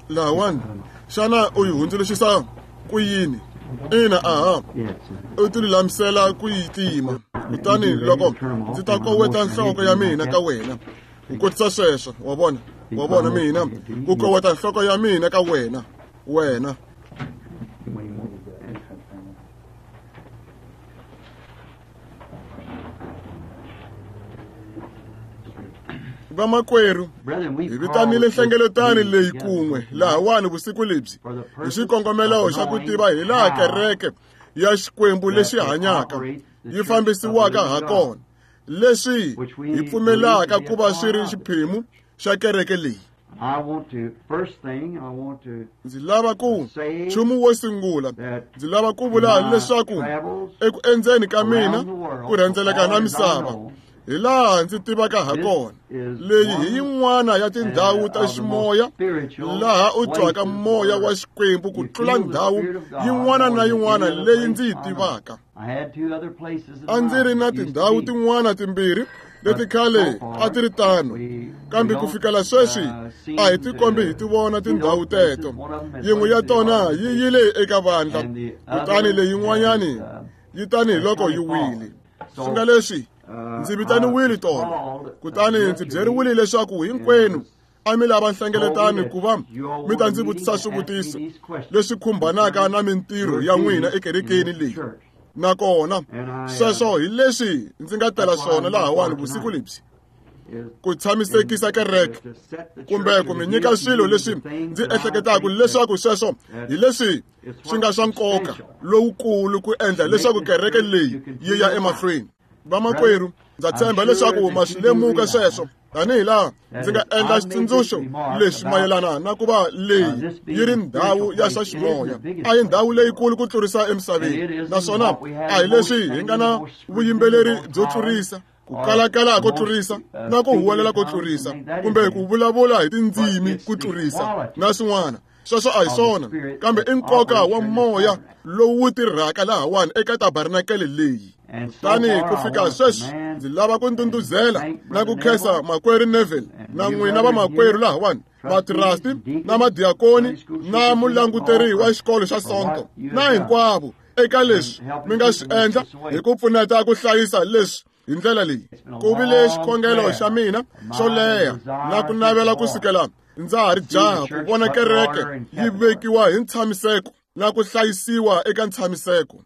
Lahawani xana u yi hundzuluxisa ku yini? Ina, aha, u ti lulamisela ku yi tima. Kutani loko ndzi ta koweta nhloko ya mina ka wena, ku kotisa sweswo, wa vona, wa vona mina ku koweta nhloko ya mina ka wena, wena. Vamakwerhu, hi vitanile nhlengeletano leyi kun'we lahawani vusiku lebyi hi xikongomelo xa ku tiva hi laha kereke ya Xikwembu lexi hanyaka yi fambisiwaka ha kona, leswi hi pfumelaka ku va swi ri xiphemu xa kereke leyi. Ndzi lava ku nchumu wo sungula, ndzi lava ku vula leswaku eku endzeni ka mina ku rhendzeleka na misava, hi laha ndzi tivaka ha kona, leyi hi yin'wana ya tindhawu ta ximoya laha u twaka moya wa Xikwembu ku tlula ndhawu yin'wana na yin'wana leyi ndzi yi tivaka. A ndzi ri na tindhawu tin'wana timbirhi leti khale a ti ri tano, kambe ku fikela sweswi a hi tikombi hi ti vona tindhawu teto. Yin'we ya tona yi yile eka vandla, kutani leyin'wanyani yi tanihi loko yi wile. Swi nga leswi ndzi vitaniwile tona, kutani ndzi byeriwile leswaku hinkwenu a mi lava nhlengeletano ku va mi ta ndzi vutisa swivutiso leswi khumbanaka na mintirho ya n'wina ekerekeni leyi. Nakona sweswo hi leswi ndzi nga tela swona lahawani vusiku lebyi, ku tshamisekisa kereke kumbe ku mi nyika swilo leswi ndzi ehleketaka leswaku sweswo hi leswi swi nga swa nkoka lowukulu ku endla leswaku kereke leyi yi ya emahlweni. Vamakwerhu, ndza tshemba leswaku ma swi lemuka sweswo, tanihi laha ndzi nga endla xitsundzuxo lexi mayelana na ku va leyi yi ri ndhawu ya swa ximoya. A hi ndhawu leyikulu ku tlurisa emisaveni, naswona a hi leswi hi nga na vuyimbeleri byo tlurisa, ku kalakala ko tlurisa, na ku huwelela ko tlurisa, kumbe ku vulavula hi tindzimi ku tlurisa, na swin'wana. Sweswo a hi swona, kambe i nkoka wa moya lowu wu tirhaka lahawani eka tabernakele leyi. Kutani ku fika sweswi ndzi lava ku ndhundhuzela na ku khensa makwerhu Neville na n'wina vamakwerhu lahawani, vatirasti na madiakoni na mulanguteri wa xikolo xa Sonto na hinkwavo eka leswi mi nga swi endla hi ku pfuneta ku hlayisa leswi hi ndlela leyi. Ku vile xikhongelo xa mina xo leha na ku navela ku sukela ndza ha ri jaha ku vona kereke yi vekiwa hi ntshamiseko na ku hlayisiwa eka ntshamiseko.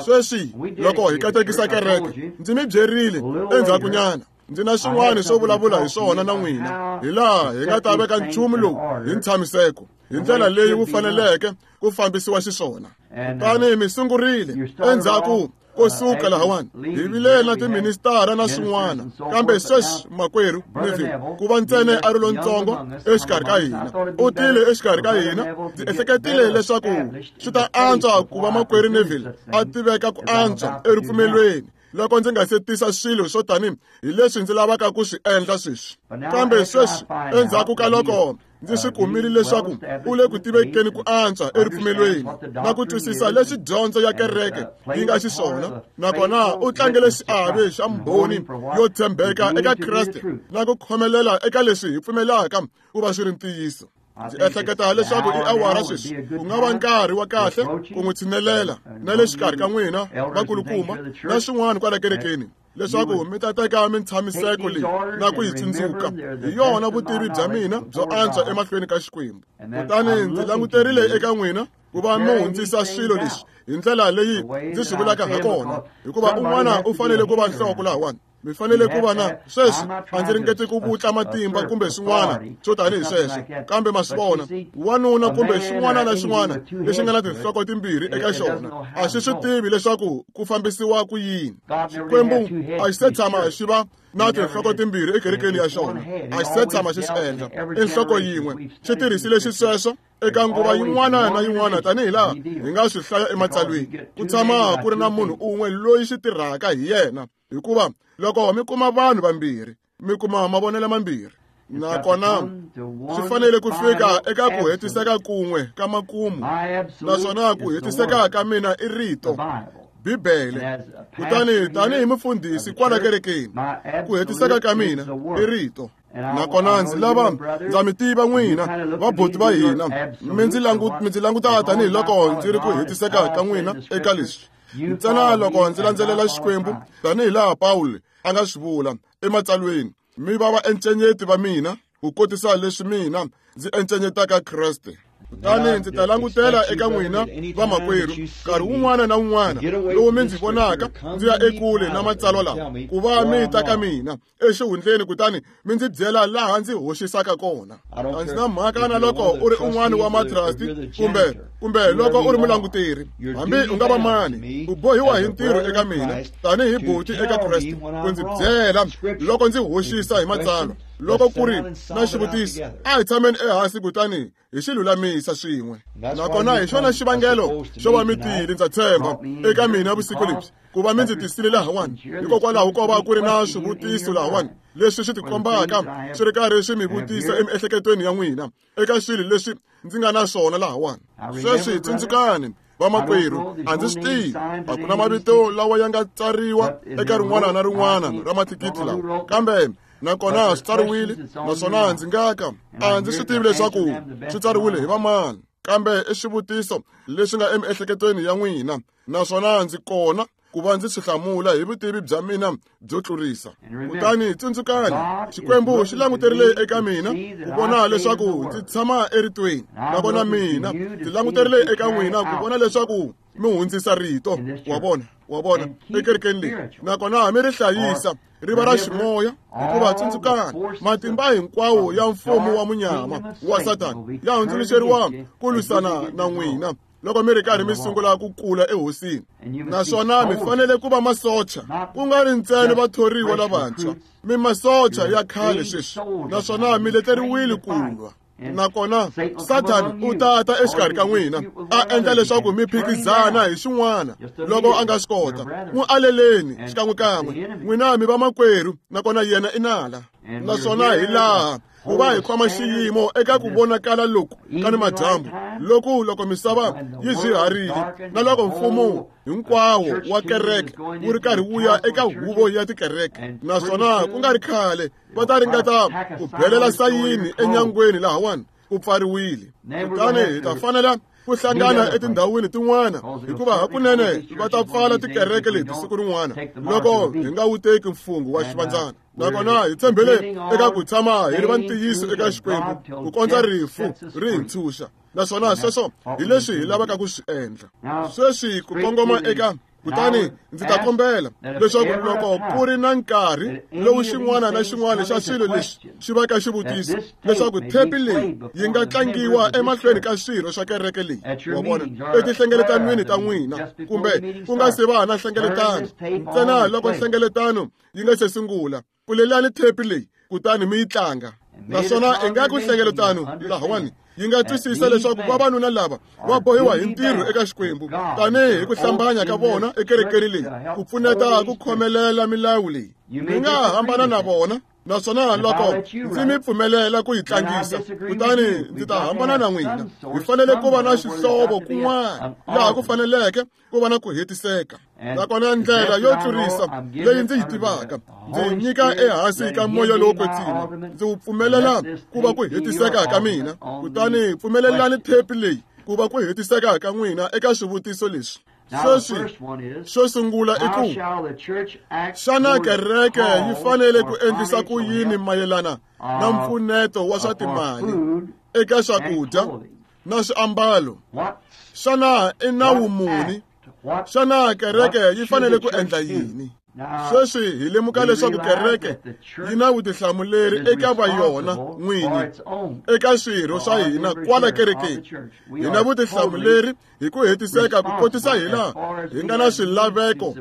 Sweswi loko hi katekisa kereke, ndzi mi byerile endzhakunyana, ndzi na swin'wana swo vulavula hi swona na n'wina, hi laha hi nga ta veka nchumu lowu hi ntshamiseko hi ndlela leyi wu faneleke ku fambisiwa xiswona. Kutani mi sungurile endzhaku ko suka lahawani, hi vile na tiministara na swin'wana, kambe sweswi makwerhu Neville ku va ntsena a ri lontsongo exikarhi ka hina, u tile exikarhi ka hina. Ndzi ehleketile leswaku swi ta antswa ku va makwerhu Neville a tiveka ku antswa eripfumelweni loko ndzi nga se tisa swilo swo tani hi leswi ndzi lavaka ku swi endla sweswi. Kambe sweswi endzhaku ka loko ndzi swi kumile leswaku u le ku tivekeni ku antswa eripfumelweni na ku twisisa leswi dyondzo ya kereke yi nga xiswona, nakona u tlangele xiave xa mbhoni yo tshembeka eka Kreste na ku khomelela eka leswi hi pfumelaka ku va swi ri ntiyiso. Ndzi ehleketa leswaku i awara sweswi ku nga va nkarhi wa kahle ku n'wi tshinelela na le xikarhi ka n'wina vakulukumba na swin'wana kwala kerekeni, leswaku mi ta teka mintshamiseko leyi na ku yi tsundzuka. Hi yona vutivi bya mina byo antswa emahlweni ka Xikwembu. Kutani ndzi languterile eka n'wina ku va mi hundzisa swilo leswi hi ndlela leyi ndzi swi vulaka ha kona, hikuva un'wana u fanele ku va nhloko lahawani. Mi fanele ku va na sweswi. A ndzi ringeti ku vutla matimba kumbe swin'wana swo tanihi sweswo, kambe ma swi vona, wanuna kumbe xin'wana na xin'wana lexi nga na tinhloko timbirhi eka xona a xi swi tivi leswaku ku fambisiwa ku yini. Xikwembu a xi se tshama xi va na tinhloko timbirhi ekerekeni ya xona, a xi se tshama xi swi endla. I nhloko yin'we, xi tirhisile xisweswo eka nguva yin'wana na yin'wana, tanihi laha hi nga swi hlaya ematsalweni. Ku tshama ku ri na munhu un'we loyi xi tirhaka hi yena, hikuva loko mi kuma vanhu vambirhi mi kuma mavonelo mambirhi, nakona swi fanele ku fika eka ku hetiseka kun'we ka makumu, naswona ku hetiseka ka mina i rito, Bibele. Kutani tanihi mufundhisi kwala kerekeni, ku hetiseka ka mina i rito. Nakona ndzi lava ndza mi tiva n'wina vabuti va hina, mi ndzi languta tanihiloko ndzi ri ku hetiseka ka n'wina eka leswi. Ntsena loko ndzi landzelela Xikwembu tanihilaha Pawulo a nga swi vula ematsalweni, mi va vaencenyeti va mina ku kotisa leswi mina ndzi encenyetaka Kreste. Kutani ndzi ta langutela eka n'wina vamakwerhu nkarhi wun'wana na wun'wana lowu mi ndzi vonaka ndzi ya ekule na matsalwa lawa, ku va mi ta ka mina exihundleni kutani mi ndzi byela laha ndzi hoxisaka kona. A ndzi na mhaka na loko u ri un'wana wa matrasti kumbe loko u ri mulanguteri, hambi u nga va mani, u bohiwa hi ntirho eka mina tanihi buti eka Kreste ku ndzi byela loko ndzi hoxisa hi matsalwa. Loko ku ri na xivutiso, a hi tshameni ehansi kutani hi xi lulamisa swin'we. Nakona hi xona xivangelo xo va mi tile, ndza tshemba, eka mina vusiku lebyi, ku va mi ndzi tisile lahawani, hikokwalaho ko va ku ri na swivutiso lahawani leswi swi tikombaka swi ri karhi swi mi vutisa emiehleketweni ya n'wina eka swilo leswi ndzi nga na swona lahawani. Sweswi tsundzukani vamakwerhu, a ndzi swi tivi, a ku na mavito lawa ya nga tsariwa eka rin'wana na rin'wana ra mathikithi lawa, kambe nakona swi tsariwile, naswona ndzi nga ka a ndzi swi tivi leswaku swi tsariwile hi vamani, kambe i swivutiso leswi nga emiehleketweni ya n'wina, naswona ndzi kona ku va ndzi swi hlamula hi vutivi bya mina byo tlurisa. Kutani tsundzukani, Xikwembu xi languterile eka mina ku vona leswaku ndzi tshama eritweni, nakona mina ndzi languterile eka n'wina ku vona leswaku mi hundzisa rito, wa vona, ekerekeni leyi, nakona mi ri hlayisa ri va ra ximoya, hikuva tsundzukani, matimba hinkwawo ya mfumo wa munyama wa Satani ya hundzuluxeriwa ku lwisana na n'wina loko mi ri karhi mi sungula ku kula ehosini. Naswona mi fanele ku va masocha, ku nga ri ntsena vathoriwa lavantshwa, mi masocha ya khale sweswi, naswona mi leteriwile ku lwa. Nakona Satani u ta ta exikarhi ka n'wina a endla leswaku mi phikizana hi xin'wana loko a nga swi kota. N'wi aleleni xikan'wekan'we, n'wina mi vamakwerhu, nakona yena i nala. Naswona hi laha ku va hi khoma xiyimo eka ku vonakala loku ka ni madyambu, loku loko misava yi byiharile na loko mfumo hinkwawo wa kereke wu ri karhi wu ya eka huvo ya tikereke, naswona ku nga ri khale va ta ringeta ku belela sayini enyangweni lahawani ku pfariwile. Kutani hi ta fanela ku hlangana etindhawini tin'wana, hikuva hakunene va ta pfala tikereke leti siku rin'wana loko hi nga wu teki mfungho wa xivandzana. Nakona hi tshembele eka ku tshama hi ri va ntiyiso eka Xikwembu ku kondza rifu ri hi ntshunxa, naswona sweswo hi leswi hi lavaka ku swi endla sweswi ku kongoma eka. Kutani ndzi ta kombela leswaku loko ku ri na nkarhi lowu xin'wana na xin'wana xa swilo leswi xi va ka xivutiso, leswaku thepi leyi yi nga tlangiwa emahlweni ka swirho swa kereke leyi, wa vona, etinhlengeletanweni ta n'wina, kumbe ku nga se va na nhlengeletano, ntsena loko nhlengeletano yi nga se sungula, pfulelani thepi leyi kutani mi yi tlanga. Naswona ingaku nhlengeletano lahawani yi nga twisisa leswaku vavanuna lava va bohiwa hi ntirho eka Xikwembu tanihi ku hlambanya ka vona ekerekeni leyi ku pfuneta ku khomelela milawu leyi. Mi nga hambana na vona, naswona loko ndzi mi pfumelela ku yi tlangisa, kutani ndzi ta hambana na n'wina. Hi fanele ku va na xihlovo kun'wana laha ku faneleke ku va na ku hetiseka. Nakona ndlela yo tlurisa leyi ndzi yi tivaka, ndzi yi nyika ehansi ka moya lowo kwetsima, ndzi wu pfumelela ku va ku hetiseka ka mina. Kutani pfumelelani thepi leyi ku va ku hetiseka ka n'wina eka swivutiso leswi. Sweswi xo sungula i ku, xana kereke yi fanele ku endlisa ku yini mayelana na mpfuneto wa swa timali eka swakudya na swiambalo? Xana i nawu muni? Xana kereke yi fanele ku endla yini? Sweswi hi lemuka leswaku kereke yi na vutihlamuleri eka va yona n'winyi, eka swirho swa hina kwala kerekeni. Hi na vutihlamuleri hi ku hetiseka ku kotisa hilaha hi nga na swilaveko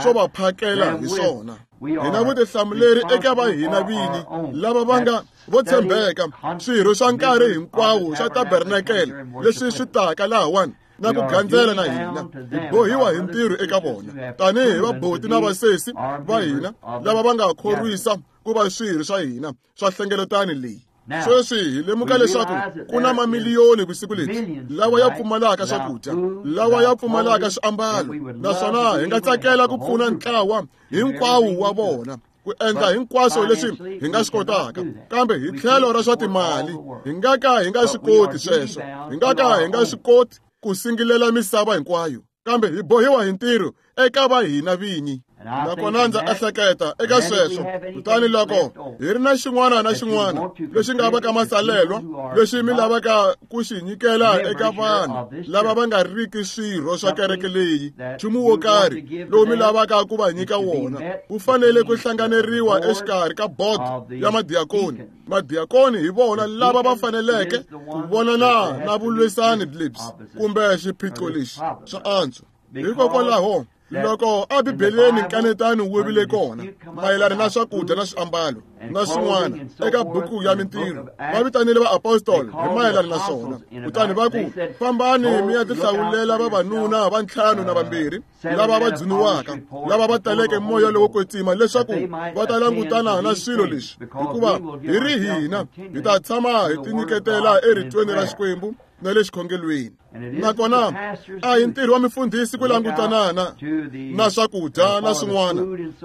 swo va phakela hi swona. Hi na vutihlamuleri eka va hina vini lava va nga vo tshembeka, swirho swa nkarhi hinkwawo swa tabernakele leswi swi taka lahawani na ku gandzela na hina. Hi bohiwa hi ntirho eka vona tanihi vaboti na vasesi va hina lava va nga khorwisa ku va swirho swa hina swa nhlengeletano leyi. Sweswi hi lemuka leswaku ku na mamiliyoni vusiku lebyi lawa ya pfumalaka swakudya, lawa ya pfumalaka swiambalo, naswona hi nga tsakela ku pfuna ntlawa hinkwawo wa vona. ku endla hinkwaswo leswi hi nga swi kotaka, kambe hi tlhelo ra swa timali hi nga ka hi nga swi koti sweswo. Hi nga ka hi nga swi koti ku singilela misava hinkwayo, kambe hi bohiwa hi ntirho eka va hina vinyi. Nakona ndza ehleketa eka sweswo. Kutani loko hi ri na xin'wana na xin'wana lexi nga va ka masalelwa lexi mi lavaka ku xi nyikela eka vanhu lava va nga riki swirho swa kereke leyi, nchumu wo karhi lowu mi lavaka ku va nyika wona wu fanele ku hlanganeriwa exikarhi ka bodo ya madiakoni. Madiakoni hi vona lava va faneleke ku vonana na vulwisani lebyi kumbe xiphiqo lexi swa antswa. Hikokwalaho loko eBibeleni nkanetano wu vile kona mayelana na swakudya na swiambalo na swin'wana eka buku ya Mintirho, va vitanile vaapostoli hi mayelana na swona. Kutani va ku, fambani mi ya tihlawulela vavanuna va 5 na 2 lava va dzuniwaka, lava va taleke moya lowo kwetsima, leswaku va ta langutana na swilo leswi, hikuva hi ri hina hi ta tshama hi tinyiketela eritweni ra Xikwembu na le xikhongelweni. Nakona a hi ntirho wa mifundhisi ku langutana na swakudya na swin'wana.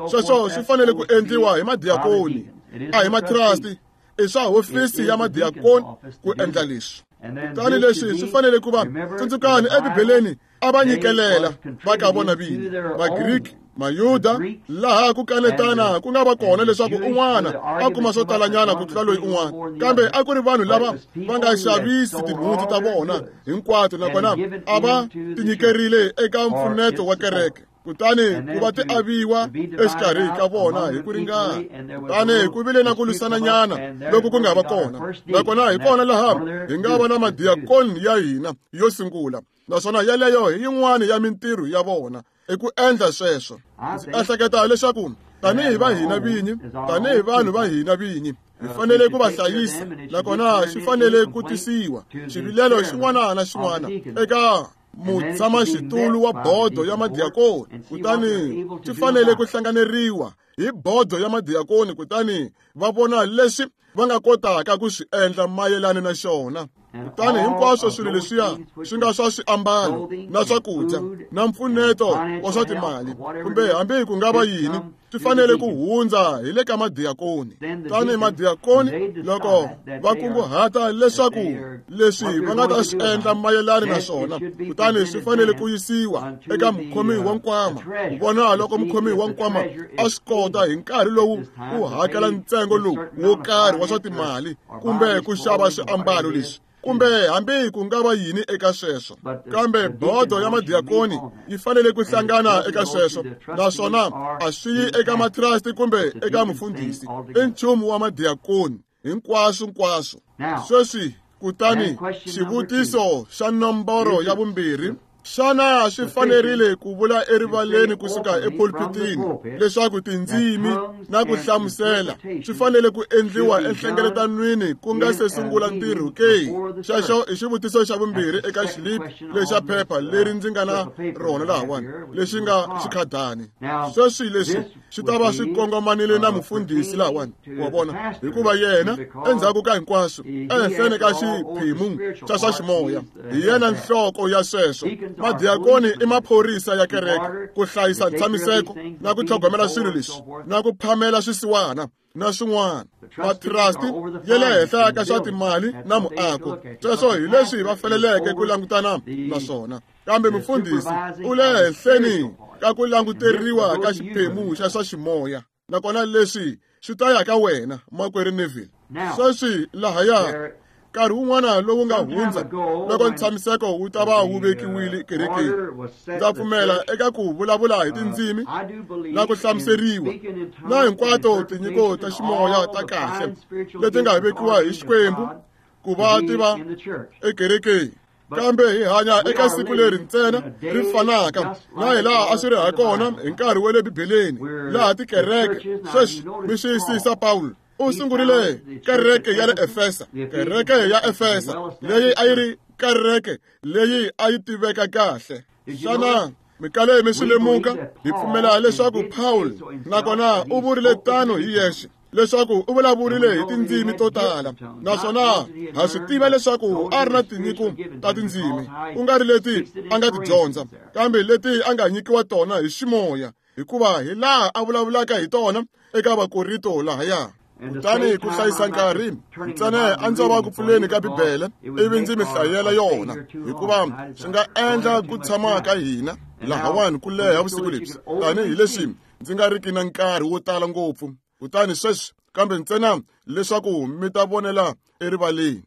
Sweswo swi fanele ku endliwa hi madiakoni, a hi matrasti. I swa hofisi ya madiakoni ku endla leswi. Kutani leswi swi fanele ku va, tsundzukani eBibeleni a va nyikelela va ka vona vini, Magriki, Mayuda, laha ku kanetana ku nga va kona leswaku un'wana a kuma swo talanyana ku tlula loyi un'wana, kambe a ku ri vanhu lava va nga xavisi tinhundzu ta vona hinkwato, nakona a va tinyikerile eka mpfuneto wa kereke. Kutani ku va ti aviwa exikarhi ka vona hi ku ringana. Kutani ku vile na ku lwisananyana loko ku nga va kona, nakona hi kona laha hi nga va na madiakoni ya hina yo sungula, naswona yeleyo hi yin'wana ya mintirho ya vona i ku endla sweswo. Ndzi ehleketa leswaku tanihi va hina vinyi, tanihi vanhu va hina vinyi, hi fanele ku va hlayisa, nakona swi fanele ku tisiwa xivilelo xin'wana na xin'wana eka mutshamaxitulu wa bodo ya madiakoni. Kutani swi fanele ku hlanganeriwa hi bodo ya madiakoni, kutani va vona leswi va nga kotaka ku swi endla mayelana na xona. Kutani hinkwaswo swilo leswiya swi nga swa swiambalo na swakudya na mpfuneto wa swa timali kumbe hambi ku nga va yini, swi fanele ku hundza hi le ka madiakoni. Kutani madiakoni loko va kunguhata leswaku leswi va nga ta swi endla mayelana na swona, kutani swi fanele ku yisiwa eka mukhomi wa nkwama, ku vona loko mukhomi wa nkwama a swi kota hi nkarhi lowu ku hakela ntsengo lowu wo karhi wa swa timali kumbe ku xava swiambalo leswi, kumbe hambi ku nga va yini eka sweswo. Kambe bodo ya madiakoni yi fanele ku hlangana eka sweswo, naswona a swi yi eka matrasti kumbe eka mufundhisi. I nchumu wa madiakoni hinkwaswo nkwaswo. Sweswi kutani xivutiso xa nomboro ya 2, xana swi fanerile ku vula erivaleni kusuka epulpitini leswaku tindzimi na ku hlamusela swi fanele ku endliwa enhlengeletanweni ku nga se sungula ntirho ke? Xexo i xivutiso xa 2 eka xilipi lexa phepha leri ndzi nga na rona lahawani lexi nga xikhadani. Sweswi leswi swi ta va swi kongomanile na mufundhisi lahawani, wa vona, hikuva yena endzhaku ka hinkwaswo ehenhleni ka xiphemu xa swa ximoya hi yena nhloko ya sweswo. Madiakoni i maphorisa ya kereke ku hlayisa ntshamiseko na ku tlhogomela swilo leswi na ku phamela swisiwana na swin'wana. Matrasti ya le henhla ka swa timali na muako, sweswo hi leswi va faneleke ku langutana na swona. Kambe mufundhisi u le henhleni ka ku languteriwa ka xiphemu xa swa ximoya, nakona leswi swi ta ya ka wena, makwerhu Neville. Sweswi lahaya nkarhi wun'wana lowu nga hundza loko ntshamiseko wu ta va wu vekiwile kerekeni, ndza pfumela eka ku vulavula hi tindzimi na ku hlamuseriwa na hinkwato tinyiko ta ximoya ta kahle leti nga vekiwa hi Xikwembu ku va ti va ekerekeni. Kambe hi hanya eka siku leri ntsena ri fanaka na hi laha a swi ri ha kona hi nkarhi wa le Bibeleni, laha tikereke. Sweswi mi xiyisisa Pawulo u sungurile kereke ya le Efesa, kereke ya Efesa leyi a yi ri kereke leyi a yi tiveka kahle. Xana mi kale mi swi lemuka? Hi pfumela leswaku Paul nakona u vurile tano hi yexe, leswaku u vulavurile hi tindzimi to tala, naswona ha swi tiva leswaku a ri na tinyiko ta tindzimi, ku nga ri leti a nga ti dyondza, kambe leti a nga nyikiwa tona hi ximoya. hikuva hi laha a vulavulaka hi tona eka Vakorinto lahaya. Kutani ku hlayisa nkarhi ntsena a ndzi va ku pfuleni ka Bibele ivi ndzi mi hlayela yona, hikuva swi nga endla ku tshama ka hina lahawani ku leha vusiku lebyi, tanihileswi ndzi nga riki na nkarhi wo tala ngopfu. Kutani sweswi kambe ntsena leswaku mi ta vonela erivaleni.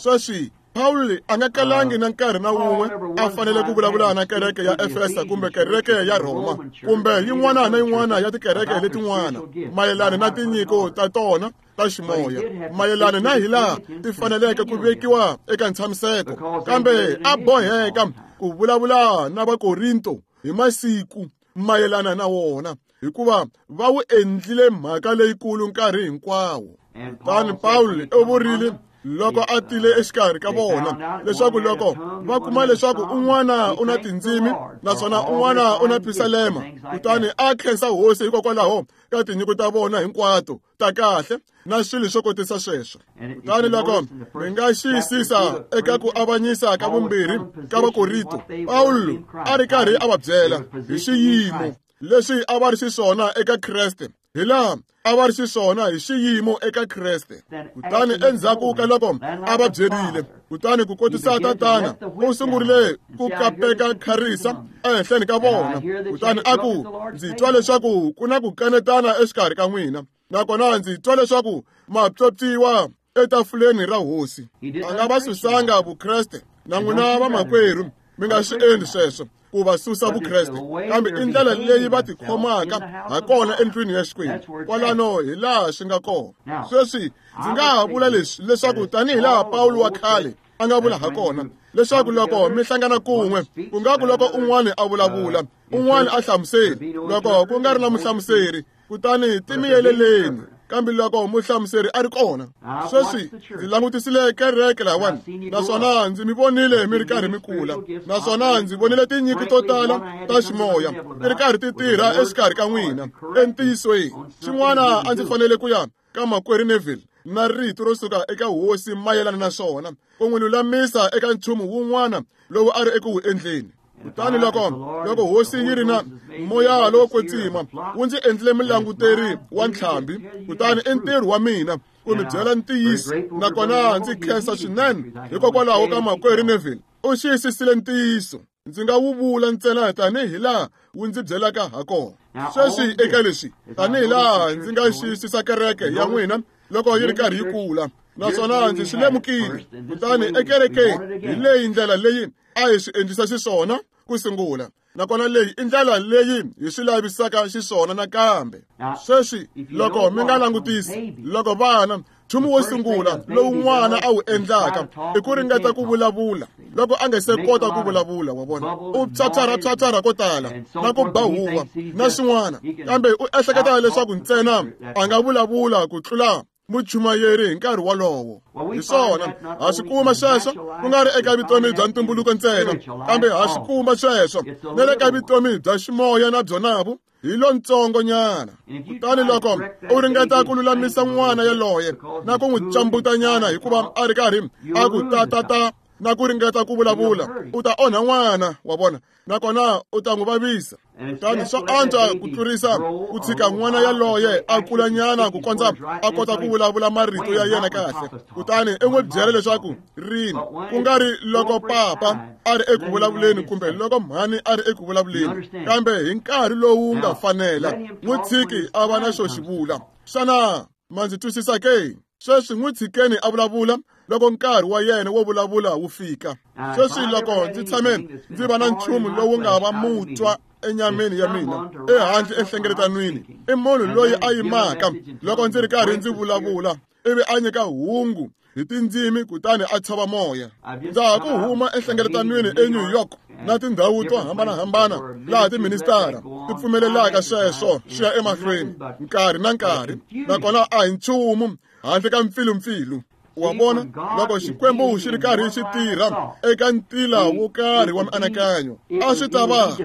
Sweswi Pawulo a nga kalangi na nkarhi na wun'we a fanele ku vulavula na kereke ya Efesa kumbe kereke ya Rhoma kumbe yin'wana na yin'wana ya tikereke letin'wana mayelana na tinyiko ta tona ta ximoya, mayelana na hilaha ti faneleke ku vekiwa eka ntshamiseko, kambe a boheka ku vulavula na Vakorinto hi masiku mayelana na wona, hikuva va wu endlile mhaka leyikulu nkarhi hinkwawo. Kutani Pawulo u vurile loko a tile exikarhi ka vona leswaku loko va kuma leswaku un'wana u na tindzimi naswona un'wana u na pisalema, kutani a khensa hosi hikokwalaho ka tinyiko ta vona hinkwato ta kahle na swilo swo kotisa sweswo. Kutani loko mi nga xiyisisa eka ku avanyisa ka vumbirhi ka Vakorinto, Pawulo a ri karhi a va byela hi xiyimo leswi a va ri xiswona eka Kreste, hi laha a va ri xiswona hi xiyimo eka Kreste. Kutani endzhaku ka loko a va byerile, kutani ku kotisa tatana u sungurile ku kapeka kharisa ehenhleni ka vona, kutani a ku, ndzi twa leswaku ku na ku kanetana exikarhi ka n'wina, nakona ndzi twa leswaku ma pyopyiwa etafuleni ra hosi. A nga va susanga Vukreste na n'wina vamakwerhu mi nga swi endli sweswo ku va susa Vukreste, kambe i ndlela leyi va tikhomaka ha kona endlwini ya Xikwembu. Kwalano hi laha swi nga kona. Sweswi ndzi nga ha vula leswi leswaku tanihi laha Pawulo wa khale a nga vula ha kona, leswaku loko mi hlangana kun'we, ku nga ku loko un'wana a vulavula, un'wana a hlamuseri, loko ku nga ri na muhlamuseri, kutani timiyeleleni, kambe loko muhlamuseri a ri kona. Sweswi ndzi langutisile kereke lahawani, naswona ndzi mi vonile mi ri karhi mi kula, naswona ndzi vonile tinyiko to tala ta ximoya ti ri karhi ti tirha exikarhi ka n'wina. Entiyisweni xin'wana a ndzi fanele ku ya ka makwerhu Neville na rito ro suka eka hosi mayelana na swona, ku n'wi lulamisa eka nchumu wun'wana lowu a ri eku wu endleni. Kutani loko hosi yi ri na moya lowo kwetsima wu ndzi endlile mulanguteri wa ntlhambi, kutani i ntirho wa mina ku mi byela ntiyiso, nakona ndzi khensa swinene hikokwalaho ka makwerhu Neville. U xiyisisile ntiyiso, ndzi nga wu vula ntsena tanihi laha wu ndzi byelaka ha kona. Sweswi eka leswi, tanihi laha ndzi nga xiyisisa kereke ya n'wina loko yi ri karhi yi kula, naswona ndzi swi lemukile, kutani ekerekeni hi leyi ndlela leyi a hi swi endlisa xiswona ku sungula, nakona leyi i ndlela leyi hi swi lavisaka xiswona nakambe. Sweswi loko mi nga langutisi, loko vana, nchumu wo sungula lowu n'wana a wu endlaka i ku ringeta ku vulavula loko a nga se kota ku vulavula, wa vona, u phyaphyarha ko tala na ku ba huwa na swin'wana, kambe u ehleketa leswaku ntsena a nga vulavula ku tlula muchumayeri hi nkarhi wolowo. Hi swona ha swi kuma sweswo ku nga ri eka vutomi bya ntumbuluko ntsena, kambe ha swi kuma sweswo na le ka vutomi bya ximoya na byonavo hi lontsongonyana. Kutani loko u ringeta ku lulamisa n'wana yaloye na ku n'wi cambutanyana hikuva a ri karhi a ku tatata na ku ringeta ku vulavula, u ta onha n'wana wa vona, nakona u ta n'wi vavisa. Kutani swa antswa ku tlurisa ku tshika n'wana yaloye a kulanyana ku kondza a kota ku vulavula marito ya yena kahle, kutani i n'wi byela leswaku rini, ku nga ri loko papa a ri eku vulavuleni kumbe loko mhani a ri eku vulavuleni, kambe hi nkarhi lowu nga fanela, n'wi tshiki a va na xo xi vula. Xana ma ndzi twisisa ke? Sweswi n'wi tshikeni a vulavula loko nkarhi wa yena wo vulavula wu fika. Sweswi loko ndzi tshame ndzi va na nchumu lowu nga va mutwa enyameni ya mina ehandle enhlengeletanweni, i munhu loyi a yimaka loko ndzi ri karhi ndzi vulavula ivi a nyika hungu hi tindzimi kutani a tshova moya. Ndza ha ku huma enhlengeletanweni eNew York na tindhawu to hambanahambana laha tiministara ti pfumelelaka sweswo swi ya emahlweni nkarhi na nkarhi, nakona a hi nchumu handle ka mpfilumpfilu. Wa vona, loko Xikwembu xi ri karhi xi tirha eka ntila wo karhi wa mianakanyo, a xi ta va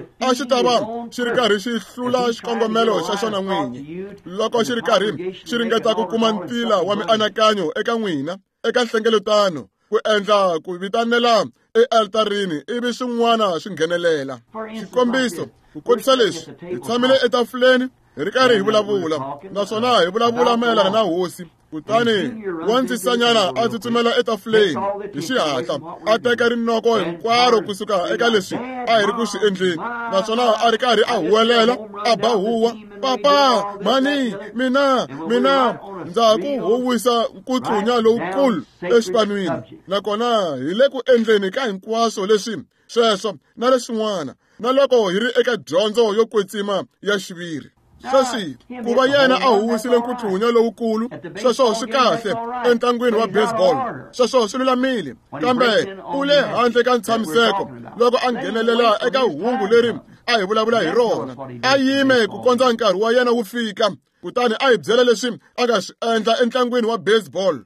xi ri karhi xi hlula xikongomelo xa xona n'winyi. Loko xi ri karhi xi ringeta ku kuma ntila wa mianakanyo eka n'wina eka nhlengeletano, ku endla ku vitanela ealtarini ivi swin'wana swi nghenelela. Xikombiso, ku kotisa leswi, hi tshamile etafuleni hi ri karhi hi vulavula, naswona hi vulavula mayelana na hosi. Kutani wandzisanyana a tsutsumela etafuleni hi xihatla, a teka rinoko hinkwaro kusuka eka leswi a hi ri ku swi endleni, naswona a ri karhi a huwelela, a ba huwa, "Papa, mhani, mina, mina!" Ndza ku huwisa nkutlunya lowukulu exipanwini. Nakona hi le ku endleni ka hinkwaswo leswi sweswo na leswin'wana, na loko hi ri eka dyondzo yo kwetsima ya xiviri. Sweswi ku va yena a huwisile nkutlunya lowukulu, sweswo swi kahle entlangwini wa baseball, sweswo swi lulamile, kambe u le handle ka ntshamiseko loko a nghenelela eka hungu leri a hi vulavula hi rona. A yime ku kondza nkarhi wa yena wu fika, kutani a hi byela leswi a nga swi endla entlangwini wa baseball.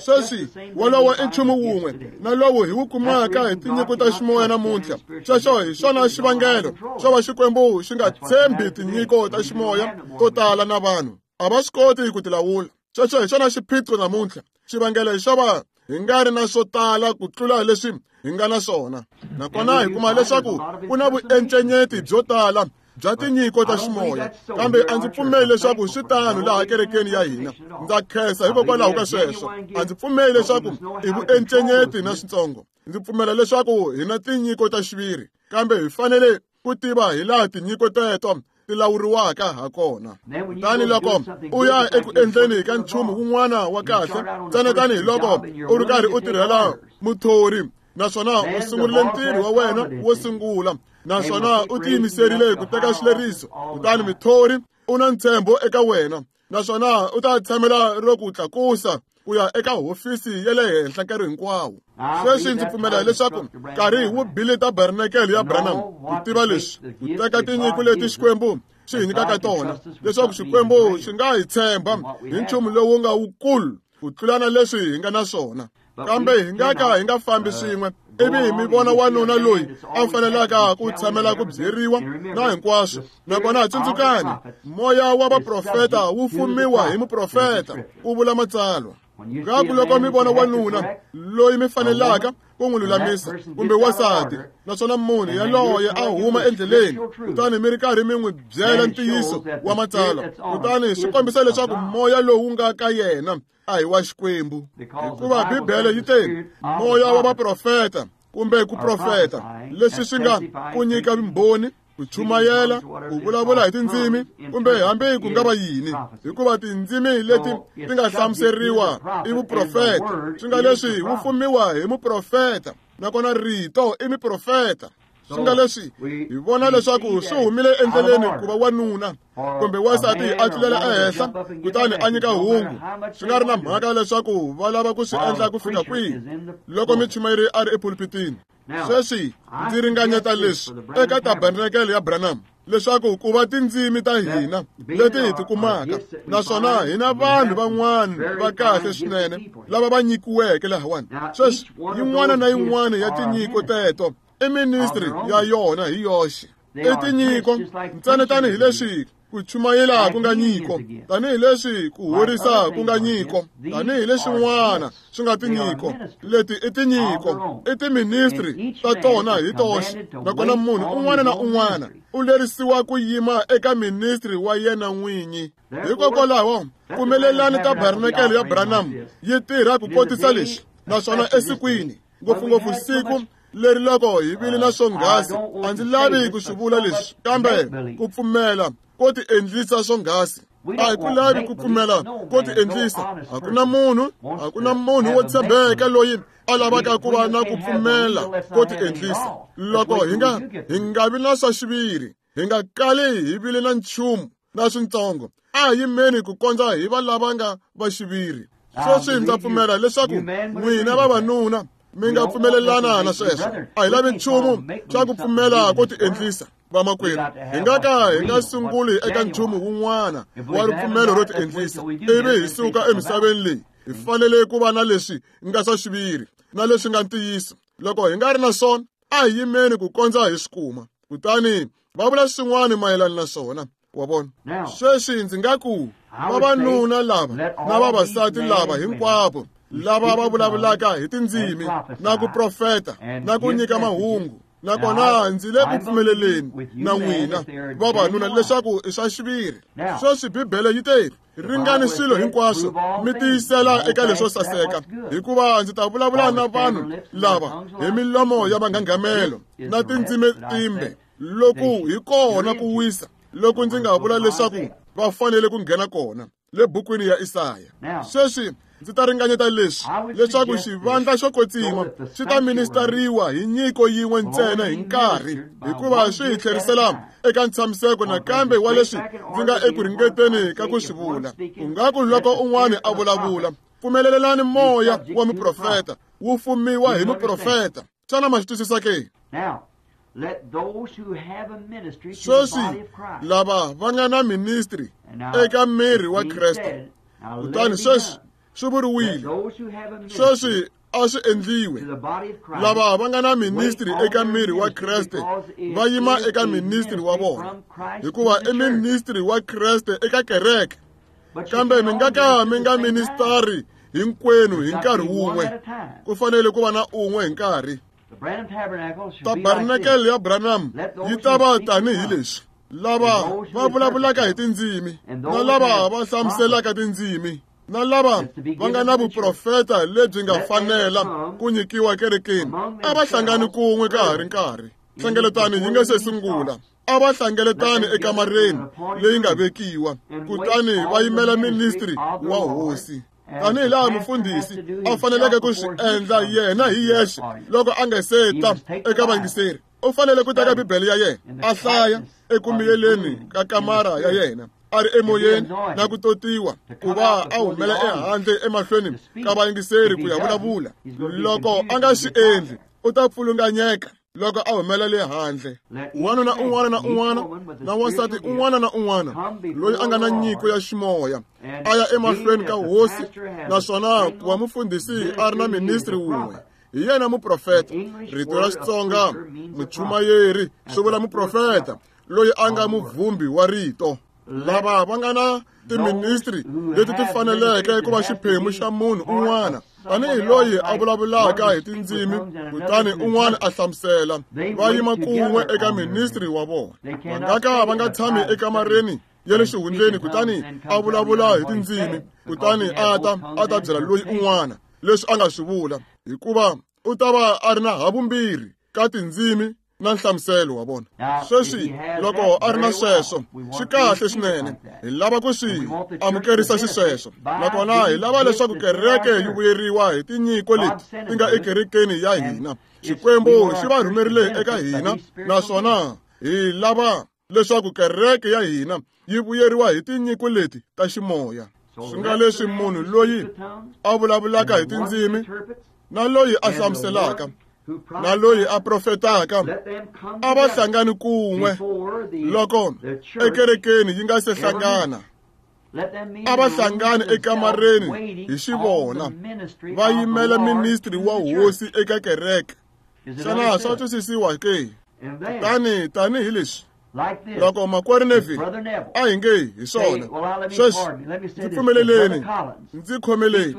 Sweswi wolowo i nchumu wun'we na lowu hi wu kumaka hi tinyiko ta ximoya namuntlha. Sweswo hi swona xivangelo xo va Xikwembu xi nga tshembi tinyiko ta ximoya to tala na vanhu a va swi koti ku ti lawula. Sweswo hi xona xiphiqo namuntlha. Xivangelo xo va hi nga ri na swo tala ku tlula leswi hi nga na swona. Nakona hi kuma leswaku ku na vuencenyeti byo tala bya tinyiko ta ximoya, kambe a ndzi pfumeli leswaku swi tano laha kerekeni ya hina. Ndza khensa hikokwalaho ka sweswo. A ndzi pfumeli leswaku i vuencenyeti na switsongo. Ndzi pfumela leswaku hi na tinyiko ta xiviri, kambe hi fanele ku tiva hi laha tinyiko teto ti lawuriwaka ha kona. Kutani loko u ya eku endleni ka nchumu wun'wana wa kahle, ntsena tanihiloko u ri karhi u tirhela muthori, naswona u sungurile ntirho wa wena wo sungula, naswona u tiyimiserile ku teka xileriso, kutani muthori u na ntshembo eka wena, naswona u ta tshamela ro ku tlakusa ku ya eka hofisi ya le henhla nkarhi hinkwawo. Sweswi ndzi pfumela leswaku nkarhi wu bile tabernakele ya Branham ku tiva leswi, ku teka tinyiko leti Xikwembu xi hi nyikaka tona, leswaku Xikwembu xi nga hi tshemba hi nchumu lowu nga wukulu ku tlula na leswi hi nga na swona. Kambe hi nga ka hi nga fambi swin'we ivi mi vona wanuna loyi a fanelaka ku tshamela ku byeriwa na hinkwaswo. Nakona tsundzukani, moya wa vaprofeta wu fumiwa hi muprofeta, ku vula matsalwa. Ngaku loko mi vona wanuna loyi mi fanelaka ku n'wi lulamisa kumbe wansati, naswona munhu yaloye a huma endleleni, kutani mi ri karhi mi n'wi byela ntiyiso wa matsalwa, kutani swi kombisa leswaku moya lowu nga ka yena a hi wa Xikwembu. Hikuva Bibele yi te, moya wa vaprofeta kumbe ku profeta, leswi swi nga ku nyika vumbhoni, ku chumayela, ku vulavula hi tindzimi, kumbe hambi ku nga va yini, hikuva tindzimi leti ti nga hlamuseriwa i vuprofeta, swi nga leswi wu fumiwa hi muprofeta, nakona rito i muprofeta. Swi nga leswi hi vona leswaku swi humile endleleni ku va wanuna kumbe wansati a tlulela ehenhla kutani a nyika hungu, swi nga ri na mhaka leswaku va lava ku swi endla ku fika kwihi loko muchumayeri a ri epulpitini. Sweswi ndzi ringanyeta leswi eka tabernakele ya Branham, leswaku ku va tindzimi ta hina leti hi ti kumaka, naswona hi na vanhu van'wana va kahle swinene lava va nyikiweke lahawani. Sweswi yin'wana na yin'wana ya tinyiko teto i ministry ya yona hi yoxe. I tinyiko ntsena tanihileswi ku chumayela ku nga nyiko, tanihileswi ku horisa ku nga nyiko, tanihileswin'wana swi nga tinyiko. Leti i tinyiko, i tiministry ta tona hi toxe. Nakona munhu un'wana na un'wana u lerisiwa ku yima eka ministry wa yena n'winyi. Hikokwalaho pfumelelani tabernakele ya Branham yi tirha ku kotisa leswi, naswona esikwini, ngopfungopfu siku leri loko hi vile na swonghasi, a ndzi lavi ku swi vula leswi, kambe ku pfumela ko ti endlisa swonghasi. A hi ku lavi ku pfumela ko ti endlisa. A ku na munhu, a ku na munhu wo tshembeka loyi a lavaka ku va na ku pfumela ko ti endlisa. Loko hi nga vi na swa xiviri, hi nga kali hi vile na nchumu na swintsongo, a hi yimeni ku kondza hi va lava nga va xiviri. Sweswi ndza pfumela leswaku n'wina vavanuna mi nga pfumelelana na sweswo. A hi lavi nchumu xa ku pfumela ko ti endlisa, vamakwerhu. Hi nga ka hi nga sunguli eka nchumu wun'wana wa ripfumelo ro ti endlisa ivi hi suka emisaveni leyi. Hi fanele ku va na leswi nga swa xiviri na leswi nga ntiyiso. Loko hi nga ri na swona, a hi yimeni ku kondza hi swi kuma, kutani va vula swin'wana mayelana na swona. Wa vona? Sweswi ndzi nga ku vavanuna lava na vavasati lava hinkwavo Lava va vulavulaka hi tindzimi na ku profeta na ku nyika mahungu, nakona ndzi le ku pfumeleleni na n'wina vavanuna leswaku i swa xiviri. Sweswi Bibele yi te, ringani swilo hinkwaswo mi tiyisela eka leswo saseka, hikuva ndzi ta vulavula na vanhu lava hi milomo ya vanghanghamelo na tindzimi timbe. Loku hi kona ku wisa loku ndzi nga vula leswaku va fanele ku nghena kona le bukwini ya Isaya. Sweswi ndzi ta ringanyeta leswi, leswaku xivandla xo kwetsima xi ta ministariwa hi nyiko yin'we ntsena hi nkarhi, hikuva swi hi tlherisela eka ntshamiseko nakambe wa leswi ndzi nga eku ringeteni ka ku swi vula. Ku nga ku loko un'wana a vulavula, pfumelelani moya wa muprofeta wu fumiwa hi muprofeta. Xana ma swi twisisa ke? Sweswi lava va nga na ministry eka miri wa Kreste, kutani sweswi swi vuriwile, sweswi a swi endliwe. Lava va nga na ministry eka miri wa Kreste va yima eka ministry wa vona, hikuva i ministry wa Kreste eka kereke. Kambe mi nga ka mi nga ministari hinkwenu hi nkarhi wun'we, ku fanele ku va na un'we hi nkarhi. Tabernacle ya Branham yi ta va tanihi leswi, lava va vulavulaka hi tindzimi na lava va hlamuselaka tindzimi na lava va nga na vuprofeta lebyi nga fanela ku nyikiwa kerekeni, a va hlangani kun'we ka ha ri nkarhi. Hlengeletano yi nga se sungula, a va hlengeletani ekamareni leyi nga vekiwa, kutani va yimela ministry wa hosi. Tanihi laha mufundhisi a faneleke ku swi endla yena hi yexe loko a nga se ta eka vayingiseri, u fanele ku teka Bibele ya yena a hlaya ekumiyeleni ka kamara ya yena a ri emoyeni na ku totiwa ku va a humela ehandle emahlweni ka vayingiseri ku ya vulavula. Loko a nga swi endli, u ta pfulunganyeka loko a humela le handle. Wanuna un'wana na un'wana na wansati un'wana na un'wana loyi a nga na nyiko ya ximoya a ya emahlweni ka hosi, naswona ku va mufundhisi a ri na ministry wun'we, hi yena muprofeta. Rito ra Xitsonga muchumayeri swi vula muprofeta loyi a nga muvhumbi wa rito. Lava va nga na tiministri leti ti faneleke ku va xiphemu xa munhu un'wana, tanihi loyi a vulavulaka hi tindzimi kutani un'wana a hlamusela, va yima kun'we eka ministri wa vona. Va nga ka va nga tshami ekamareni ya le xihundleni kutani a vulavula hi tindzimi kutani a ta byela loyi un'wana leswi a nga swi vula, hikuva u ta va a ri na havumbirhi ka tindzimi na nhlamuselo wa vona. Sweswi loko a ri na sweswo swi kahle swinene, hi lava ku swi amukerisa xisweswo, nakona hi lava leswaku kereke yi vuyeriwa hi tinyiko leti ti nga ekerekeni ya hina. Xikwembu xi va rhumerile eka hina, naswona hi lava leswaku kereke ya hina yi vuyeriwa hi tinyiko leti ta ximoya. Swi nga leswi munhu loyi a vulavulaka hi tindzimi na loyi a hlamuselaka na loyi a profetaka a va hlangani kun'we loko ekerekeni yi nga se hlangana. A va hlangani ekamareni hi xivona, va yimela ministry wa hosi eka kereke. Xana swa twisisiwa ke? Kutani tanihi leswi, loko makwerhu Neville a hi nge hi swona, sweswi ndzi pfumeleleni, ndzi khomeleni,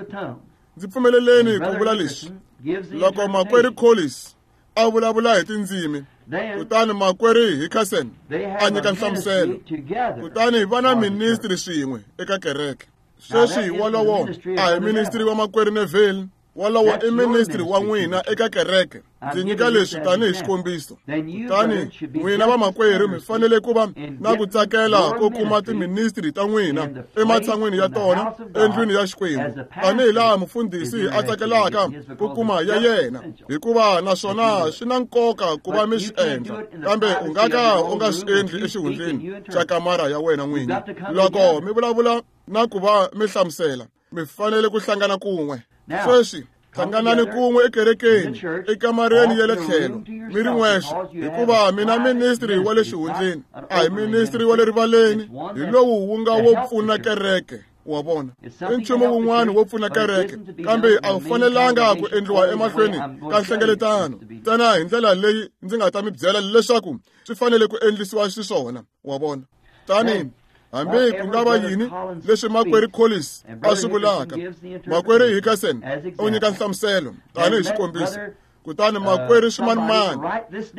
ndzi pfumeleleni ku vula leswi. Loko makwerhu Collins a vulavula hi tindzimi, kutani makwerhu Hickerson a nyika nhlamuselo, kutani va na ministry swin'we eka kereke. Sweswi wolowo a hi ministry wa makwerhu Neville, wolowo i ministry wa n'wina eka kereke. Ndzi nyika leswi tanihi xikombiso. Kutani n'wina vamakwerhu mi fanele ku va na ku tsakela ko kuma tiministri ta n'wina ematshan'wini ya tona endlwini ya Xikwembu, tanihi laha mufundhisi a tsakelaka ku kuma ya yena, hikuva naswona swi na nkoka ku va mi swi endla. Kambe u nga ka u nga swi endli exihundleni xa kamara ya wena n'winyi. Loko mi vulavula na ku va mi hlamusela, mi fanele ku hlangana kun'we. Sweswi hlanganani kun'we ekerekeni, ekamareni ya le tlhelo, mi ri n'wexe, hikuva mina ministry wa le xihundleni a hi ministry wa le rivaleni, hi lowu wu nga wo pfuna kereke. Wa vona, i nchumu wun'wana wo pfuna kereke, kambe a wu fanelanga ku endliwa emahlweni ka nhlengeletano ntsena hi ndlela leyi ndzi nga ta mi byela leswaku swi fanele ku endlisiwa xiswona. Wa vona, tani Hambi ku nga va yini leswi makwerhu Collins a swi vulaka, makwerhu Hickerson u nyika nhlamuselo tanihi xikombiso. Kutani makwerhu Ximanimani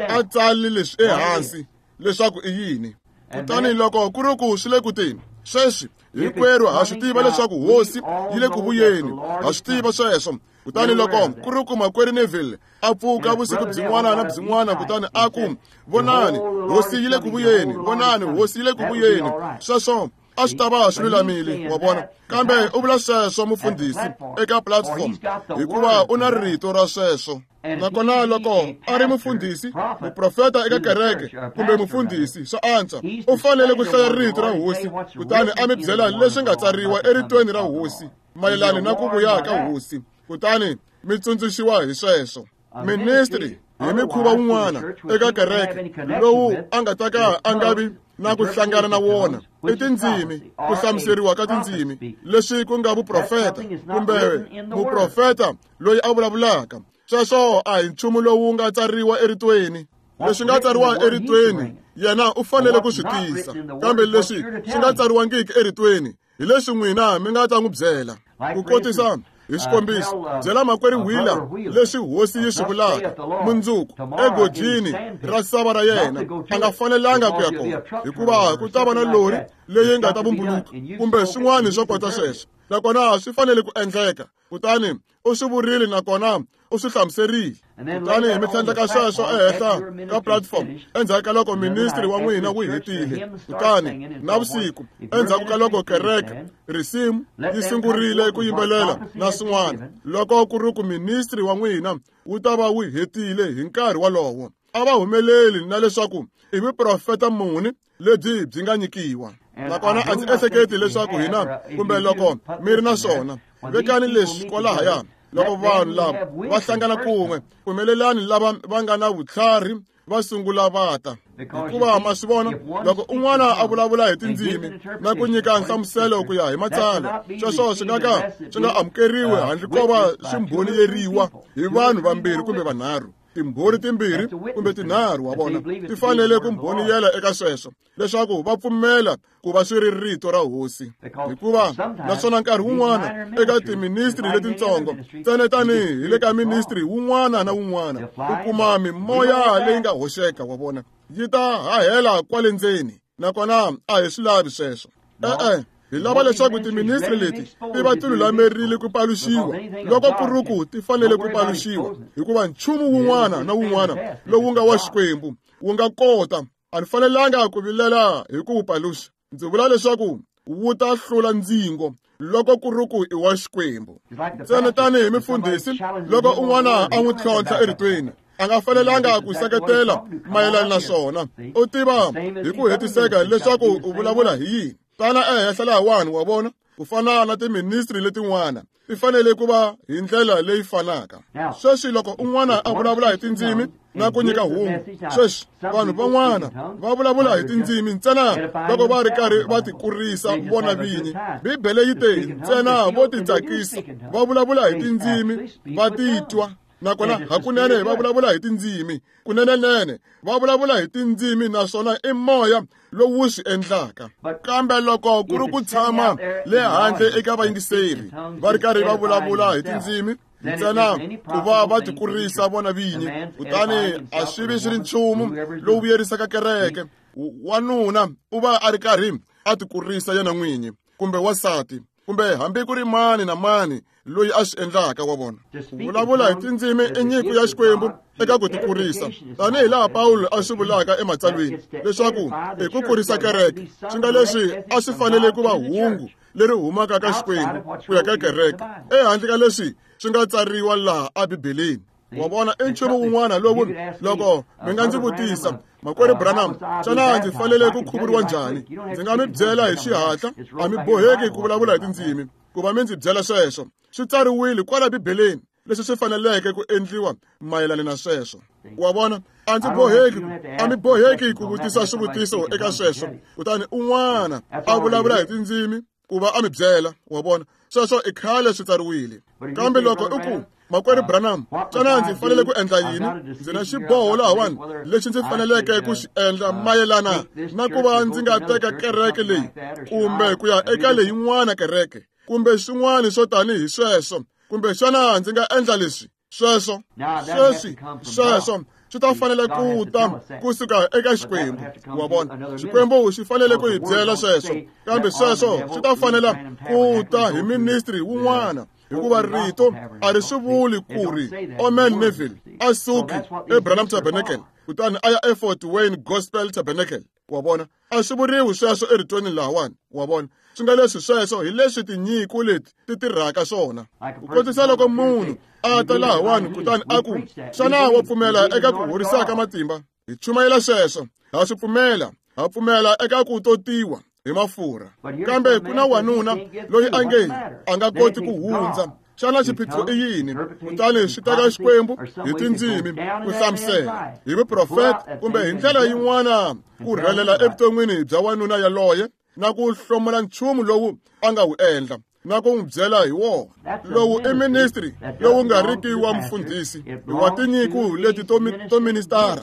a tsali leswi ehansi leswaku i yini. Kutani loko ku ri ku swi le ku teni, sweswi hinkwerhu ha swi tiva leswaku hosi yi le ku vuyeni, ha swi tiva sweswo. Kutani loko ku ri ku makwerhu Neville a pfuka vusiku byin'wana na byin'wana kutani a ku, vonani, hosi yi le ku vuyeni, vonani, hosi yi le ku vuyeni, sweswo a swi ta va swi lulamile, wa vona. Kambe u vula sweswo mufundhisi eka platform hikuva u na rito ra sweswo. Nakona loko a ri mufundhisi, muprofeta eka kereke kumbe mufundhisi swa antswa, u fanele ku hlaya rito ra hosi kutani a mi byela leswi nga tsariwa eritweni ra hosi mayelana na ku vuya ka hosi, kutani mi tsundzuxiwa hi sweswo. Ministry hi mikhuva wun'wana eka kereke lowu a nga ta ka a nga vi na ku hlangana na wona i tindzimi, ku hlamuseriwa ka tindzimi leswi ku nga vuprofeta kumbe muprofeta loyi a vulavulaka. Sweswo a hi nchumu lowu nga tsariwa eritweni. Leswi nga tsariwa eritweni yena u fanele ku swi tisa, kambe leswi swi nga tsariwangiki eritweni hi leswi n'wina mi nga ta n'wi byela. Ku kotisa hi xikombiso, byela makwerhu Wheeler leswi hosi yi swi vulaka mundzuku egojini ra sava ra yena a nga fanelanga ku ya kona, hikuva ku ta va na lori leyi nga ta vumbuluka kumbe swin'wana swo kota sweswo, nakona swi fanele ku endleka. Kutani u swi vurile nakona u swi hlamuserile. Kutani mi tlhandleka sweswo ehenhla ka platform endzhaku ka loko ministry wa n'wina wu hetile. Kutani navusiku endzhaku ka loko kereke risimu yi sungurile ku yimbelela na swin'wana, loko ku ri ku ministry wa n'wina wu ta va wu hetile hi nkarhi wolowo, a va humeleli na leswaku i vuprofeta muni lebyi byi nga nyikiwa. Nakona a ndzi ehleketi leswaku hina kumbe loko mi ri na swona, vekani leswi kwalahaya. Loko vanhu lava va hlangana kun'we, pfumelelani lava va nga na vutlhari va sungula va ta. Hikuva ma swi vona, loko un'wana a vulavula hi tindzimi na ku nyika nhlamuselo ku ya hi matsalwa, sweswo swi nga ka swi nga amukeriwi handle ko va swi mbhoniyeriwa hi vanhu vambirhi kumbe vanharhu. Timbhoni timbirhi kumbe tinharhu, wa vona, ti fanele ku mbhoniyela eka sweswo leswaku va pfumela ku va swi ri rito ra hosi. Hikuva naswona nkarhi wun'wana eka tiministri letintsongo ntsena tanihi hi le ka ministri wun'wana na wun'wana u kuma mimoya leyi nga hoxeka, wa vona, yi ta hahela kwale ndzeni, nakona a hi swi lavi sweswo. E-e, hi lava leswaku tiministri leti ti va ti lulamerile ku paluxiwa loko ku ri ku ti fanele ku paluxiwa, hikuva nchumu wun'wana na wun'wana lowu nga wa Xikwembu wu nga kota. A ni fanelanga ku vilela hi ku wu paluxa. Ndzi vula leswaku wu ta hlula ndzingo loko ku ri ku i wa Xikwembu. Ntsena tanihi mufundhisi, loko un'wana a n'wi tlhontlha eritweni, a nga fanelanga ku seketela mayelana na swona. U tiva hi ku hetiseka leswaku u vulavula hi yini. Tana ehenhla lahawani, wa vona, ku fana na tiministri letin'wana ti fanele ku va hi ndlela leyi fanaka. Sweswi loko un'wana a vulavula hi tindzimi na ku nyika hungu, sweswi vanhu van'wana va vulavula hi tindzimi ntsena loko va ri karhi va tikurisa vona vinyi. Bibele yi te ntsena vo titsakisa va vulavula hi tindzimi va titwa, nakona hakunene va vulavula hi tindzimi, kunenenene va vulavula hi tindzimi, naswona i moya lowu swi endlaka. Kambe loko ku ri ku tshama le handle eka vayingiseri va ri karhi va vulavula hi tindzimi ntsena ku va va tikurisa vona vinyi, kutani a swi vi swi ri nchumu lowu vuyerisaka kereke. Wanuna u va a ri karhi a tikurisa yena n'winyi kumbe wansati kumbe hambi ku ri mani na mani loyi a swi endlaka, wa vona. Ku vulavula hi tindzimi i nyiko ya Xikwembu eka ku tikurisa, tanihi laha Pawulo a swi vulaka ematsalweni leswaku i ku kurisa kereke, swi nga leswi a swi fanele ku va hungu leri humaka ka Xikwembu ku ya ka kereke, ehandle ka leswi swi nga tsariwa laha eBibeleni. Wa vona, i nchumu wun'wana lowu loko mi nga ndzi vutisa, makwerhu Branham, xana ndzi fanele ku khuvuriwa njhani? Ndzi nga mi byela hi xihatla, a mi boheki ku vulavula hi tindzimi ku va mi ndzi byela sweswo. Swi tsariwile kwala Bibeleni leswi swi faneleke ku endliwa mayelana na sweswo. Wa vona, a ndzi boheki, a mi boheki ku vutisa swivutiso eka sweswo, kutani un'wana a vulavula hi tindzimi ku va a mi byela, wa vona, sweswo i khale swi tsariwile. Kambe loko u ku, Makwerhu Branham, xana ndzi fanele ku endla yini? Ndzi na xiboho lahawani lexi ndzi faneleke ku xi endla mayelana na ku va ndzi nga teka kereke leyi kumbe ku ya eka leyin'wana kereke kumbe swin'wana swo tanihi sweswo, kumbe xana ndzi nga endla leswi sweswo sweswi sweswo swi ta fanele ku ta kusuka eka Xikwembu. Wa vona, Xikwembu xi fanele ku hi byela sweswo, kambe sweswo swi ta fanela ku ta hi ministry wun'wana, hikuva rito a ri swi vuli ku ri Omen Neville a suki eBranham Tabernacle kutani a ya eFort Wayne Gospel Tabernacle. Wa vona, a swi vuriwi sweswo eritweni lahawani. Wa vona, swi nga leswi sweswo hi leswi tinyiko leti ti tirhaka swona. Ku kotisa loko munhu a ta lahawani kutani a ku, xana wa pfumela eka ku horisa ka matimba? Hi chumayela sweswo, ha swi pfumela, ha pfumela eka ku totiwa hi mafurha. Kambe ku na wanuna loyi a nge a nga koti ku hundza. Xana xiphiqo i yini? Kutani swi teka Xikwembu hi tindzimi ku hlamusela hi vuprofeta kumbe hi ndlela yin'wana ku rhelela evuton'wini bya wanuna yaloye na ku hlomula nchumu lowu a nga wu endla na ku n'wi byela hi wona. Lowu i ministry lowu nga riki wa mufundhisi, wa tinyiko leti to ministara,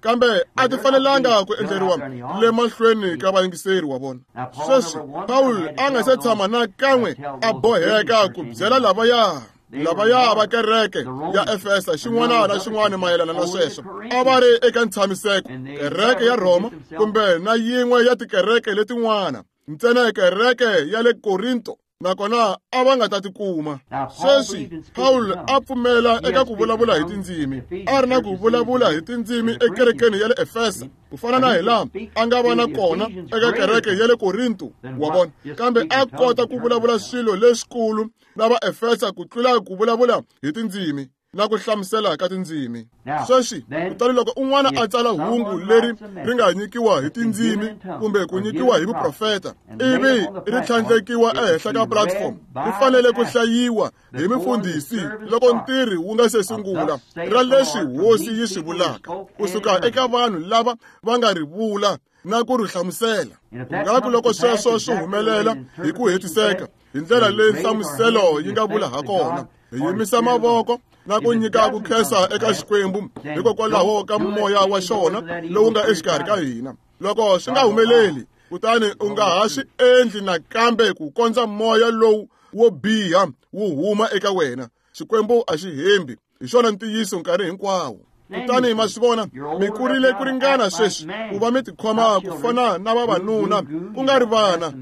kambe a ti fanelanga ku endleriwa le mahlweni ka vayingiseri. Wa vona, sweswi Paul a nga se tshama na kan'we a boheka ku byela lavaya va kereke ya Efesa xin'wana na xin'wana mayelana na sweswo. A va ri eka ntshamiseko, kereke ya Rhoma kumbe na yin'we ya tikereke letin'wana, ntsena kereke ya le Korinto, nakona a va nga ta tikuma. Sweswi Paul a pfumela eka ku vulavula hi tindzimi, a ri na ku vulavula hi tindzimi ekerekeni ya le Efesa ku fana na hi laha a nga va na kona eka kereke ya le Korinto. Wa vona, kambe a kota ku vulavula swilo leswikulu na va Efesa ku tlula ku vulavula hi tindzimi na ku hlamusela ka tindzimi. Sweswi kutani loko un'wana a tsala hungu leri ri nga nyikiwa hi tindzimi kumbe ku nyikiwa hi vuprofeta ivi ri tlhandlekiwa ehenhla ka platform, ri fanele ku hlayiwa hi mufundhisi loko ntirho wu nga se sungula ra leswi hosi yi swi vulaka kusuka eka vanhu lava va nga ri vula na ku ri hlamusela. Kungaku loko sweswo swi humelela hi ku hetiseka hi ndlela leyi nhlamuselo yi nga vula ha kona, hi yimisa mavoko na ku nyika ku khensa eka Xikwembu hikokwalaho ka moya wa xona lowu nga exikarhi ka hina. Loko swi nga humeleli, kutani u nga ha swi endli nakambe ku kondza moya lowu wo biha wu huma eka wena. Xikwembu a xi hembi, hi xona ntiyiso nkarhi hinkwawo. Kutani ma swi vona, mi kurile ku ringana sweswi ku va mi tikhoma ku fana na vavanuna, ku nga ri vana.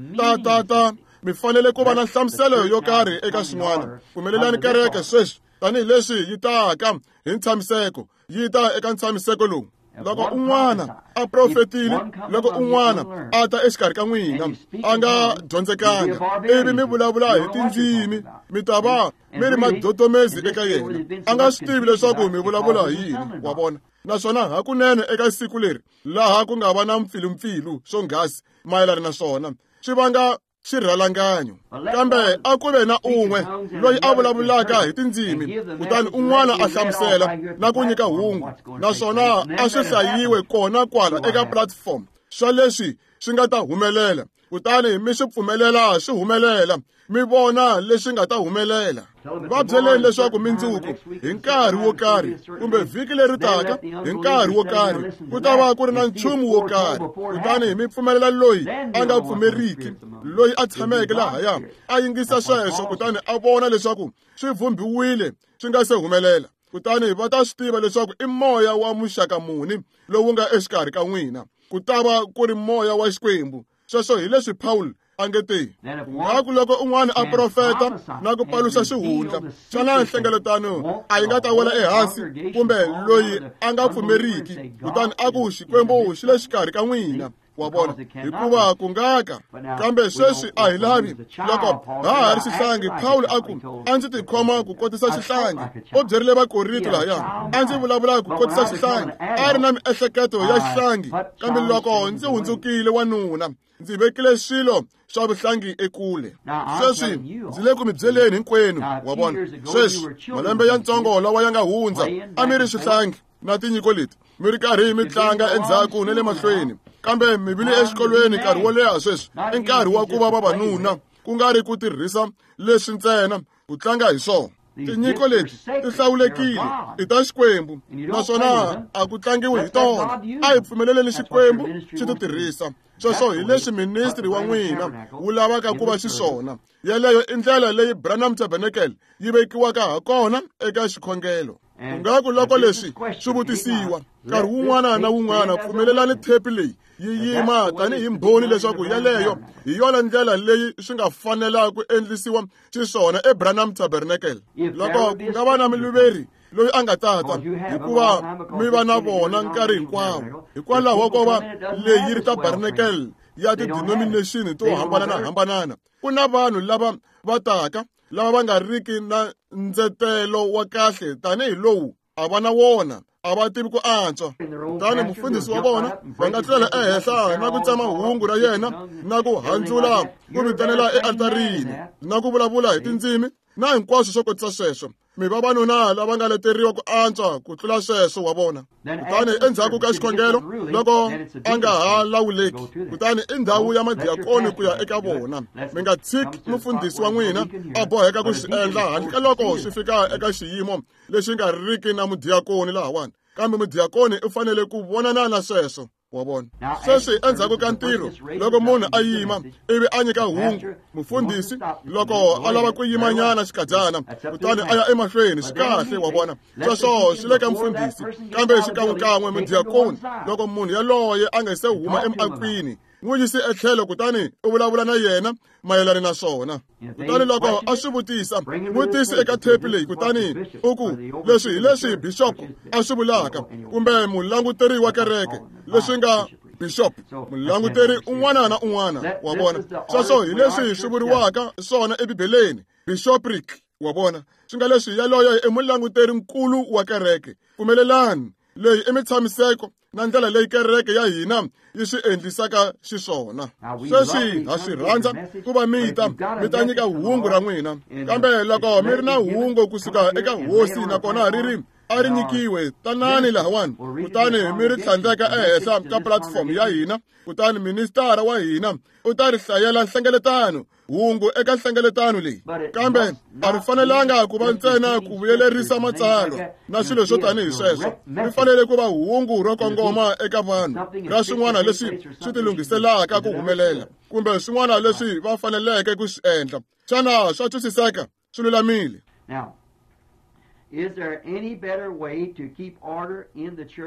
Ta mi fanele ku va na nhlamuselo yo karhi eka swin'wana. Pfumelelani kereke sweswi tanihileswi yi taka hi ntshamiseko, yi ta eka ntshamiseko lowu. Loko un'wana a profetile, loko un'wana a ta exikarhi ka n'wina a nga dyondzekanga ivi mi vulavula hi tindzimi, mi ta va mi ri madodomezi eka yena, a nga swi tivi leswaku mi vulavula hi yini. Wa vona, naswona hakunene eka siku leri laha ku nga va na mpfilumpfilu swonghasi mayelana na swona, swi vanga xirhalanganyo. Kambe a ku ve na un'we loyi a vulavulaka hi tindzimi, kutani un'wana a hlamusela na ku nyika hungu, naswona a swi hlayiwe kona kwala eka platform swa leswi swi nga ta humelela, kutani mi swi pfumelela swi humelela, mi vona leswi nga ta humelela. Va byeleni leswaku mindzuku hi nkarhi wo karhi kumbe vhiki leri taka hi nkarhi wo karhi ku ta va ku ri na nchumu wo karhi, kutani mi pfumelela loyi a nga pfumeriki, loyi a tshameke lahaya a yingisa sweswo, kutani a vona leswaku swi vhumbiwile swi nga se humelela, kutani va ta swi tiva leswaku i moya wa muxaka muni lowu nga exikarhi ka n'wina. Ku ta va ku ri moya wa Xikwembu. Sweswo hi leswi Paul a nge te, ngaku loko un'wana a profeta na ku paluxa xihundla, xana nhlengeletano a yi nga ta wela ehansi, kumbe loyi a nga pfumeriki kutani a ku Xikwembu xi le xikarhi ka n'wina? Wa vona, hikuva ku nga ka. Kambe sweswi a hi lavi. Loko ha ha ri xihlangi, Paul a ku, a ndzi tikhoma ku kotisa xihlangi. U byerile Vakorinto lahaya, a ndzi vulavula ku kotisa xihlangi, a ri na miehleketo ya xihlangi, kambe loko ndzi hundzukile wanuna, ndzi vekile swilo swa vuhlangi ekule. Sweswi ndzi le ku mi byeleni hinkwenu. Wa vona, sweswi malembe ya ntsongo lawa ya nga hundza a mi ri swihlangi na tinyiko leti, mi ri karhi mi tlanga endzhaku na le mahlweni, kambe mi vile exikolweni nkarhi wo leha. Sweswi i nkarhi wa ku va vavanuna, ku nga ri ku tirhisa leswi ntsena ku tlanga hi swona. Tinyiko leti ti hlawulekile i ta Xikwembu, naswona a ku tlangiwi hi tona. A hi pfumeleleni Xikwembu xi ti tirhisa. Sweswo hi leswi ministri wa n'wina wu lavaka ku va xiswona. Yeleyo i ndlela leyi Branham Tabernacle yi vekiwaka ha kona eka xikhongelo. Ku nga ku loko leswi swi vutisiwa nkarhi wun'wana na wun'wana, pfumelelani thepi leyi yi yima tanihi mbhoni leswaku yeleyo hi yona ndlela leyi swi nga fanela ku endlisiwa xiswona eBranham Tabernacle. Loko ku nga va na muluveri loyi a nga tata, hikuva mi va na vona nkarhi hinkwawo, hikwalaho ko va leyi yi ri tabernacle ya ti-denomination to hambanana-hambanana, ku na vanhu lava va taka lava va nga riki na ndzetelo wa kahle tanihi lowu a va na wona, a va tivi ku antswa. Kutani mufundhisi wa vona va nga tlulela ehenhla na ku tsema hungu ra yena na ku handzula ku vitanela ealtarini na ku vulavula hi tindzimi na hinkwaswo swo kotisa sweswo. Mi vavanuna lava nga leteriwa ku antswa ku tlula sweswo, wa vona. Kutani endzhaku ka xikhongelo, loko a nga ha lawuleki, kutani i ndhawu ya madiakoni ku ya eka vona. Mi nga tshiki mufundhisi wa n'wina a boheka ku swi endla handle ka loko swi fika eka xiyimo lexi nga riki na mudiakoni lahawani, kambe mudiakoni u fanele ku vonana na sweswo, wa vona. Sweswi endzhaku ka ntirho, loko munhu a yima ivi a nyika hungu, mufundhisi loko a lava ku yimanyana xikadyana kutani a ya emahlweni, swi kahle, wa vona. Sweswo swi le ka mufundhisi, kambe xikan'wekan'we mudiakoni loko munhu yaloye a nga se huma emiakwini, n'wi yisi etlhelo kutani u vulavula na yena mayelana na swona. Kutani loko a swi vutisa, n'wi tisi eka thepi leyi kutani u ku, leswi hi leswi bishop a swi vulaka, kumbe mulanguteri wa kereke, leswi nga bishop, mulanguteri un'wana na un'wana, wa vona. Sweswo hi leswi swi vuriwaka swona eBibeleni, bishopric, wa vona. Swi nga leswi yaloye i mulanguteri nkulu wa kereke. Pfumelelani, leyi i mitshamiseko na ndlela leyi kereke ya hina yi swi endlisaka xiswona. Sweswi ha swi rhandza ku va mi ta mi ta nyika hungu ra n'wina, kambe loko mi ri na hungu kusuka eka hosi nakona ri ri a ri nyikiwe, tanani lahawani kutani mi ri tlhandleka ehenhla ka platform ya hina, kutani ministara wa hina u ta ri hlayela nhlengeletano hungu eka nhlengeletano leyi. Kambe a ri fanelanga ku va ntsena ku vuyelerisa matsalwa na swilo swo tanihi sweswo. Ri fanele ku va hungu ro kongoma eka vanhu ra swin'wana leswi swi tilunghiselaka ku humelela, kumbe swin'wana leswi va faneleke ku swi endla. Xana swa twisiseka? Swi lulamile.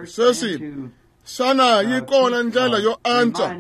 Sweswi, xana yi kona ndlela yo antswa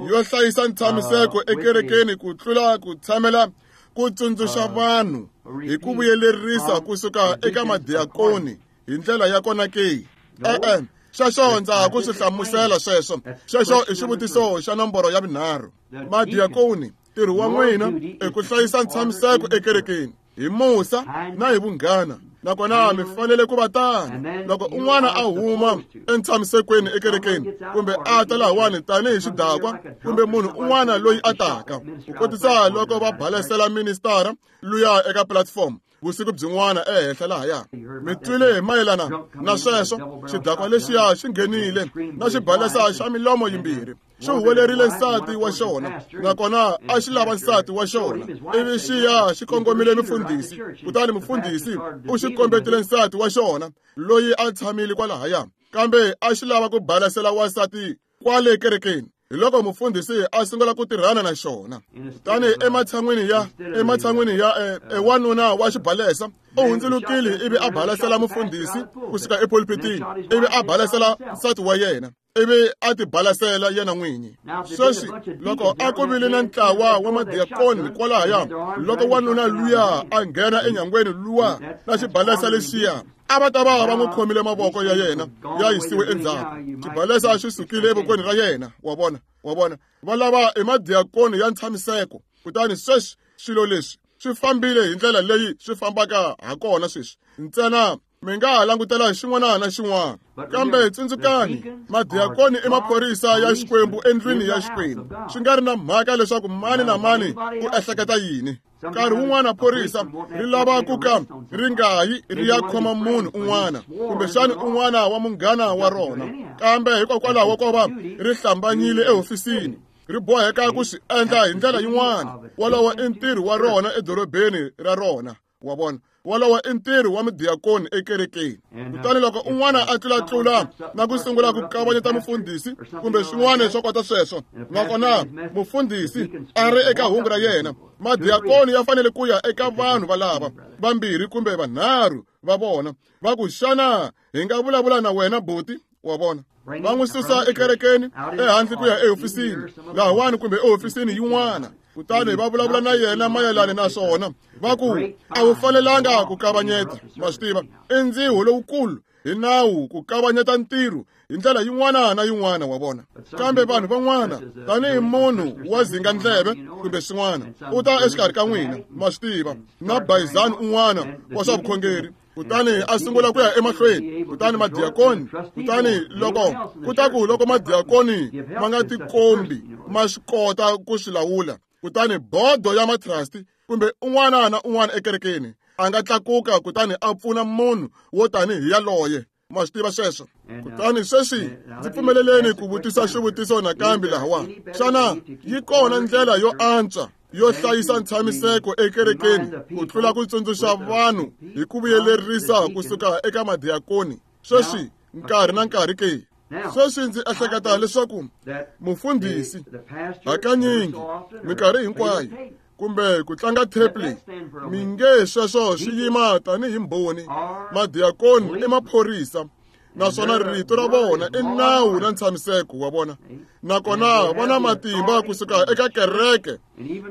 yo hlayisa ntshamiseko ekerekeni ku tlula ku tshamela ku tsundzuxa vanhu hi ku vuyelerisa kusuka eka madiakoni hi ndlela ya kona ke? E-e, sweswo ndza ha ku swi hlamusela sweswo. Xexo i xivutiso xa nomboro ya vunharhu. Madiakoni, ntirho wa n'wina i ku hlayisa ntshamiseko ekerekeni hi musa na hi vunghana, nakona mi fanele ku va tano. Loko un'wana a huma entshamisekweni ekerekeni, kumbe a ta lahawani tanihi xidakwa, kumbe munhu un'wana loyi a taka, ku kotisa loko va balesela ministara luya eka platform vusiku byin'wana ehenhla lahaya, mi twile hi mayelana na sweswo. Xidakwa lexiya xi nghenile na xibalesa xa milomo yimbirhi, xi huwelerile nsati wa xona, nakona a xi lava nsati wa xona, ivi xi ya xi kongomile mufundhisi, kutani mufundhisi u xi kombetile nsati wa xona loyi a tshamile kwalahaya, kambe a xi lava ku balasela wansati kwale kerekeni. Hi loko mufundhisi a sungula ku tirhana na xona. Kutani ematshan'wini ya wanuna wa xibalesa u hundzulukile ivi a balasela mufundhisi kusuka epulpitini, ivi a balasela nsati wa yena, ivi a ti balasela yena n'winyi. Sweswi loko a ku vile na ntlawa wa madiakoni kwalahaya, loko wanuna luya a nghena enyangweni luwa na xibalesa lexiya, a va ta va va n'wi khomile mavoko ya yena ya yisiwe endzhaku. Xibalesa xi sukile evokweni ra yena, wa vona, wa vona. Va lava i madiakoni ya ntshamiseko. Kutani sweswi swilo leswi swi fambile hi ndlela leyi swi fambaka ha kona sweswi. Ntsena mi nga ha langutela xin'wana na xin'wana, kambe tsundzukani, madiakoni i maphorisa ya Xikwembu endlwini ya Xikwembu. Swi nga ri na mhaka leswaku mani na mani u ehleketa yini. Nkarhi wun'wana phorisa ri lava ku ka ri nga yi ri ya khoma munhu un'wana, kumbexani un'wana wa munghana wa rona, kambe hikokwalaho ko va ri hlambanyile ehofisini, ri boheka ku swi endla hi ndlela yin'wana. Wolowo i ntirho wa rona edorobeni ra rona. Wa vona, wolowo i ntirho wa mudiyakoni ekerekeni. Kutani loko un'wana a tlulatlula na ku sungula ku kavanyeta mufundhisi kumbe swin'wana swo kota sweswo, nakona mufundhisi a ri eka hungu ra yena, madiyakoni ya fanele ku ya eka vanhu valava vambirhi kumbe vanharhu va vona, va ku, xana hi nga vulavula na wena buti? Wa vona, va n'wi susa ekerekeni ehandle ku ya ehofisini lahawani kumbe ehofisini yin'wana, kutani va vulavula na yena mayelana na swona, va ku a wu fanelanga ku kavanyeta. Ma swi tiva, i ndziho lowukulu hi nawu ku kavanyeta ntirho hi ndlela yin'wana na yin'wana. Wa vona, kambe vanhu van'wana tanihi munhu wa zinga ndleve kumbe swin'wana u ta exikarhi ka n'wina, ma swi tiva, na bayizani un'wana wa swa vukhongeri, kutani a sungula ku ya emahlweni. Kutani madiyakoni, kutani loko ku ta ku loko madiyakoni ma nga tikombi ma swi kota ku swi lawula, kutani bodo ya matrasti kumbe un'wana na un'wana ekerekeni a nga tlakuka kutani a pfuna munhu wo tanihi yaloye. Ma swi tiva sweswo. Kutani sweswi ndzi pfumeleleni ku vutisa xivutiso nakambe lahawa. Xana yi kona ndlela yo antswa yo hlayisa ntshamiseko ekerekeni ku tlula ku tsundzuxa vanhu hi ku vuyelerisa kusuka eka madiyakoni sweswi nkarhi na nkarhi ke? Sweswi ndzi ehleketa leswaku mufundhisi hakanyingi minkarhi hinkwayo kumbe ku tlanga tape leyi mi nge sweswo swi yima tanihi mbhoni. Madiyakoni i maphorisa, naswona rito ra vona i nawu na ntshamiseko wa vona, nakona va na matimba kusuka eka kereke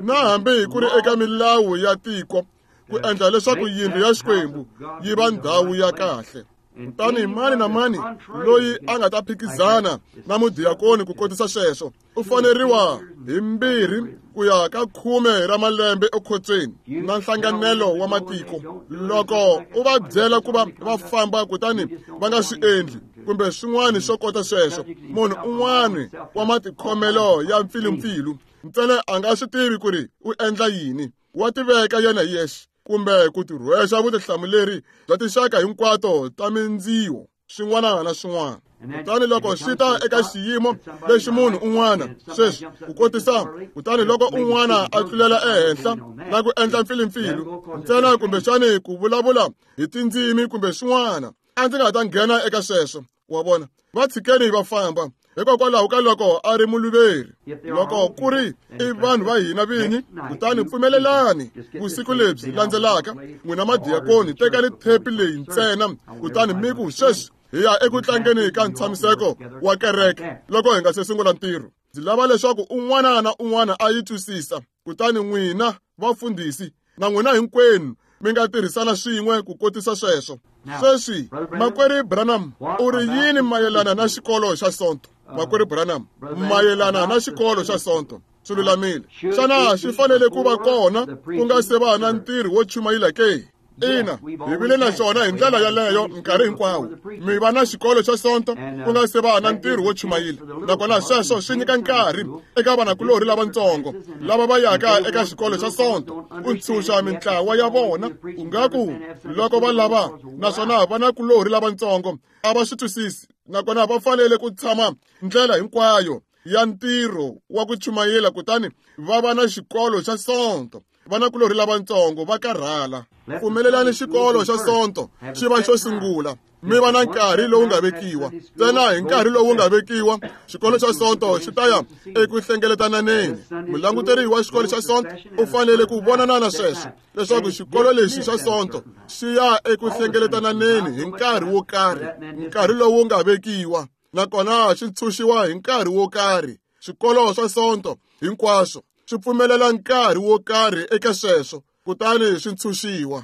na hambi ku ri eka milawu ya tiko ku endla leswaku yindlu ya Xikwembu yi va ndhawu ya kahle. Kutani mani na mani loyi a nga ta phikizana na mudiyakoni ku kotisa sweswo u faneriwa hi 2 ku ya ka 10 ra malembe ekhotsweni na nhlanganelo wa matiko. Loko u va byela ku va va famba kutani va nga swi endli kumbe swin'wana swo kota sweswo, munhu un'wana wa matikhomelo ya mpfilumpfilu ntsena a nga swi tivi ku ri u endla yini, wa tiveka yena hi yexe kumbe ku tirhwexa vutihlamuleri bya tinxaka hinkwato ta mindziwo swin'wana na swin'wana. Kutani loko swi ta eka xiyimo lexi munhu un'wana sweswi ku kotisa, kutani loko un'wana a tlulela ehenhla na ku endla mpfilumpfilu ntsena kumbexani ku vulavula hi tindzimi kumbe swin'wana, a ndzi nga ta nghena eka sweswo. Wa vona, va tshikeni va famba hikokwalaho ka loko a ri muluveri. Loko ku ri i vanhu va hina vinyi, kutani pfumelelani vusiku lebyi landzelaka n'wina madiyakoni tekani thepi leyi ntsena kutani mi ku, sweswi hi ya eku tlangeni ka ntshamiseko wa kereke loko hi nga se sungula ntirho. Ndzi lava leswaku un'wana na un'wana a yi twisisa. Kutani n'wina vafundhisi na n'wina hinkwenu mi nga tirhisana swin'we ku kotisa sweswo. Sweswi Makwerhu Branham u ri yini mayelana na xikolo xa Sonto? Makwerhu Branham mayelana na xikolo xa Sonto swi lulamile. Xana xi fanele ku va kona ku nga se va na ntirho wo chumayela ke? Ina, hi vile na xona hi ndlela yaleyo nkarhi hinkwawo. Mi va na xikolo xa Sonto ku nga se va na ntirho wo chumayela, nakona sweswo swi nyika nkarhi eka vanakulorhi lavatsongo lava va yaka eka xikolo xa Sonto ku ntshunxa mintlawa ya vona. Ku nga ku loko va lava, naswona vanakulorhi lavatsongo a va swi twisisi, nakona va fanele ku tshama ndlela hinkwayo ya ntirho wa ku chumayela kutani va va na xikolo xa Sonto. Vanakulorhi lavatsongo va karhala. Pfumelelani xikolo xa Sonto xi va xo sungula, mi va na nkarhi lowu nga vekiwa. Ntsena hi nkarhi lowu nga vekiwa, xikolo xa Sonto xi ta ya eku hlengeletananeni. Mulanguteri wa xikolo xa Sonto u fanele ku vonana na sweswo leswaku xikolo lexi xa Sonto xi ya eku hlengeletananeni hi nkarhi wo karhi, nkarhi lowu nga vekiwa, nakona xi ntshunxiwa hi nkarhi wo karhi. Swikolo swa Sonto hinkwaswo swi pfumelela nkarhi wo karhi eka sweswo, kutani swi ntshunxiwa.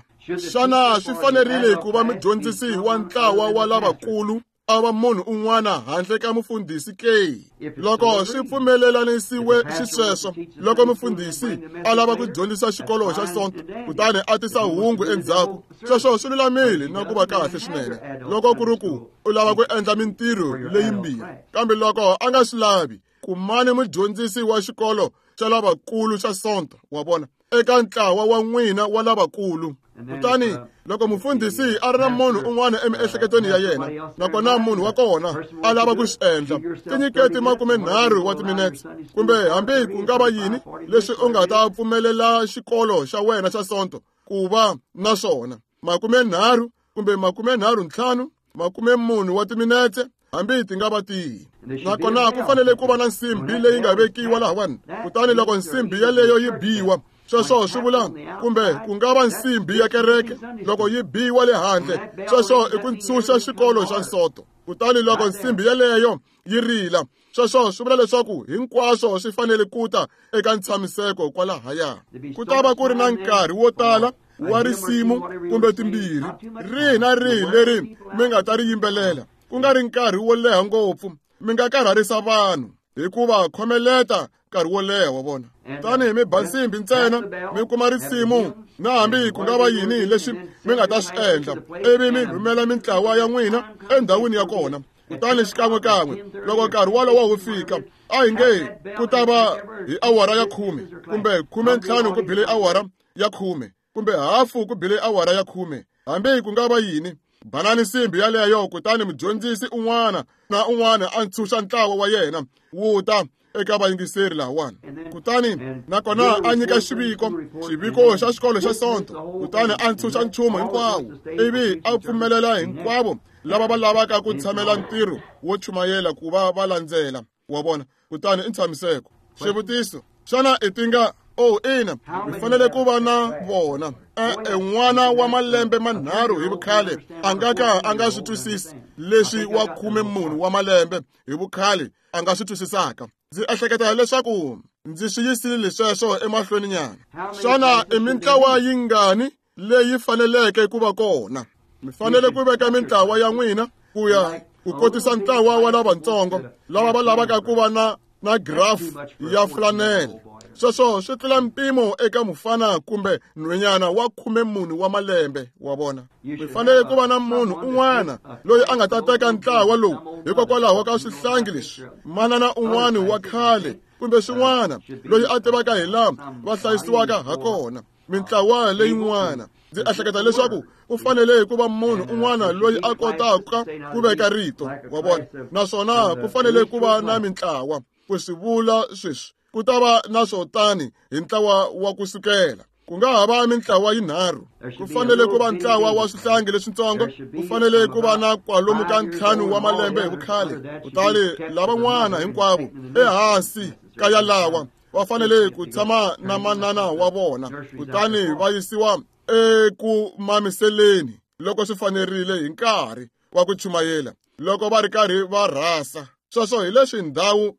Xana swi fanerile ku va mudyondzisi wa ntlawa wa lavakulu a va munhu un'wana handle ka mufundhisi ke? Loko swi pfumelelanisiwe xisweswo, loko mufundhisi a lava ku dyondzisa xikolo xa Sonto kutani a tisa hungu endzhaku, sweswo swi lulamile na ku va kahle swinene loko ku ri ku u lava ku endla mintirho leyimbirhi. Kambe loko a nga swi lavi, kumani mudyondzisi wa xikolo xa lavakulu xa Sonto, wa vona, eka ntlawa wa n'wina wa lavakulu. Kutani loko mufundhisi a ri na munhu un'wana emiehleketweni ya yena, nakona munhu wa kona a lava ku swi endla, tinyiketi 30 wa timinetse kumbe hambi ku nga va yini leswi u nga ta pfumelela xikolo xa wena xa Sonto ku va na swona 30 kumbe 35 40 wa timinetse hambi ti nga va tihi. Nakona ku fanele ku va na nsimbi leyi nga vekiwa lahawani, kutani loko nsimbi yaleyo yi biwa, sweswo swi vula kumbe ku nga va nsimbi ya kereke loko yi biwa le handle, sweswo i ku ntshunxa xikolo xa Nsoto. Kutani loko nsimbi yaleyo yi rila, sweswo swi vula leswaku hinkwaswo swi fanele ku ta eka ntshamiseko kwalahaya. Ku ta va ku ri na nkarhi wo tala wa risimu kumbe timbirhi rihi na rihi leri mi nga ta ri yimbelela, ku nga ri nkarhi wo leha ngopfu, mi nga karharisa vanhu hikuva khomeleta nkarhi wo leha wa vona. Tanihi mi ba nsimbi ntsena mi kuma risimu na hambi ku nga va yini leswi mi nga ta swi endla, ivi mi rhumela mintlawa ya n'wina endhawini ya kona. Kutani xikan'wekan'we loko nkarhi wolowo wu fika, a hi nge ku ta va hi awara ya 10 kumbe 15 ku bile awara ya 10 kumbe hafu ku bile awara ya 10, hambi ku nga va yini, banani nsimbi yaleyo, kutani mudyondzisi un'wana na un'wana a ntshunxa ntlawa wa yena wu ta eka vayingiseri lahawani. Kutani nakona a nyika xiviko xa xikolo xa Sonto, kutani a ntshunxa nchumu hinkwawo, ivi a pfumelela hinkwavo lava va lavaka ku tshamela ntirho wo chumayela ku va va landzela wa vona. Kutani i ntshamiseko. Xivutiso: xana i tinga? Oh, ina, mi fanele ku va na vona. N'wana wa malembe 3 hi vukhale a nga ka a nga swi twisisi leswi wa 14 wa malembe hi vukhale a nga swi twisisaka. Ndzi ehleketa leswaku ndzi swi yisile sweswo emahlweni nyana. Xana i mintlawa yingani leyi faneleke ku va kona? Mi fanele ku veka mintlawa ya n'wina ku ya ku kotisa ntlawa wa lavatsongo lava va lavaka ku va na graph ya flanele. Sweswo swi tlula mpimo eka mufana kumbe nhwenyana wa 14 wa malembe wa vona. Mi fanele ku va na munhu un'wana loyi a nga ta teka ntlawa lowu hikokwalaho ka swihlangi leswi, manana un'wana wa khale kumbe swin'wana loyi a tivaka hi laha va hlayisiwaka ha kona. Mintlawa leyin'wana, ndzi ehleketa leswaku u fanele ku va munhu un'wana loyi a kotaka ku veka rito wa vona, naswona ku fanele ku va na mintlawa ku swi vula sweswi. Ku ta va na swo tani hi ntlawa wa ku sukela, ku nga ha va mintlawa yinharhu. Ku fanele ku va ntlawa wa swihlangi leswitsongo, ku fanele ku va na kwalomu ka 5 wa malembe hi vukhale, kutani lavan'wana hinkwavo ehansi ka yalawa va fanele ku tshama na manana wa vona, kutani va yisiwa eku mamiseleni loko swi fanerile hi nkarhi wa ku chumayela loko va ri karhi va rhasa. Sweswo hi leswi ndhawu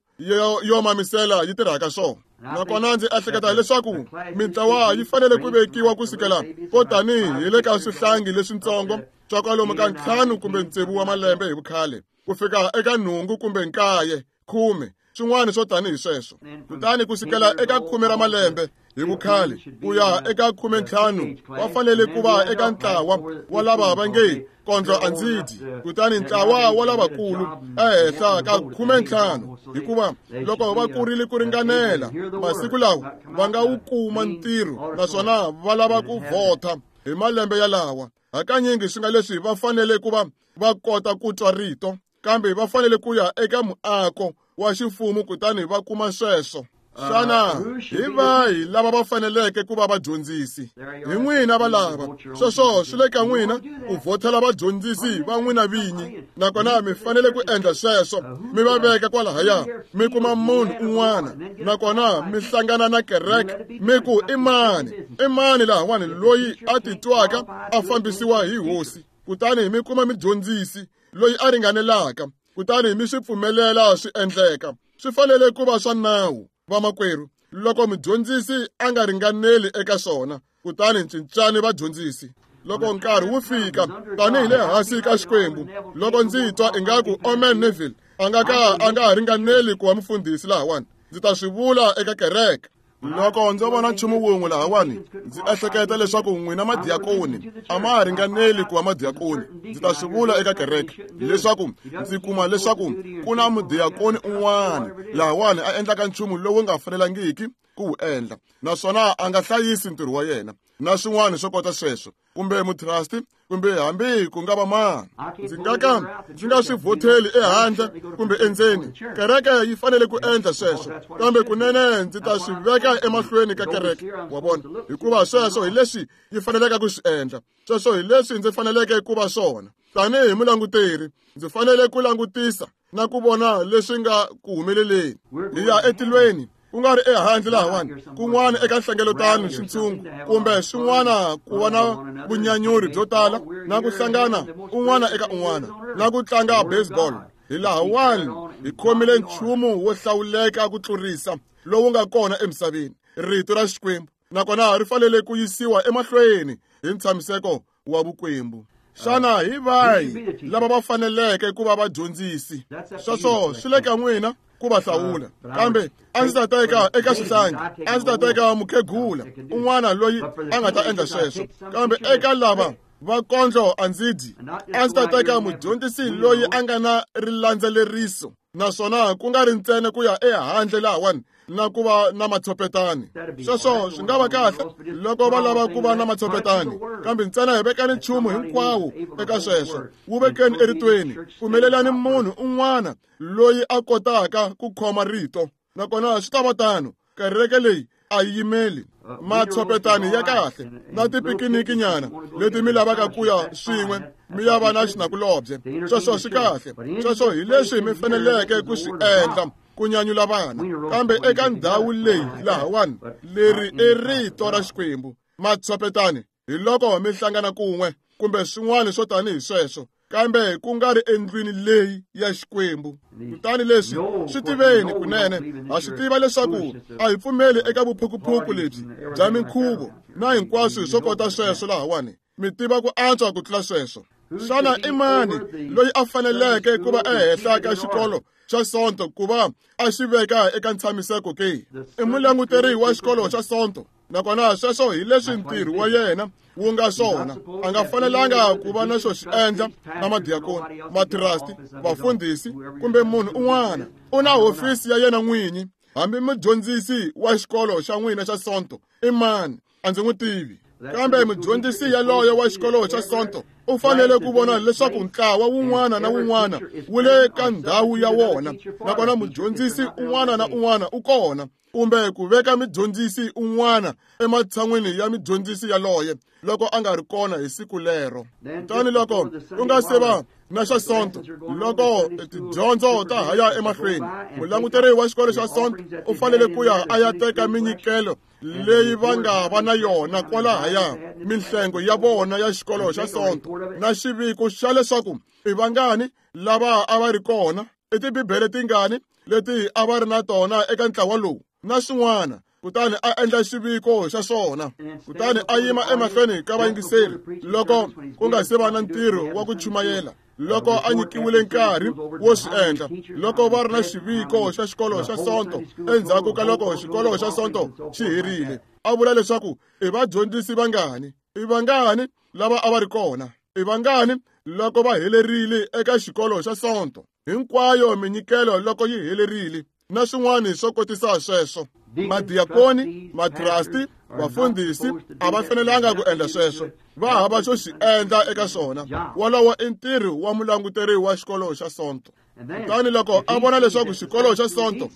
yo mamisela yi tirhaka swona. Nakona ndzi ehleketa leswaku mintlawa yi fanele ku vekiwa kusukela ko tanihi hi le ka swihlangi leswitsongo swa kwalomu ka 5 kumbe 6 wa malembe hi vukhale ku fika eka 8 kumbe 9, 10, swin'wana swo tanihi sweswo. Kutani kusukela eka 10 ra malembe hi vukhale ku ya eka 15 va fanele ku va eka ntlawa wa lava va nge kondlo a ndzi dyi, kutani ntlawa wa lavakulu ehenhla ka 15, hikuva loko va kurile ku ringanela masiku lawa va nga wu kuma ntirho naswona va lava ku vhota hi malembe yalawa. Hakanyingi swi nga leswi va fanele ku va va kota ku twa rito, kambe va fanele ku ya eka muako wa ximfumo kutani va kuma sweswo. Xana hi vahi lava va faneleke ku va vadyondzisi? Hi n'wina valava. Sweswo swi le ka n'wina ku vhotela vadyondzisi va n'wina vinyi, nakona mi fanele ku endla sweswo, mi va veka kwalahaya, mi kuma munhu un'wana, nakona mi hlangana na kereke, mi ku i mani, i mani lahawani loyi a titwaka a fambisiwa hi hosi, kutani mi kuma mudyondzisi loyi a ringanelaka, kutani mi swi pfumelela swi endleka. Swi fanele ku va swa nawu, vamakwerhu. Loko mudyondzisi a nga ringaneli eka swona, kutani cincani vadyondzisi. Loko nkarhi wu fika, tanihi le hansi ka Xikwembu, loko ndzi twa ingaku Omen Neville a nga ka a nga ha ringaneli ku va mufundhisi lahawani, ndzi ta swi vula eka kereke. Loko ndzo vona nchumu wun'we lahawani, ndzi ehleketa leswaku n'wina madiakoni a ma ha ringaneli ku va madiakoni, ndzi ta swi vula eka kereke leswaku ndzi kuma leswaku ku na mudiakoni un'wana lahawani a endlaka nchumu lowu nga fanelangiki ku wu endla, naswona a nga hlayisi ntirho wa yena na swin'wana swo kota sweswo. kumbe mutrasti kumbe hambi ku nga va mani. Ndzi nga ka ndzi nga swi vhotheli ehandle kumbe endzeni. Kereke yi fanele ku endla sweswo, kambe kunene ndzi ta swi veka emahlweni ka kereke, wa vona, hikuva sweswo hi leswi yi faneleke ku swi endla. Sweswo hi leswi ndzi faneleke ku va swona. Tanihi mulanguteri, ndzi fanele ku langutisa na ku vona leswi nga ku humeleleni. Hi ya etilweni, ku nga ri ehandle lahawani, kun'wana eka nhlengeletano xintshungu kumbe swin'wana ku va na vunyanyuri byo tala na ku hlangana un'wana eka un'wana na ku tlanga baseball. Hi lahawani hi khomile nchumu wo hlawuleka ku tlurisa lowu nga kona emisaveni, rito ra Xikwembu, nakona ri fanele ku yisiwa emahlweni hi ntshamiseko wa vukwembu. Xana hi vahi lava va faneleke ku va vadyondzisi? Sweswo swi le ka n'wina ku va hlawula, kambe a ndzi ta teka eka xihlangi, a ndzi ta teka mukhegula un'wana loyi a nga ta endla sweswo, kambe eka lava va kondlo a ndzi dyi. A ndzi ta teka mudyondzisi loyi a nga na rilandzeleriso, naswona ku nga ri ntsena ku ya ehandle lahawani na ku va na matshopetani. Sweswo swi nga va kahle loko va lava ku va na matshopetani, kambe ntsena hi vekani nchumu hinkwawo eka sweswo, wu vekeni eritweni. Pfumelelani munhu un'wana loyi a kotaka ku khoma rito, nakona swi ta va tano. Kereke leyi a yi yimeli matshopetani ya kahle na tipikiniki nyana leti mi lavaka ku ya swin'we mi ya va na xinakulobye. Sweswo swi kahle, sweswo hi leswi mi faneleke ku swi endla ku nyanyula vana, kambe eka ndhawu leyi lahawani, leri i rito ra Xikwembu. Matshopetani hi loko mi hlangana kun'we kumbe swin'wana swo tanihi sweswo, kambe ku nga ri endlwini leyi ya Xikwembu. Kutani leswi swi tiveni kunene, ha swi tiva leswaku a hi pfumeli eka vuphukuphuku lebyi bya minkhuvo na hinkwaswo swo kota sweswo lahawani. Mi tiva ku antswa ku tlula sweswo. Xana i mani loyi a faneleke ku va ehenhla ka xikolo xa Sonto ku va a xi veka eka ntshamiseko ke? I mulanguteri wa xikolo xa Sonto, nakona sweswo hi leswi ntirho wa yena wu nga swona. A nga fanelanga ku va na xo xi endla na madiakoni, matrasti, vafundhisi kumbe munhu un'wana. U na hofisi ya yena n'winyi. Hambi mudyondzisi wa xikolo xa n'wina xa Sonto i mani, a ndzi n'wi tivi, kambe mudyondzisi yaloye wa xikolo xa Sonto u fanele ku vona leswaku ntlawa wun'wana na wun'wana wu le ka ndhawu ya wona, nakona mudyondzisi un'wana na un'wana u kona, kumbe ku veka mudyondzisi un'wana ematshan'wini ya mudyondzisi yaloye loko a nga ri kona hi siku lero. Kutani loko ku nga se va na xa Sonto, loko tidyondzo ta ha ya emahlweni, mulanguteri wa xikolo xa Sonto u fanele ku ya a ya teka minyikelo leyi va nga va na yona kwalahaya, minhlengo ya vona ya xikolo xa Sonto, na xiviko xa leswaku i vangani lava a va ri kona, i tibibele tingani leti a va ri na tona eka ntlawa lowu na swin'wana. Kutani a endla xiviko xa swona, kutani a yima emahlweni ka vayingiseri loko ku nga se va na ntirho wa ku chumayela, loko a nyikiwile nkarhi wo swi endla, loko va ri na xiviko xa xikolo xa Sonto endzhaku ka loko xikolo xa Sonto xi herile, a vula leswaku i vadyondzisi vangani, i vangani lava a va ri kona, i vangani loko va helerile eka xikolo xa Sonto, hinkwayo minyikelo loko yi helerile na swin'wana swo kotisa sweswo. Madiakoni, matrasti, vafundhisi a va fanelanga ku endla sweswo, va hava xo xi endla eka swona. Wolowo i ntirho wa mulanguteri wa xikolo xa Sonto. Kutani loko a vona leswaku xikolo xa Sonto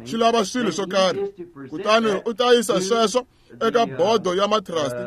xi lava swilo swo karhi, kutani u ta yisa sweswo eka bodo ya matrasti,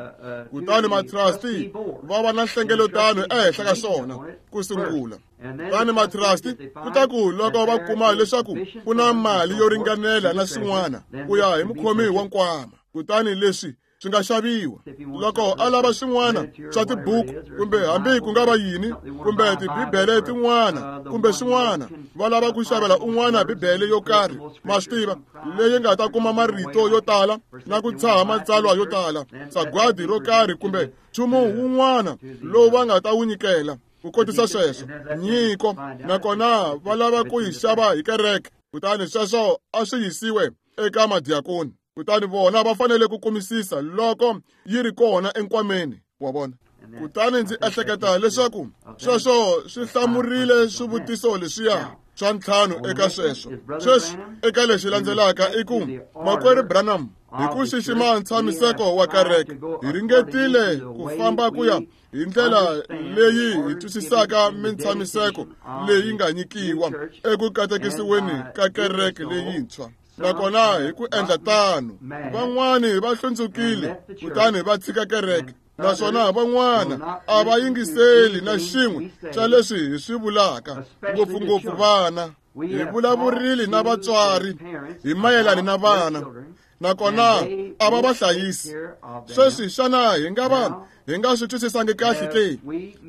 kutani matrasti va va na nhlengeletano ehenhla ka swona ku sungula. Kutani matrasti ku ta ku loko va kuma leswaku ku na mali yo ringanela na swin'wana ku ya hi mukhomi wa nkwama, kutani leswi swi nga xaviwa. Loko a lava swin'wana swa tibuku kumbe hambi ku nga va yini, kumbe tibibele tin'wana kumbe swin'wana, va lava ku xavela un'wana bibele yo karhi, ma swi tiva, leyi nga ta kuma marito yo tala na ku tshaha matsalwa yo tala, sagwadi ro karhi kumbe nchumu wun'wana lowu va nga ta wu nyikela ku kotisa sweswo nyiko, nakona va lava ku yi xava hi kereke. Kutani sweswo a swi yisiwe eka madiakoni, kutani vona va fanele ku kumisisa loko yi ri kona enkwameni wa vona. Kutani ndzi ehleketa leswaku sweswo swi hlamurile swivutiso leswiya swa ntlhanu eka sweswo. Sweswi eka lexi landzelaka i ku, Makwerhu Branham, Hi ku xixima ntshamiseko wa kereke, hi ringetile ku famba ku ya hi ndlela leyi hi twisisaka mintshamiseko leyi nga nyikiwa eku katekisiweni ka kereke leyintshwa. Nakona hi ku endla tano, van'wani va hlundzukile kutani va tshika kereke, naswona van'wana a va yingiseli na xin'we xa leswi hi swi vulaka, ngopfungopfu vana. Hi vulavurile na vatswari hi mayelana na vana, nakona a va va hlayisi. Sweswi xana hi nga va hi nga swi twisisangi kahle ke,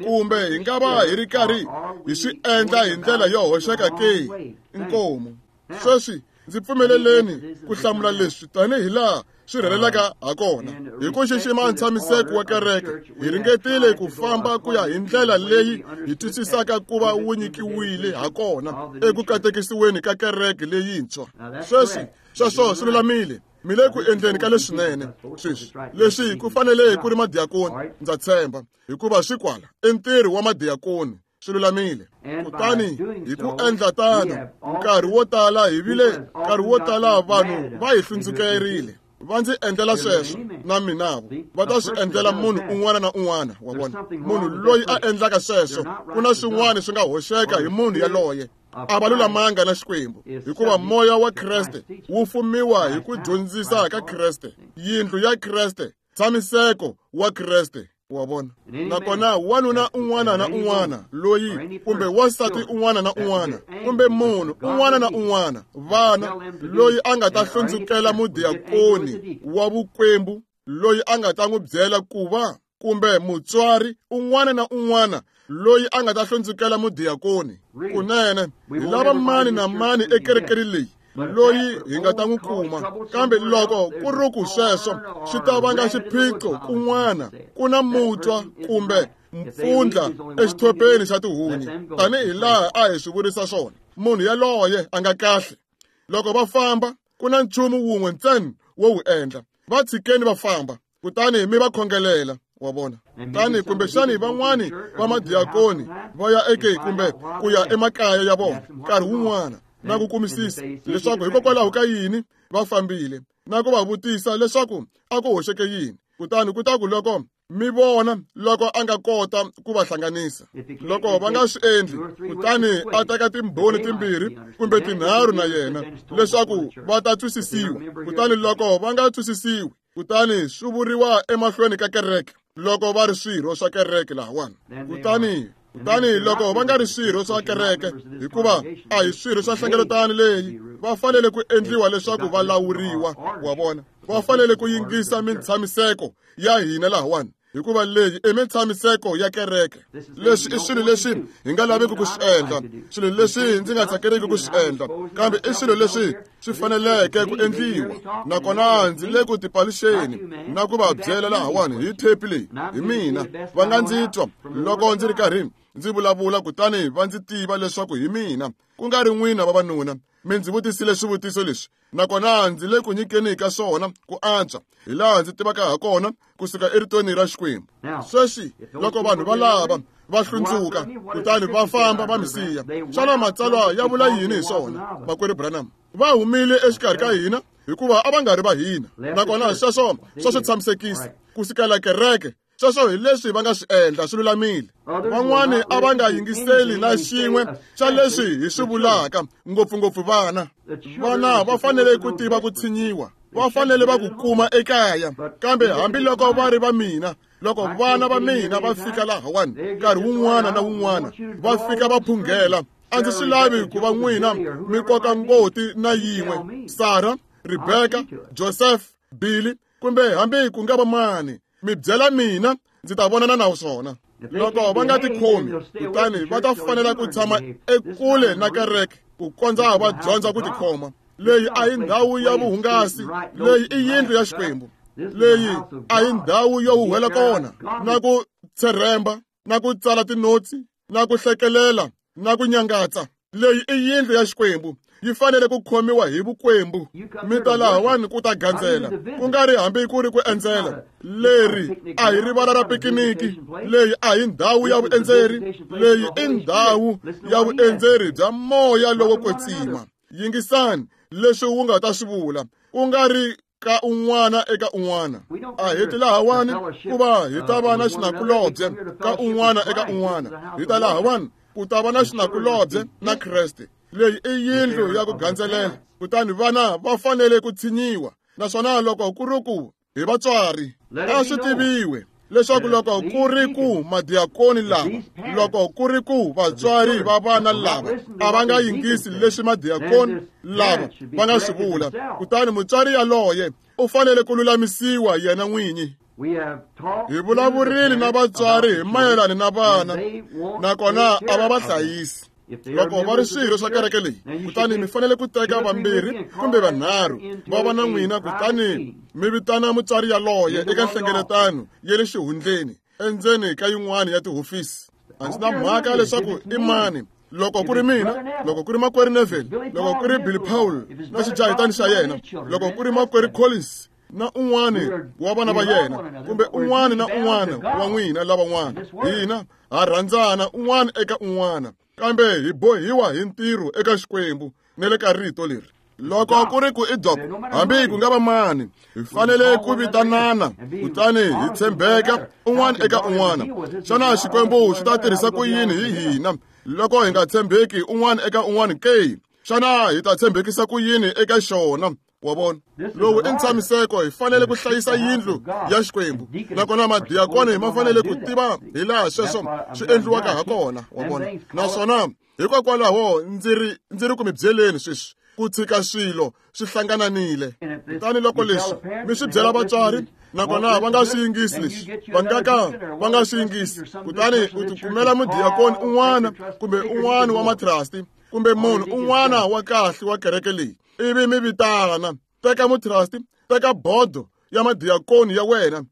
kumbe hi nga va hi ri karhi hi swi endla hi ndlela yo hoxeka ke? Inkomu. Sweswi ndzi pfumeleleni ku hlamula leswi tanihi laha swi rhelelaka ha kona. Hi ku xixima ntshamiseko wa kereke, hi ringetile ku famba ku ya hi ndlela leyi hi twisisaka ku va wu nyikiwile ha kona eku katekisiweni ka kereke leyintshwa. Sweswi sweswo swi lulamile. Mi le ku endleni ka leswinene. Sweswi leswi ku fanele ku ri madiyakoni, ndza tshemba, hikuva swi kwala i ntirho wa madiyakoni. Swi lulamile. Kutani hi ku endla tano, nkarhi wo tala hi vile nkarhi wo tala vanhu va hi hlundzukerile. Va ndzi endlela sweswo na minavo va ta swi endlela munhu un'wana na un'wana wa vona. Munhu loyi a endlaka sweswo, ku na swin'wana swi nga hoxeka hi munhu yaloye. A va lulamanga na Xikwembu, hikuva moya wa Kreste wu fumiwa hi ku dyondzisa ka Kreste, yindlu ya Kreste, ntshamiseko wa Kreste. Wa vona. Nakona wanuna un'wana na un'wana loyi, kumbe wansati un'wana na un'wana, kumbe munhu un'wana na un'wana, vana, loyi a nga ta hlundzukela mudiyakoni wa vukwembu, loyi a nga ta n'wi byela ku va, kumbe mutswari un'wana na un'wana loyi a nga ta hlundzukela mudiyakoni, kunene hi lava mani na mani ekerekeni leyi loyi hi nga ta n'wi kuma. Kambe loko ku ri ku sweswo swi ta vanga xiphiqo kun'wana, ku na mutwa kumbe mpfundla exithopeni xa tihunyi, tanihi laha a hi swi vurisa swona. Munhu yaloye a nga kahle. Loko va famba, ku na nchumu wun'we ntsena wo wu endla. Va tshikeni va famba, kutani mi va khongelela. Wa vona. Tani kumbexani van'wani va madiyakoni va ya eke kumbe ku ya emakaya ya vona nkarhi wun'wana, na ku kumisisa leswaku hikokwalaho ka yini va fambile, na ku va vutisa leswaku a ku hoxeke yini. Kutani ku ta ku loko mi vona loko a nga kota ku va hlanganisa, loko va nga swi endli, kutani a teka timbhoni timbirhi kumbe tinharhu na yena leswaku va ta twisisiwa. Kutani loko va nga twisisiwi, kutani swi vuriwa emahlweni ka kereke loko va ri swirho swa kereke lahawani. Kutani loko va nga ri swirho swa kereke, hikuva a hi swirho swa nhlengeletano leyi, va fanele ku endliwa leswaku va lawuriwa. Wa vona, va fanele ku yingisa mintshamiseko ya hina lahawani, hikuva leyi i mintshamiseko ya kereke. Leswi i swilo leswi hi nga laveki ku swi endla, swilo leswi ndzi nga tsakeriki ku swi endla, kambe i swilo leswi swi faneleke ku endliwa. Nakona ndzi le ku tipaluxeni na ku va byela lahawani hi thepi leyi hi mina. Va nga ndzi twa loko ndzi ri karhi ndzi vulavula, kutani va ndzi tiva leswaku hi mina, ku nga ri n'wina vavanuna. Mi ndzi vutisile swivutiso leswi, nakona ndzi le ku nyikeni ka swona ku antswa hi laha ndzi tivaka ha kona kusuka eritweni ra Xikwembu. Sweswi loko vanhu va lava va hlundzuka kutani va famba va mi siya, xana matsalwa ya vula yini hi swona, makwerhu Branham? Va humile exikarhi ka hina hikuva a va nga ri va hina. Nakona sweswo swa swi tshamisekisa ku sukela kereke. Sweswo hi leswi va nga swi endla, swi lulamile. Van'wani a va nga yingiseli na xin'we xa leswi hi swi vulaka, ngopfungopfu vana. Vana va fanele ku tiva ku tshinyiwa, va fanele va ku kuma ekaya. Kambe hambiloko va ri va mina, loko vana va mina va fika lahawani nkarhi wun'wana na wun'wana, va fika va phunghela, a ndzi swi lavi ku va n'wina mi koka ngoti na yin'we, Sara, Rebeka, Joseph, Billy, kumbe hambi ku nga va mani, mi byela mina, ndzi ta vonana na swona. Loko va nga tikhomi, kutani va ta fanela ku tshama ekule na kereke ku kondza va dyondza ku tikhoma. Leyi a hi ndhawu ya vuhungasi, leyi i yindlu ya Xikwembu. Leyi a hi ndhawu yo huhwela kona, na ku tshemba, na ku tsala tinotsi, na ku hlekelela, na ku nyangatsa. Leyi i yindlu ya Xikwembu, yi fanele ku khomiwa hi vukwembu. Mi ta lahawani ku ta gandzela, ku nga ri hambi ku ri ku endzela. Leri a hi rivala ra pikiniki, leyi a hi ndhawu ya vuendzeri, leyi i ndhawu ya vuendzeri bya moya lowo kwetsima. Yingisani leswi wu nga ta swi vula, ku nga ri ka un'wana eka un'wana. A hi ti lahawani ku va hi ta va na xinakulobye ka un'wana eka un'wana, hi ta lahawani ku ta va na xinakulobye na Kreste. Leyi i yindlu ya ku gandzelela, kutani vana va fanele ku tshinyiwa. Naswona loko ku ri ku hi vatswari, a swi tiviwe leswaku loko ku ri ku madiakoni lava, loko ku ri ku vatswari va vana lava a va nga yingisi leswi madiakoni lava va nga swi vula, kutani mutswari yaloye u fanele ku lulamisiwa yena n'winyi. Hi vulavurile na vatswari hi mayelana na vana, nakona a va va hlayisi. Loko va ri swirho swa kereke leyi, kutani mi fanele ku teka vambirhi kumbe vanharhu va va na n'wina, kutani mi vitana mutswari yaloye eka nhlengeletano ya le xihundleni endzeni ka yin'wana ya tihofisi. A ndzi na mhaka leswaku i mani, loko ku ri mina, loko ku ri makwerhu Neville, loko ku ri Billy Paul na xijahitani xa yena, loko ku ri makwerhu Collins na un'wana wa vana va yena, kumbe un'wana na un'wana wa n'wina lavan'wana, hina ha rhandzana un'wana eka un'wana, kambe hi bohiwa hi ntirho eka Xikwembu na le ka rito leri. Loko ku ri ku i dok, hambi ku nga va mani, hi fanele ku vitanana kutani hi tshembeka un'wana eka un'wana. Xana Xikwembu xi ta tirhisa ku yini hi hina loko hi nga tshembeki un'wana eka un'wana ke? Xana hi ta tshembekisa ku yini eka xona? Wa vona, lowu i ntshamiseko. Hi fanele ku hlayisa yindlu ya Xikwembu, nakona madiakoni ma fanele ku tiva hi laha sweswo swi endliwaka ha kona. Wa vona, naswona hikokwalaho ndzi ri ku mi byeleni sweswi ku tshika swilo swi hlangananile. Kutani loko leswi mi swi byela vatswari, nakona va nga swi yingisi leswi, va nga ka va nga swi yingisi, kutani u tikumela mudiakoni un'wana kumbe un'wana wa matrasti kumbe munhu un'wana wa kahle wa kereke leyi, ivi mi vitana. Teka mutrasti, teka bodo ya madiakoni ya wena,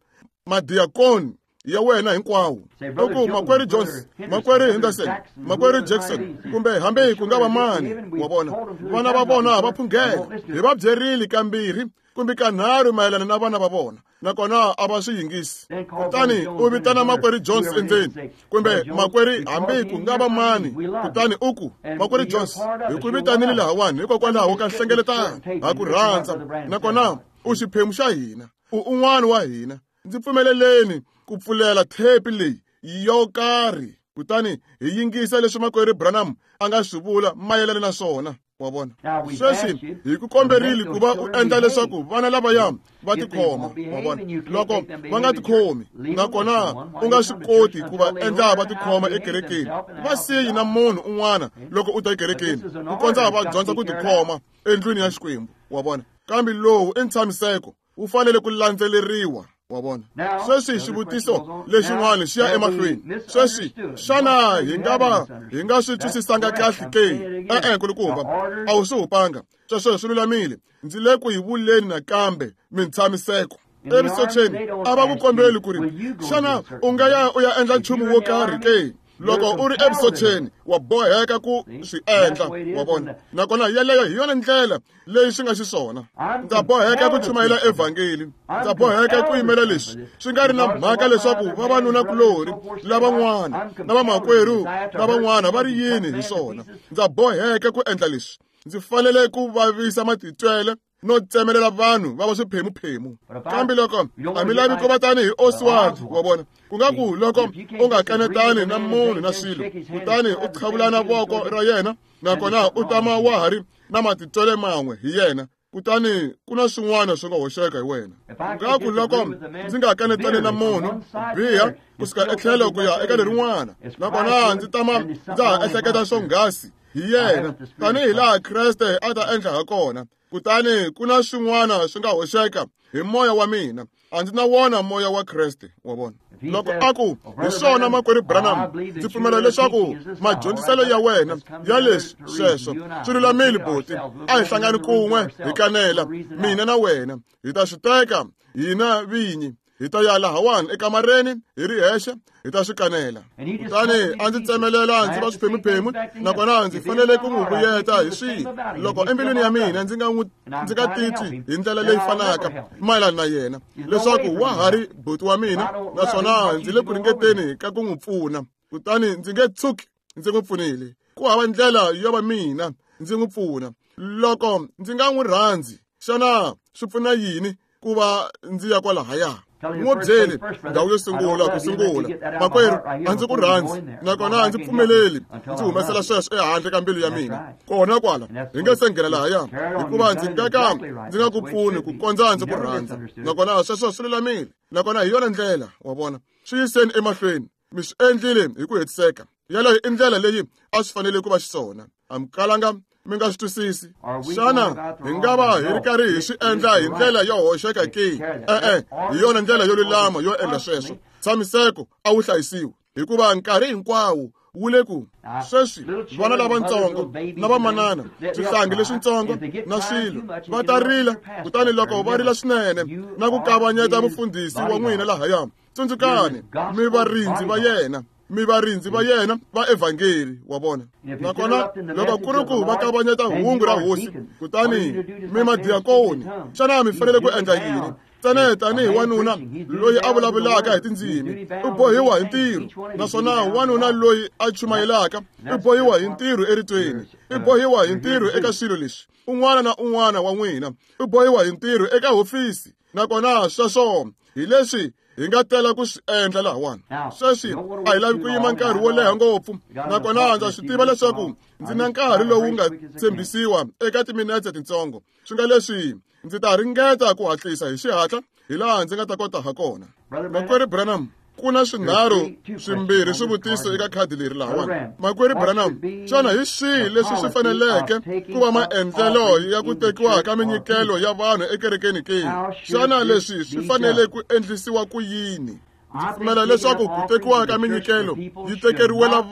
madiakoni ya wena hinkwawo. U ku makwerhu Jones, makwerhu Henderson, makwerhu Jackson, kumbe hambi ku nga va mani. Wa vona, vana va vona va phunghela. Hi va byerile kambirhi kumbe kanharhu mayelana na vana va vona, nakona a va swi yingisi. Kutani u vitana makwerhu Jones endzeni, kumbe makwerhu hambi ku nga va mani, kutani u ku, makwerhu Jones, hi ku vitanile lahawani hikokwalaho ka nhlengeletano, ha ku rhandza, nakona u xiphemu xa hina, u un'wana wa hina. Ndzi pfumeleleni ku pfulela thepi leyi yo karhi, kutani hi yingisa leswi makwerhu Branham a nga swi vula mayelana na swona. Wa vona, sweswi hi ku komberile ku va u endla leswaku vana lavaya va tikhoma. Wa vona, loko va nga tikhomi, nakona u nga swi koti ku va endla va tikhoma ekerekeni, va siyi na munhu un'wana loko u ta ekerekeni ku kondza va dyondza ku tikhoma endlwini ya Xikwembu. Wa vona, kambe lowu i ntshamiseko, wu fanele ku landzeleriwa. Wa vona, sweswi xivutiso lexin'wana xi ya emahlweni. Sweswi, xana hi nga va hi nga swi twisisanga kahle ke? E-e, nkulukumba, a wu swi hupanga. Sweswo swi lulamile. Ndzi le ku hi vuleni nakambe mintshamiseko. Evusocheni a va ku kombeli ku ri, xana u nga ya u ya endla nchumu wo karhi ke? Loko u ri evusocheni, wa boheka ku swi endla. Wa vona, nakona yeleyo hi yona ndlela leyi swi nga xiswona. Ndza boheka ku chumayela evhangeli, ndza boheka ku yimela leswi, swi nga ri na mhaka leswaku vavanunakulorhi lavan'wana na vamakwerhu lavan'wana va ri yini hi swona. Ndza boheka ku endla leswi. Ndzi fanele ku vavisa matitwele no tsemelela vanhu va va swiphemuphemu. Kambe loko a mi lavi ku va tanihi Oswald, wa vona, ku nga ku loko u nga kanetani na munhu na swilo, kutani u qhavulana voko ra yena, nakona u tama wa ha ri na matitwele man'we hi yena, kutani ku na swin'wana swi nga hoxeka hi wena. Nga ku loko ndzi nga kanetani na munhu biha kusuka etlhelo ku ya eka lerin'wana, nakona ndzi tama ndza ha ehleketa swonghasi hi yena tanihi laha Kreste a ta endla ha kona, kutani ku na swin'wana swi nga hoxeka hi moya wa mina. A ndzi na wona moya wa Kreste. Wa vona, loko a ku hi swona makwerhu Branham, ndzi pfumela leswaku madyondziselo ya wena ya leswi sweswo swi lulamile, buti, a hi hlangani kun'we hi kanela, mina na wena hi ta swi teka hina vinyi, hi ta ya lahawani ekamareni hi ri hexe, hi ta swi kanela. Kutani a ndzi tsemelela ndzi va swiphemuphemu, nakona ndzi fanele ku n'wi vuyeta hi swihi loko embilwini ya mina ndzi nga titwi hi ndlela leyi fanaka mayelana na yena, leswaku wa ha ri buti wa mina, naswona ndzi le ku ringeteni ka ku n'wi pfuna, kutani ndzi nge tshuki ndzi n'wi pfunile. Ku hava ndlela yo va mina ndzi n'wi pfuna loko ndzi nga n'wi rhandzi. Xana swi pfuna yini ku va ndzi ya kwalahaya? N'wi byeli ndhawu yo sungula ku sungula, makwerhu, a ndzi ku rhandzi nakona a ndzi pfumeleli ndzi humesela sweswo ehandle ka mbilu ya mina kona kwala hi nge se nghena lahaya, hikuva ndzi nga ka ndzi nga ku pfuni ku kondza ndzi ku rhandza. Nakona sweswo swi lulamile, nakona hi yona ndlela, wa vona. Swi yiseni emahlweni, mi swi endlile hi ku hetiseka. Yaleyo i ndlela leyi a swi fanele ku va xiswona. A mi kalanga mi nga swi twisisi. Xana hi nga va hi ri karhi hi swi endla hi ndlela yo hoxeka ke? E-e, hi yona ndlela yo lulama yo endla sweswo. Tshamiseko a wu hlayisiwi, hikuva nkarhi hinkwawo wu le ku sweswi vana lavatsongo na vamanana, swihlangi leswitsongo na swilo va ta rila, kutani loko va rila swinene na ku kavanyeta mufundhisi wa n'wina lahaya, tsundzukani, mi varindzi va yena, mi varindzi va yena va evhangeli, wa vona. Nakona loko ku ri ku va kavanyeta hungu ra hosi, kutani mi madiyakoni, xana mi fanele ku endla yini? Ntsena tanihi wanuna loyi a vulavulaka hi tindzimi u bohiwa hi ntirho, naswona wanuna loyi a chumayelaka u bohiwa hi ntirho eritweni, u bohiwa hi ntirho eka swilo leswi. Un'wana na un'wana wa n'wina u bohiwa hi ntirho eka hofisi, nakona sweswo hi leswi hi nga tela ku swi endla lahawani. Sweswi a hi lavi ku yima nkarhi wo leha ngopfu, nakona ndza swi tiva leswaku ndzi na nkarhi lowu nga tshembisiwa eka timinetse tintsongo. Swi nga leswi ndzi ta ringeta ku hatlisa hi xihatla hi laha ndzi nga ta kota ha kona. Makwerhu Branham, ku na swinharhu swimbirhi swivutiso eka khadi leri lahawani. Makwerhu Branham, xana hi swihi leswi swi faneleke ku va maendlelo ya ku tekiwa ka minyikelo ya vanhu ekerekeni ke? Xana leswi swi fanele ku endlisiwa ku yini? Ndzi pfumela leswaku ku tekiwa ka minyikelo yi tekeriwela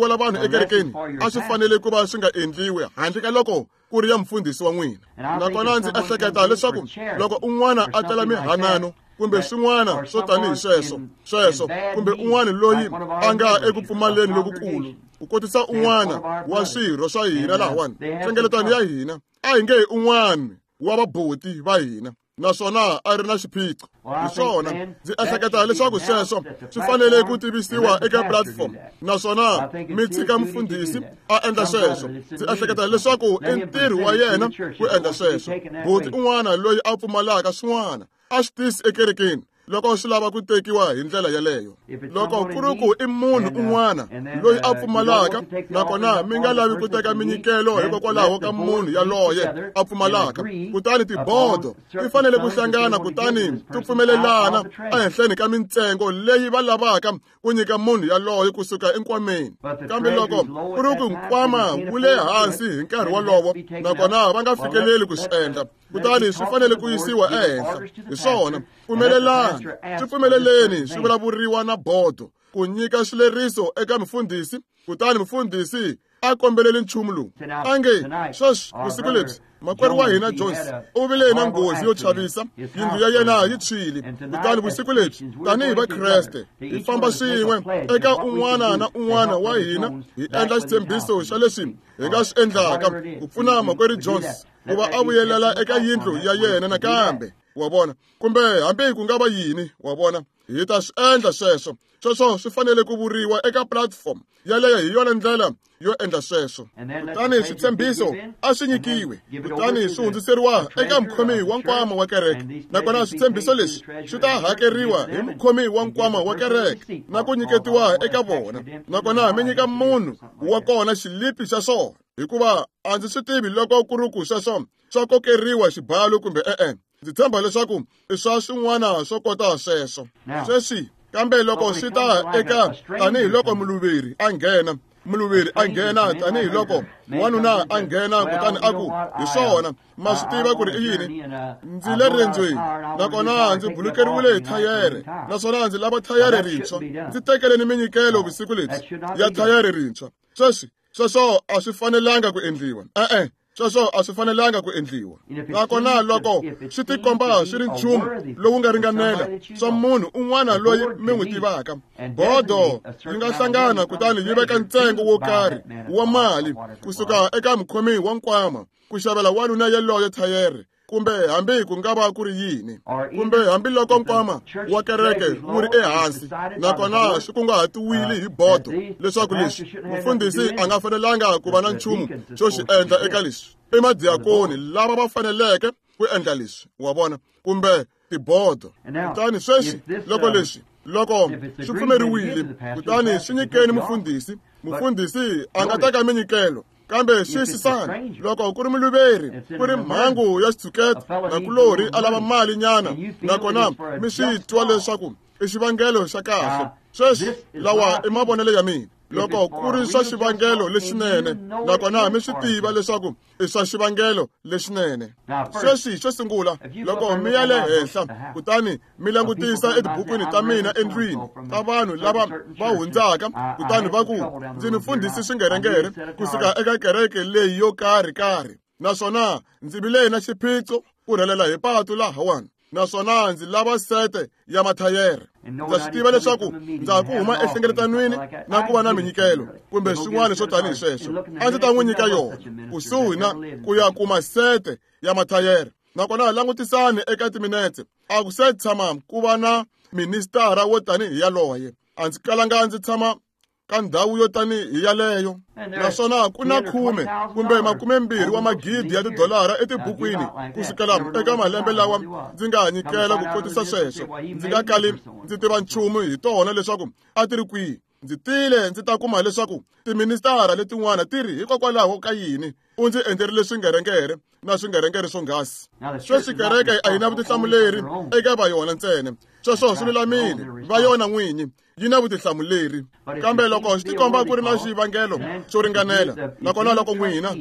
vanhu ekerekeni a swi fanele ku va swi nga endliwi handle ka loko ku ri ya mufundhisi wa n'wina. Nakona ndzi ehleketa leswaku loko un'wana a tela mihanano kumbe swin'wana swo tanihi sweswo, kumbe un'wana loyi a nga eku pfumaleni lokukulu, ku kotisa un'wana wa swirho swa hina lahawani, nhlengeletano ya hina, a hi nge hi un'wana wa vaboti va hina, naswona a ri na xiphiqo. Hi swona, ndzi ehleketa leswaku sweswo swi fanele ku tivisiwa eka platform, naswona mi tshika mufundhisi a endla sweswo. Ndzi ehleketa leswaku i ntirho wa yena ku endla sweswo. Boti un'wana loyi a pfumalaka swin'wana a swi tisi ekerekeni loko swi lava ku tekiwa hi ndlela yeleyo. Loko ku ri ku i munhu un'wana loyi a pfumalaka, nakona mi nga lavi ku teka minyikelo hikokwalaho ka munhu yaloye a pfumalaka, kutani tibodo ti fanele ku hlangana kutani ti pfumelelana ehenhleni ka mintsengo leyi va lavaka ku nyika munhu yaloye kusuka enkwameni. Kambe loko ku ri ku nkwama wu le hansi hi nkarhi wolowo, nakona va nga fikeleli ku swi endla, kutani swi fanele ku yisiwa ehenhla. Hi swona, pfumelelani, swi pfumeleleni swi vulavuriwa na bodo ku nyika swileriso eka mufundhisi, kutani mufundhisi a kombeleli nchumu lowu a nge sweswi vusiku lebyi makwerhu wa hina Jones u vile na nghozi yo chavisa, yindlu ya yena yi tshwile. Kutani vusiku lebyi tanihi Vakreste hi famba swin'we eka un'wana na un'wana wa hina hi endla xitshembiso xa leswi hi nga swi endlaka ku pfuna makwerhu Jones ku va a vuyelela eka yindlu ya yena nakambe, wa vona, kumbe hambi ku nga va yini, wa vona, hi ta swi endla sweswo. Sweswo swi fanele ku vuriwa eka platform yaleyo, hi yona ndlela yo endla sweswo. Kutani switshembiso a swi nyikiwe, kutani swi hundziseriwa eka mukhomi wa nkwama wa kereke, nakona switshembiso leswi swi ta hakeriwa hi mukhomi wa nkwama wa kereke na ku nyiketiwa eka vona, nakona mi nyika munhu wa kona xilipi xa swona, hikuva a ndzi swi tivi loko ku ri ku sweswo swa kokeriwa xibalo kumbe e-e. Ndzi tshemba leswaku i swa swin'wana swo kota sweswo. Sweswi, kambe loko swi ta eka tanihiloko muluveri a nghena, tanihiloko wanuna a nghena, kutani a ku, hi swona, ma swi tiva ku ri i yini? Ndzi le riendzweni, nakona ndzi bulukeriwile hi thayere, naswona ndzi lava thayere rintshwa. Ndzi tekeleni minyikelo vusiku lebyi ya thayere rintshwa. Sweswi, sweswo a swi fanelanga ku endliwa. E-e, sweswo a swi fanelanga ku endliwa. Nakona loko swi tikomba swi ri nchumu lowu nga ringanela swa munhu un'wana loyi mi n'wi tivaka, bodo yi nga hlangana kutani yi veka ntsengo wo karhi wa mali kusuka eka mukhomi wa nkwama ku xavela wanuna yaloye thayere, kumbe hambi ku nga va ku ri yini, kumbe hambiloko nkwama wa kereke wu ri ehansi, nakona swi kunguhatiwile hi bodo leswaku leswi mufundhisi a nga fanelanga ku va na nchumu xo xi endla eka leswi. I madiakoni lava va faneleke ku endla leswi, wa vona, kumbe tibodo. Kutani sweswi loko leswi loko swi pfumeriwile, kutani swi nyikeni mufundhisi. Mufundhisi a nga teka minyikelo, kambe xiyisisani, loko ku ri muluveri, ku ri mhangu ya xitshuketa, nakulorhi a lava mali nyana, nakona mi swi twa leswaku i xivangelo xa kahle. Sweswi lawa i mavonelo ya mina. Loko ku ri swa xivangelo lexinene, nakona mi swi tiva leswaku i swa xivangelo lexinene. Sweswi xo sungula, loko mi ya le henhla kutani mi langutisa etibukwini ta mina endlwini ta vanhu lava va hundzaka, kutani va ku, ndzi mufundhisi swingerengere kusuka eka kereke leyi yo karhi karhi, naswona ndzi vile na xiphiqo ku rhelela hi patu lahawani, naswona ndzi lava sete ya mathayere. Ndza swi tiva leswaku ndza ha ku huma enhlengeletanweni na ku va na minyikelo kumbe swin'wana swo tanihi sweswo. A ndzi ta n'wi nyika yona kusuhi na ku ya kuma sete ya mathayere. Nakona langutisani eka timinetse, a ku se tshama ku va na ministara wo tanihi yaloye. A ndzi kalanga ndzi tshama ka ndhawu yo tanihi yaleyo. Naswona ku na 10 kumbe 20 wa magidi ya tidolara etibukwini kusukela eka malembe lawa ndzi nga nyikela ku kotisa sweswo. Ndzi nga kali ndzi tiva nchumu hi tona leswaku a ti ri kwihi. Ndzi tile ndzi ta kuma leswaku tiministara letin'wana ti ri hikokwalaho ka yini u ndzi endlerile swingerengere na swingerengere swonghasi. Sweswi kereke a yi na vutihlamuleri eka va yona ntsena. Sweswo swi lulamile, va yona n'winyi yi na vutihlamuleri. Kambe loko swi tikomba ku ri na xivangelo xo ringanela, nakona loko n'wina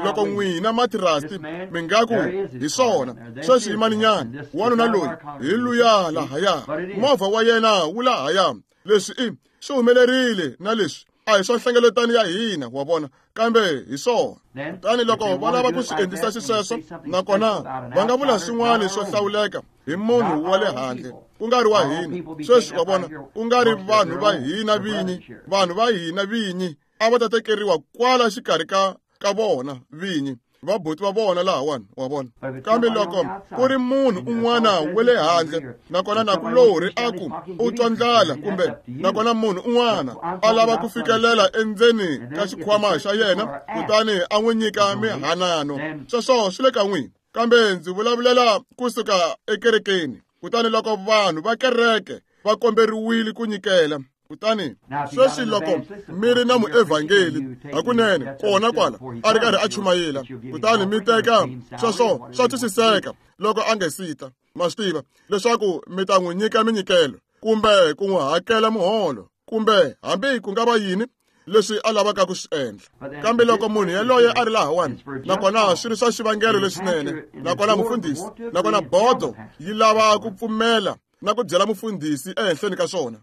loko n'wina matirasti mi nga ku hi swona, sweswi yimaninyana, wanuna loyi hi luya lahaya, movha wa yena wu lahaya, leswi i swi humelerile na leswi a hi swa nhlengeletano ya hina, wa vona, kambe hi swona. Kutani loko va lava ku swi endlisa xisweswo, nakona va nga vula swin'wana swo hlawuleka hi munhu wa le handle, ku nga ri wa hina. Sweswi wa vona, ku nga ri vanhu va hina vinyi, vanhu va hina vinyi a va ta tekeriwa kwala xikarhi ka vona vinyi, vabuti va vona lahawani, wa vona. Kambe loko ku ri munhu un'wana wa le handle, nakona nakulorhi a ku u twa ndlala, kumbe nakona munhu un'wana a lava ku fikelela endzeni ka xikhwama xa yena, kutani a n'wi nyika mihanano, sweswo swi le ka n'wina. Kambe ndzi vulavulela kusuka ekerekeni. Kutani loko vanhu va kereke va komberiwile ku nyikela, kutani sweswi loko mi ri na muevhangeli hakunene kona kwala a ri karhi a chumayela, kutani mi teka sweswo swa twisiseka loko a nge sita, ma swi tiva leswaku mi ta n'wi nyika minyikelo kumbe ku n'wi hakela muholo kumbe hambi ku nga va yini leswi a lavaka ku swi endla. Kambe loko munhu yaloye a ri lahawani, nakona swi ri swa xivangelo lexinene, nakona mufundhisi, nakona bodo yi lava ku pfumela na ku byela mufundhisi ehenhleni ka swona,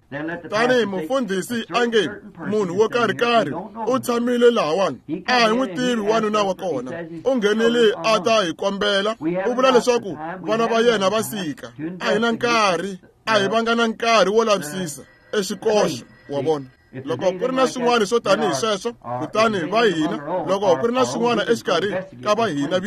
tanihi mufundhisi a nge munhu wo karhi-karhi u tshamile lahawani, a hi n'wi tivi wanuna wa kona, u nghenile a ta hi kombela, u vula leswaku vana va yena va sika, a hi na nkarhi, a hi vanga na nkarhi wo lavisisa exikoxo, wa vona. Loko ku ri na swin'wana swo tanihi sweswo, kutani va hina, loko ku ri na swin'wana exikarhi ka va hina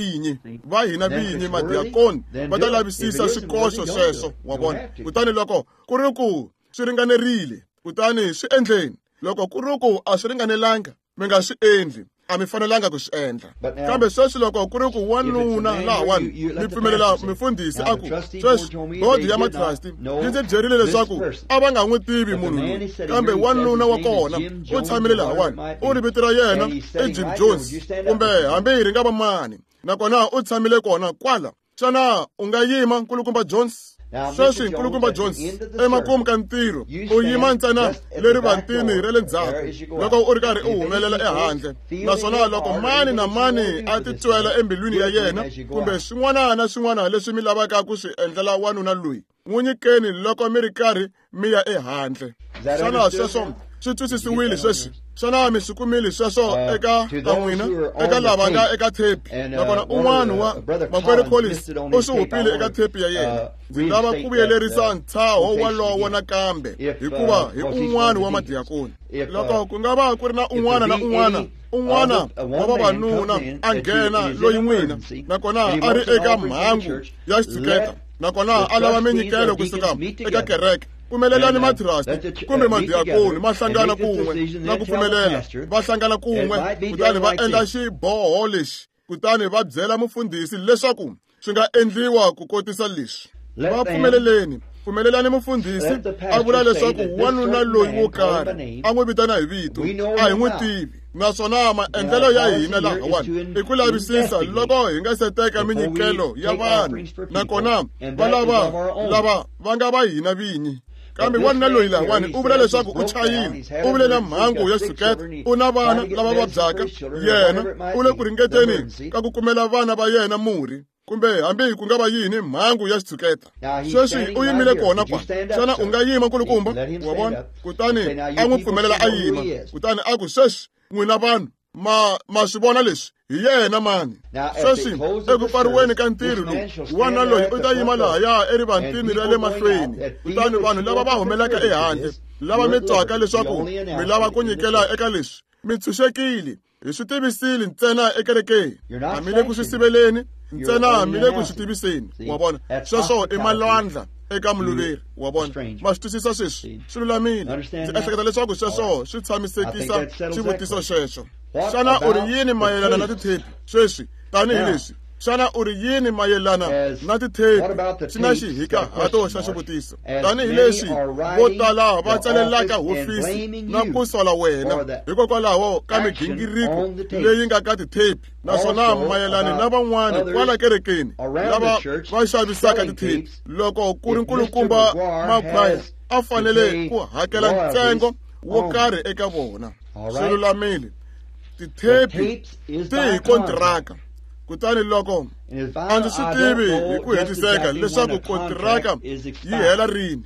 vinyi madiakoni va ta lavisisa swikoxo sweswo, wa vona. Kutani loko ku ri ku swi ringanerile, kutani swi endleni. Loko ku ri ku a swi ringanelanga, mi nga swi endli, a mi fanelanga ku swi endla. Kambe sweswi loko ku ri ku wanuna lahawani, mi pfumelela mufundhisi a ku, sweswi bodo ya matrasti yi ndzi byerile leswaku a va nga n'wi tivi munhu loyi, kambe wanuna wa kona u tshamile lahawani, u ri vito ra yena i Jim Jones kumbe hambi ri nga va mani, nakona u tshamile kona kwala. Xana u nga yima, Nkulukumba Jones? Sweswi Nkulukumba Jones, emakumu ka ntirho, u yima ntsena leri vantini ra le ndzhaku loko u ri karhi u humelela ehandle. Naswona loko mani na mani a titwela embilwini ya yena kumbe swin'wana na swin'wana leswi mi lavaka ku swi endlela wanuna loyi, n'wi nyikeni loko mi ri karhi mi ya ehandle. Xana sweswo swi twisisiwile sweswi? Xana mi swi kumile sweswo eka ta n'wina, eka lava nga eka thepi? Nakona un'wana wa makwerhu Collins u swi hupile eka thepi ya yena. Ndzi lava ku vuyelerisa ntshaho walowo nakambe, hikuva hi un'wana wa madiakoni. Loko ku nga va ku ri na un'wana na un'wana un'wana wa vavanuna a nghena loyi n'wina, nakona a ri eka mhangu ya xitshuketa, nakona a lava minyikelo kusuka eka kereke, pfumelelani matrasti kumbe madiakoni ma hlangana kun'we na ku pfumelela va hlangana kun'we, kutani va endla xiboho lexi, kutani va byela mufundhisi leswaku swi nga endliwa ku kotisa leswi. Va pfumeleleni, pfumelelani mufundhisi a vula leswaku wanuna loyi wo karhi a n'wi vitana hi vito, a hi n'wi tivi. Naswona maendlelo ya hina lahawani i ku lavisisa loko hi nga se teka minyikelo ya vanhu, nakona va lava lava va nga va hina vinyi. Kambe wanuna loyi lahawani u vula leswaku u chayile, u vule na mhangu ya xitshuketa, u na vana lava vabyaka, yena u le ku ringeteni ka ku kumela vana va yena murhi, kumbe hambi ku nga va yini mhangu ya xitshuketa. Sweswi u yimile kona kwa. Xana u nga yima nkulukumba? Wa vona? Kutani a n'wi pfumelela a yima. Kutani a ku, sweswi n'wina vanhu ma swi vona leswi, hi yena mani. Sweswi eku pfariweni ka ntirho lowu, wanuna loyi u ta yima lahaya erivantini ra le mahlweni. Kutani vanhu lava va humelaka ehandle, lava mi twaka leswaku mi lava ku nyikela eka leswi, mi tshunxekile. Hi swi tivisile ntsena ekerekeni, a mi le ku swi siveleni ntsena, mi le ku swi tiviseni. Wa vona? Sweswo i malwandla eka muluveri. Wa vona? Ma swi twisisa sweswi? Swi lulamile. Ndzi ehleketa leswaku sweswo swi tshamisekisa xivutiso xexo. Xana u ri yini mayelana na tithepi sweswi? Tanihileswi, xana u ri yini mayelana na tithepi? Xi na xihikahato xa xivutiso. Tanihileswi vo tala va tsalelaka hofisi na ku sola wena hikokwalaho ka migingiriko leyi nga ka tithepi, naswona mayelana na van'wana kwala kerekeni lava va xavisaka tithepi, loko ku ri nkulukumba Maguire a fanele ku hakela ntsengo wo karhi eka vona. Swi lulamile. Tithepi ti hi kontiraka. Kutani loko a ndzi swi tivi hi ku hetiseka leswaku kontiraka yi hela rini,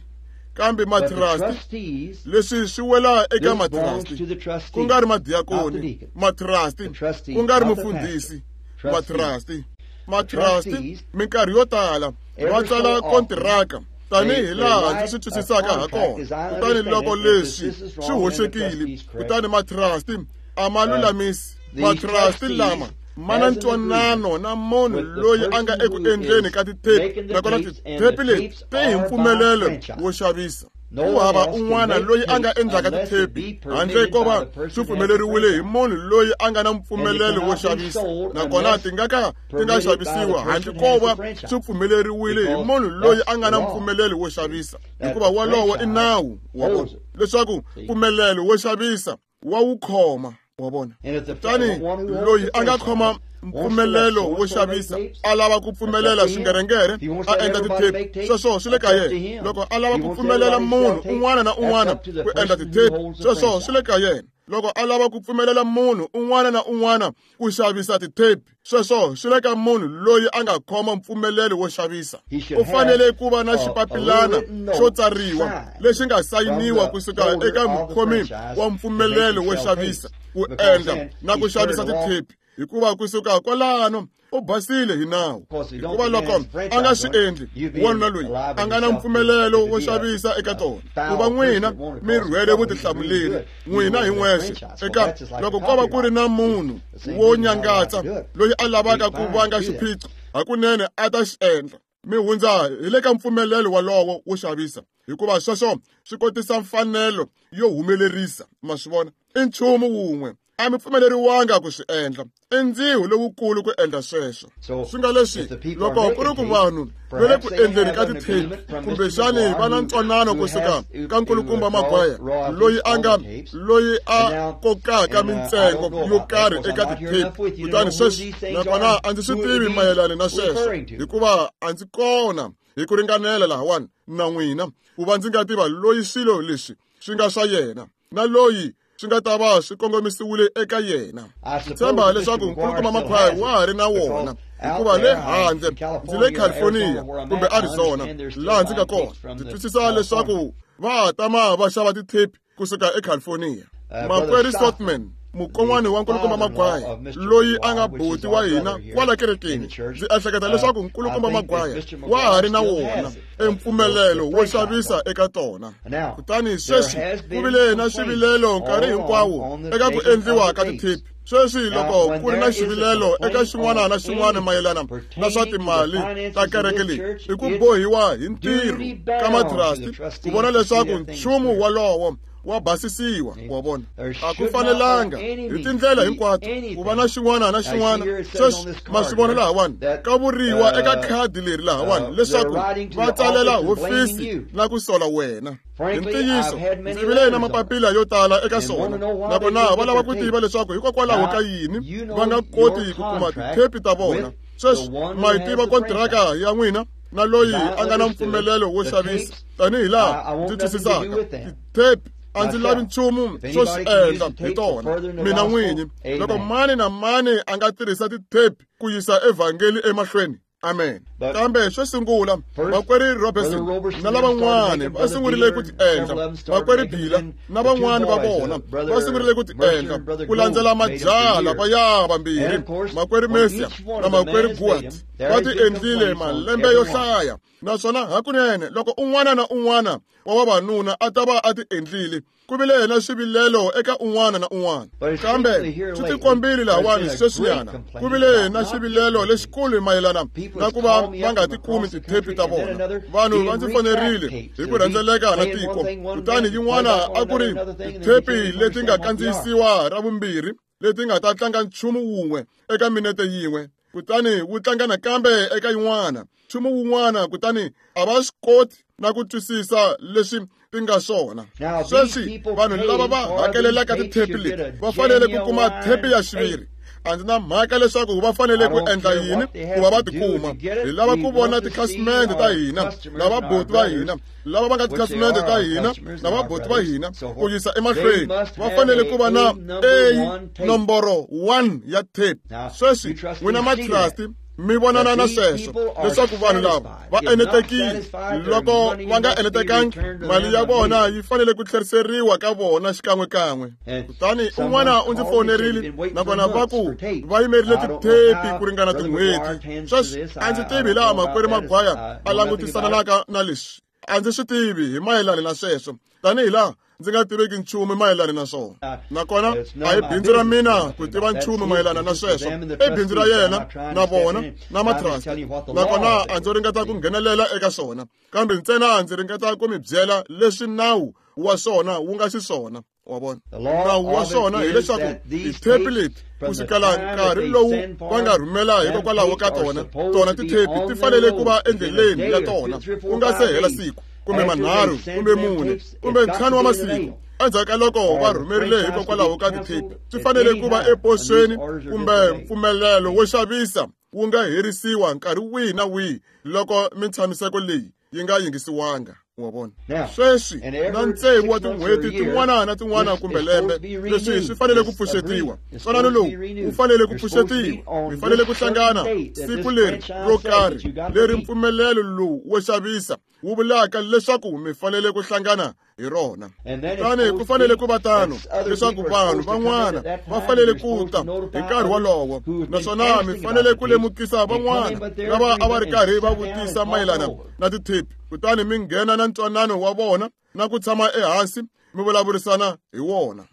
kambe matrasti, leswi swi wela eka matrasti, ku nga ri madiakoni, matrasti, ku nga ri mufundhisi, matrasti. Matrasti minkarhi yo tala va tsala kontiraka tanihi laha ndzi swi twisisaka ha kona. Kutani loko leswi swi hoxekile, kutani matrasti a ma lulamisi. Matrasti lama ma na ntwanano na munhu loyi a nga eku endleni ka tithepi, nakona tithepi leti ti hi mpfumelelo wo xavisa. Ku hava un'wana loyi a nga endlaka tithepi handle ko va swi pfumeleriwile hi munhu loyi a nga na mpfumelelo wo xavisa, nakona ti nga ka ti nga xavisiwa handle ko va swi pfumeleriwile hi munhu loyi a nga na mpfumelelo wo xavisa, hikuva wolowo i nawu. Wa vona? Leswaku mpfumelelo wo xavisa wa wu khoma. Wa vona? Kutani loyi a nga khoma mpfumelelo wo xavisa a lava ku pfumelela swingerengere a endla tithepi, sweswo swi le ka yena. Loko a lava ku pfumelela munhu un'wana na un'wana ku endla tithepi, sweswo swi le ka yena. Loko a lava ku pfumelela munhu un'wana na un'wana ku xavisa tithepi, sweswo swi le ka munhu loyi a nga khoma mpfumelelo wo xavisa. U fanele ku va na xipapilana xo tsariwa lexi nga sayiniwa kusuka eka mukhomi wa mpfumelelo wo xavisa ku endla na ku xavisa tithepi, hikuva kusuka kwalano u basile hi nawu. Hikuva loko a nga swi endli, wanuna loyi a nga na mpfumelelo wo xavisa eka tona, ku va n'wina mi rhwele vutihlamuleri n'wina hi n'wexe eka loko ko va ku ri na munhu wo nyangatsa loyi a lavaka ku vanga xiphiqo, hakunene a ta xi endla. Mi hundza hi le ka mpfumelelo wolowo wo xavisa, hikuva sweswo swi kotisa mfanelo yo humelerisa. Ma swi vona? I nchumu wun'we a mi pfumeleriwanga ku swi endla. I ndziho lowukulu ku endla sweswo. Swi nga leswi, loko ku ri ku vanhu va le ku endleni ka tithepi, kumbexani va na ntwanano kusuka ka nkulukumba Maguire loyi a nga loyi a kokaka mintsengo yo karhi eka tithepi. Kutani sweswi, nakona a ndzi swi tivi mayelana na sweswo, hikuva a ndzi kona hi ku ringanela lahawani na n'wina ku va ndzi nga tiva loyi swilo leswi swi nga swa yena na loyi swi nga ta va swi kongomisiwile eka yena. Ndzi tshemba leswaku nkulukumba Maguire wa ha ri na wona, hikuva le handle ndzi le California kumbe Arizona laha ndzi nga kona, ndzi twisisa leswaku va tama va xava tithepi kusuka eCalifornia. Makwerhu Sotman, mukon'wana wa nkulukumba Maguire loyi a nga buti wa hina kwala kerekeni, ndzi ehleketa leswaku nkulukumba Maguire wa ha ri na wona empfumelelo wo xavisa eka tona. Kutani sweswi ku vile na swivilelo nkarhi hinkwawo eka ku endliwa ka tithepi. Sweswi loko ku ri na xivilelo eka xin'wana na xin'wana mayelana na swa timali ta kereke leyi, i ku bohiwa hi ntirho ka matrasti ku vona leswaku nchumu wolowo wa basisiwa wa vona a ku fanelanga hi tindlela hinkwato ku va na xin'wana na xin'wana sweswi ma swi vona lahawani ka vuriwa eka khadi leri lahawani leswaku va tsalela hofisi na ku sola wena hi ntiyiso ndzi vile na mapapila yo tala eka swona nakona va lava ku tiva leswaku hikokwalaho ka yini va nga koti ku kuma tithepi ta vona sweswi ma yi tiva kontiraka ya n'wina na loyi a nga na mpfumelelo wo xavisa tanihi laha ndzi twisisaka tithepi a ndzi lavi nchumu xo swi endla hi tona mina n'winyi loko mani na mani a nga tirhisa tithepi ku yisa evhangeli emahlweni amen kambe xo sungula vakweri Robertson na lavan'wani va sungurile ku ti endla vakweri Bila na van'wani va vona va sungurile ku ti endla ku landzela majaha lavaya vambirhi makweri Mesia na makweri Guat va ti endlile malembe yo hlaya naswona hakunene loko un'wana na un'wana wa vavanuna a ta va a ti endlile ku vile na xivilelo eka un'wana na un'wana kambe swi tikombile lahawani sweswinyana ku vile na xivilelo lexikulu mayelana na ku va va nga ti kumi tithepi ta vona vanhu va ndzi fonerile hi ku rhendzeleka na tiko kutani yin'wana a ku ri tithepi leti nga kandziyisiwa ra vumbirhi leti nga ta tlanga nchumu wun'we eka minete yin'we kutani wu tlanga nakambe eka yin'wana nchumu wun'wana kutani a va swi koti na ku twisisa leswi ti nga swona sweswi vanhu lava va hakelelaka tithepi leti va fanele ku kuma thepi ya xiviri a ndzi na mhaka leswaku va fanele ku endla yini ku va va tikuma hi lava ku vona tikhasimende ta hina na vabuti va hina lava va nga tikhasimende ta hina na vabuti va hina ku yisa emahlweni va fanele ku va na A nomboro 1 ya tape sweswi n'wina matrasti mi vonana na sweswo leswaku vanhu lava va enetekile loko va nga enetekangi mali ya vona yi fanele ku tlheriseriwa ka vona xikan'wekan'we kutani un'wana u ndzi fonerile nakona va ku va yimerile tithepi ku ringana tin'hweti sweswi a ndzi tivi hilaha makwerhu Magwaya a langutisananaka na leswi a ndzi swi tivi hi mayelana na sweswo tanihi laha ndzi nga tiveki nchumu mayelana na swona nakona a hi bindzu ra mina ku tiva nchumu mayelana na sweswo i bindzu ra yena na vona na matrust nakona a ndzo ringeta ku nghenelela eka swona kambe ntsena ndzi ringeta ku mi byela leswi nawu wa swona wu nga xiswona wa vona nawu wa swona hileswaku tithepi leti ku sukela nkarhi lowu va nga rhumela hikokwalaho ka tona tona tithepi ti fanele ku va endleleni ya tona ku nga se hela siku kumbe manharhu kumbe mune kumbe ntlhanu wa masiku endzhaku ka loko va rhumerile hikokwalaho ka tithepi swi fanele ku va eposweni kumbe mpfumelelo wo xavisa wu nga herisiwa nkarhi wihi na wihi loko mintshamiseko leyi yi nga yingisiwanga wa vona sweswi na tsevu wa tin'hweti tin'wana na tin'wana kumbe lembe leswi swi fanele ku pfuxetiwa ntwanano lowu wu fanele ku pfuxetiwa mi fanele ku hlangana siku leri ro karhi leri mpfumelelo lowu wo xavisa wu vulaka leswaku mi fanele ku hlangana hi rona kutani ku fanele ku va tano leswaku vanhu van'wana va fanele ku ta hi nkarhi wolowo naswona mi fanele ku lemukisa van'wana lava a va ri karhi va vutisa mayelana na tithepi kutani mi nghena na ntwanano wa vona na ku tshama ehansi mi vulavurisana hi wona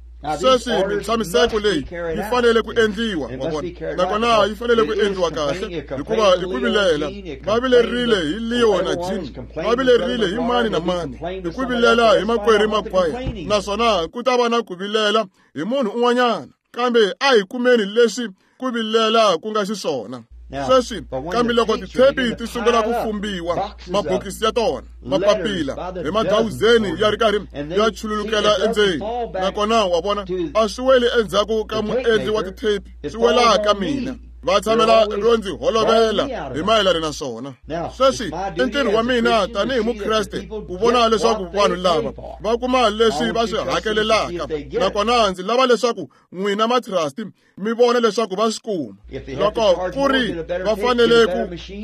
sweswi mintshamiseko leyi yi fanele ku endliwa wa vona nakona yi fanele ku endliwa kahle hikuva i ku vilela va vilerile hi Leo na Jim va vilerile hi mani na mani hi ku vilela hi makwerhu Magwaya naswona ku ta va na ku vilela hi munhu un'wanyana kambe a hi kumeni leswi ku vilela ku nga xiswona sweswi kambe loko tithepi ti sungula ku fumbiwa mabokisi ya tona mapapila hi madawuzeni ya ri karhi ya chululukela endzeni nakona wa vona a swi weli endzhaku ka muendli wa tithepi swi wela ka mina va tshamela ro ndzi holovela hi mayelana na swona sweswi i ntirho wa mina tanihi mukreste ku vona leswaku vanhu lava va kuma leswi va swi hakelelaka nakona ndzi lava leswaku n'wina matrasti mi vona leswaku va swi kuma loko ku ri va fanele ku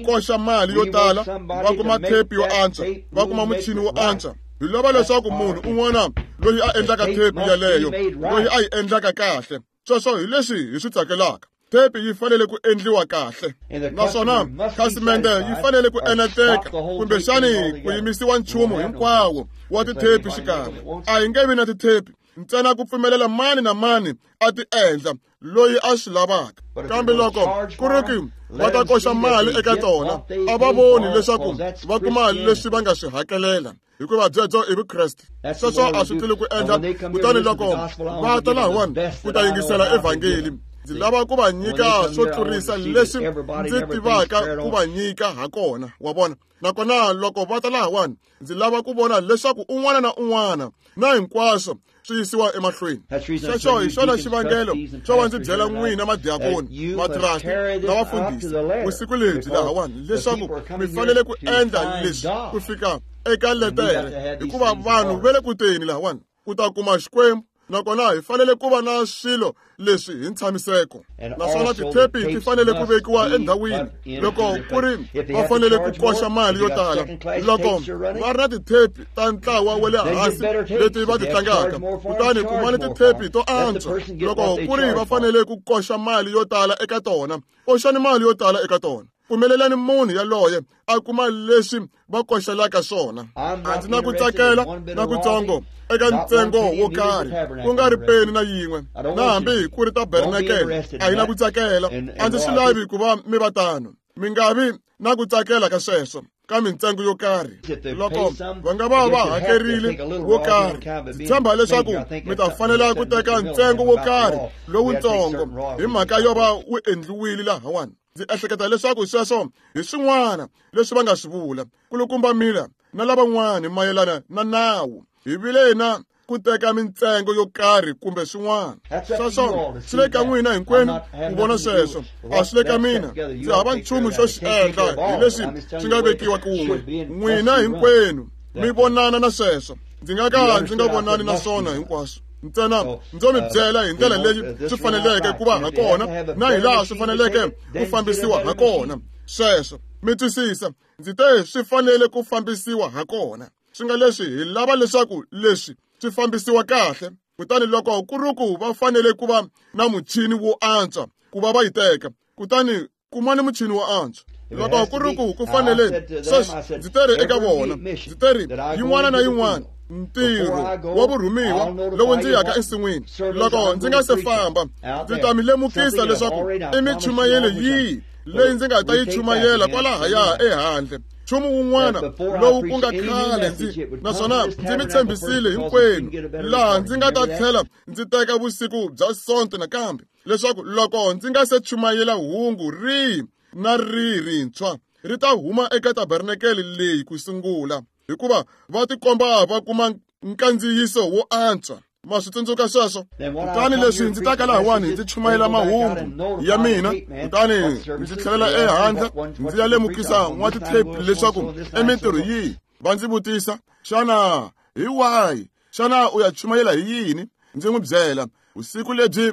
koxa mali yo tala va kuma thepi yo antswa va kuma muchini wo antswa hi lava leswaku munhu un'wana loyi a endlaka thepi yaleyo loyi a yi endlaka kahle sweswo hi leswi hi swi tsakelaka thepi yi fanele ku endliwa kahle naswona khasimende yi fanele ku eneteka kumbexani ku yimisiwa nchumu hinkwawo wa tithepi xikan'we a hi nge vi na tithepi ntsena ku pfumelela mani na mani a ti endla loyi a swi lavaka kambe loko ku ri ku va ta koxa mali eka tona a va voni leswaku va kuma leswi va nga swi hakelela Hikuva byebyo i Vukreste. Sweswo a swi tluli ku endla. Kutani loko va ta lahawani ku ta yingisela evhangeli, ndzi lava ku va nyika swo tlurisa leswi ndzi tivaka ku va nyika ha kona, wa vona. Nakona loko va ta lahawani, ndzi lava ku vona leswaku un'wana na un'wana na hinkwaswo swi yisiwa emahlweni. Sweswo hi xona xivangelo xo va ndzi byela n'wina madiakoni, matrasti na vafundhisi vusiku lebyi lahawani leswaku mi fanele ku endla leswi ku fika eka letere, hikuva vanhu va le ku teni lahawani ku ta kuma Xikwembu. Nakona hi fanele ku va na swilo leswi hi ntshamiseko, naswona tithepi ti fanele ku vekiwa endhawini. Loko ku ri va fanele ku koxa mali yo tala, loko va ri na tithepi ta ntlawa wa le hansi leti va ti tlangaka, kutani kumani tithepi to antswa. Loko ku ri va fanele ku koxa mali yo tala eka tona, koxani mali yo tala eka tona. Pfumelelani munhu yaloye a kuma leswi va koxelaka swona. A ndzi na ku tsakela na kutsongo eka ntsengo wo karhi, ku nga ri peni na yin'we, na hambi ku ri tabernakele a yi na ku tsakela. A ndzi swi lavi ku va mi va tano. Mi nga vi na ku tsakela ka sweswo ka mintsengo yo karhi. Loko va nga va va hakerile wo karhi, ndzi tshemba leswaku mi ta fanela ku teka ntsengo wo karhi lowutsongo hi mhaka yo va wu endliwile lahawani. Ndzi ehleketa leswaku sweswo hi swin'wana leswi va nga swi vula kulukumba Miller na lavan'wana mayelana na nawu. Hi vile na ku teka mintsengo yo karhi kumbe swin'wana. Sweswo swi le ka n'wina hinkwenu ku vona sweswo, a swi le ka mina. Ndzi hava nchumu xo xi endla hi leswi swi nga vekiwa kun'we. N'wina hinkwenu mi vonana na sweswo, ndzi nga ka ndzi nga vonani na swona hinkwaswo. Ntsena ndzo mi byela hi ndlela leyi swi faneleke ku va ha kona na hi laha swi faneleke ku fambisiwa ha kona. Sweswo mi twisisa, ndzi te swi fanele ku fambisiwa ha kona. Swi nga leswi hi lava leswaku leswi swi fambisiwa kahle. Kutani loko ku ri ku va fanele ku va na muchini wo antswa ku va va yi teka, kutani kumani muchini wo antswa. Loko ku ri ku ku fanele sweswi, ndzi teri eka vona, ndzi teri yin'wana na yin'wana ntirho wa vurhumiwa lowu ndzi yaka ensin'wini, loko ndzi nga se famba, ndzi ta mi lemukisa leswaku i michumayelo yihi leyi ndzi nga ta yi chumayela kwalahaya ehandle. Nchumu wun'wana lowu ku nga khale ndzi naswona ndzi mi tshembisile hinkwenu laha ndzi nga ta tlhela ndzi teka vusiku bya Sonto nakambe, leswaku loko ndzi nga se chumayela hungu rihi na rihi rintshwa, ri ta huma eka tabernakele leyi ku sungula, hikuva va tikomba va kuma nkandziyiso wo antswa. Ma swi tsundzuka sweswo? Kutani leswi ndzi taka lahawani ndzi chumayela mahungu ya mina, kutani ndzi tlhelela ehandle ndzi ya lemukisa n'watithepi leswaku i mintirho yihi. Va ndzi vutisa, xana hi wahi? Xana u ya chumayela hi yini? Ndzi n'wi byela, vusiku lebyi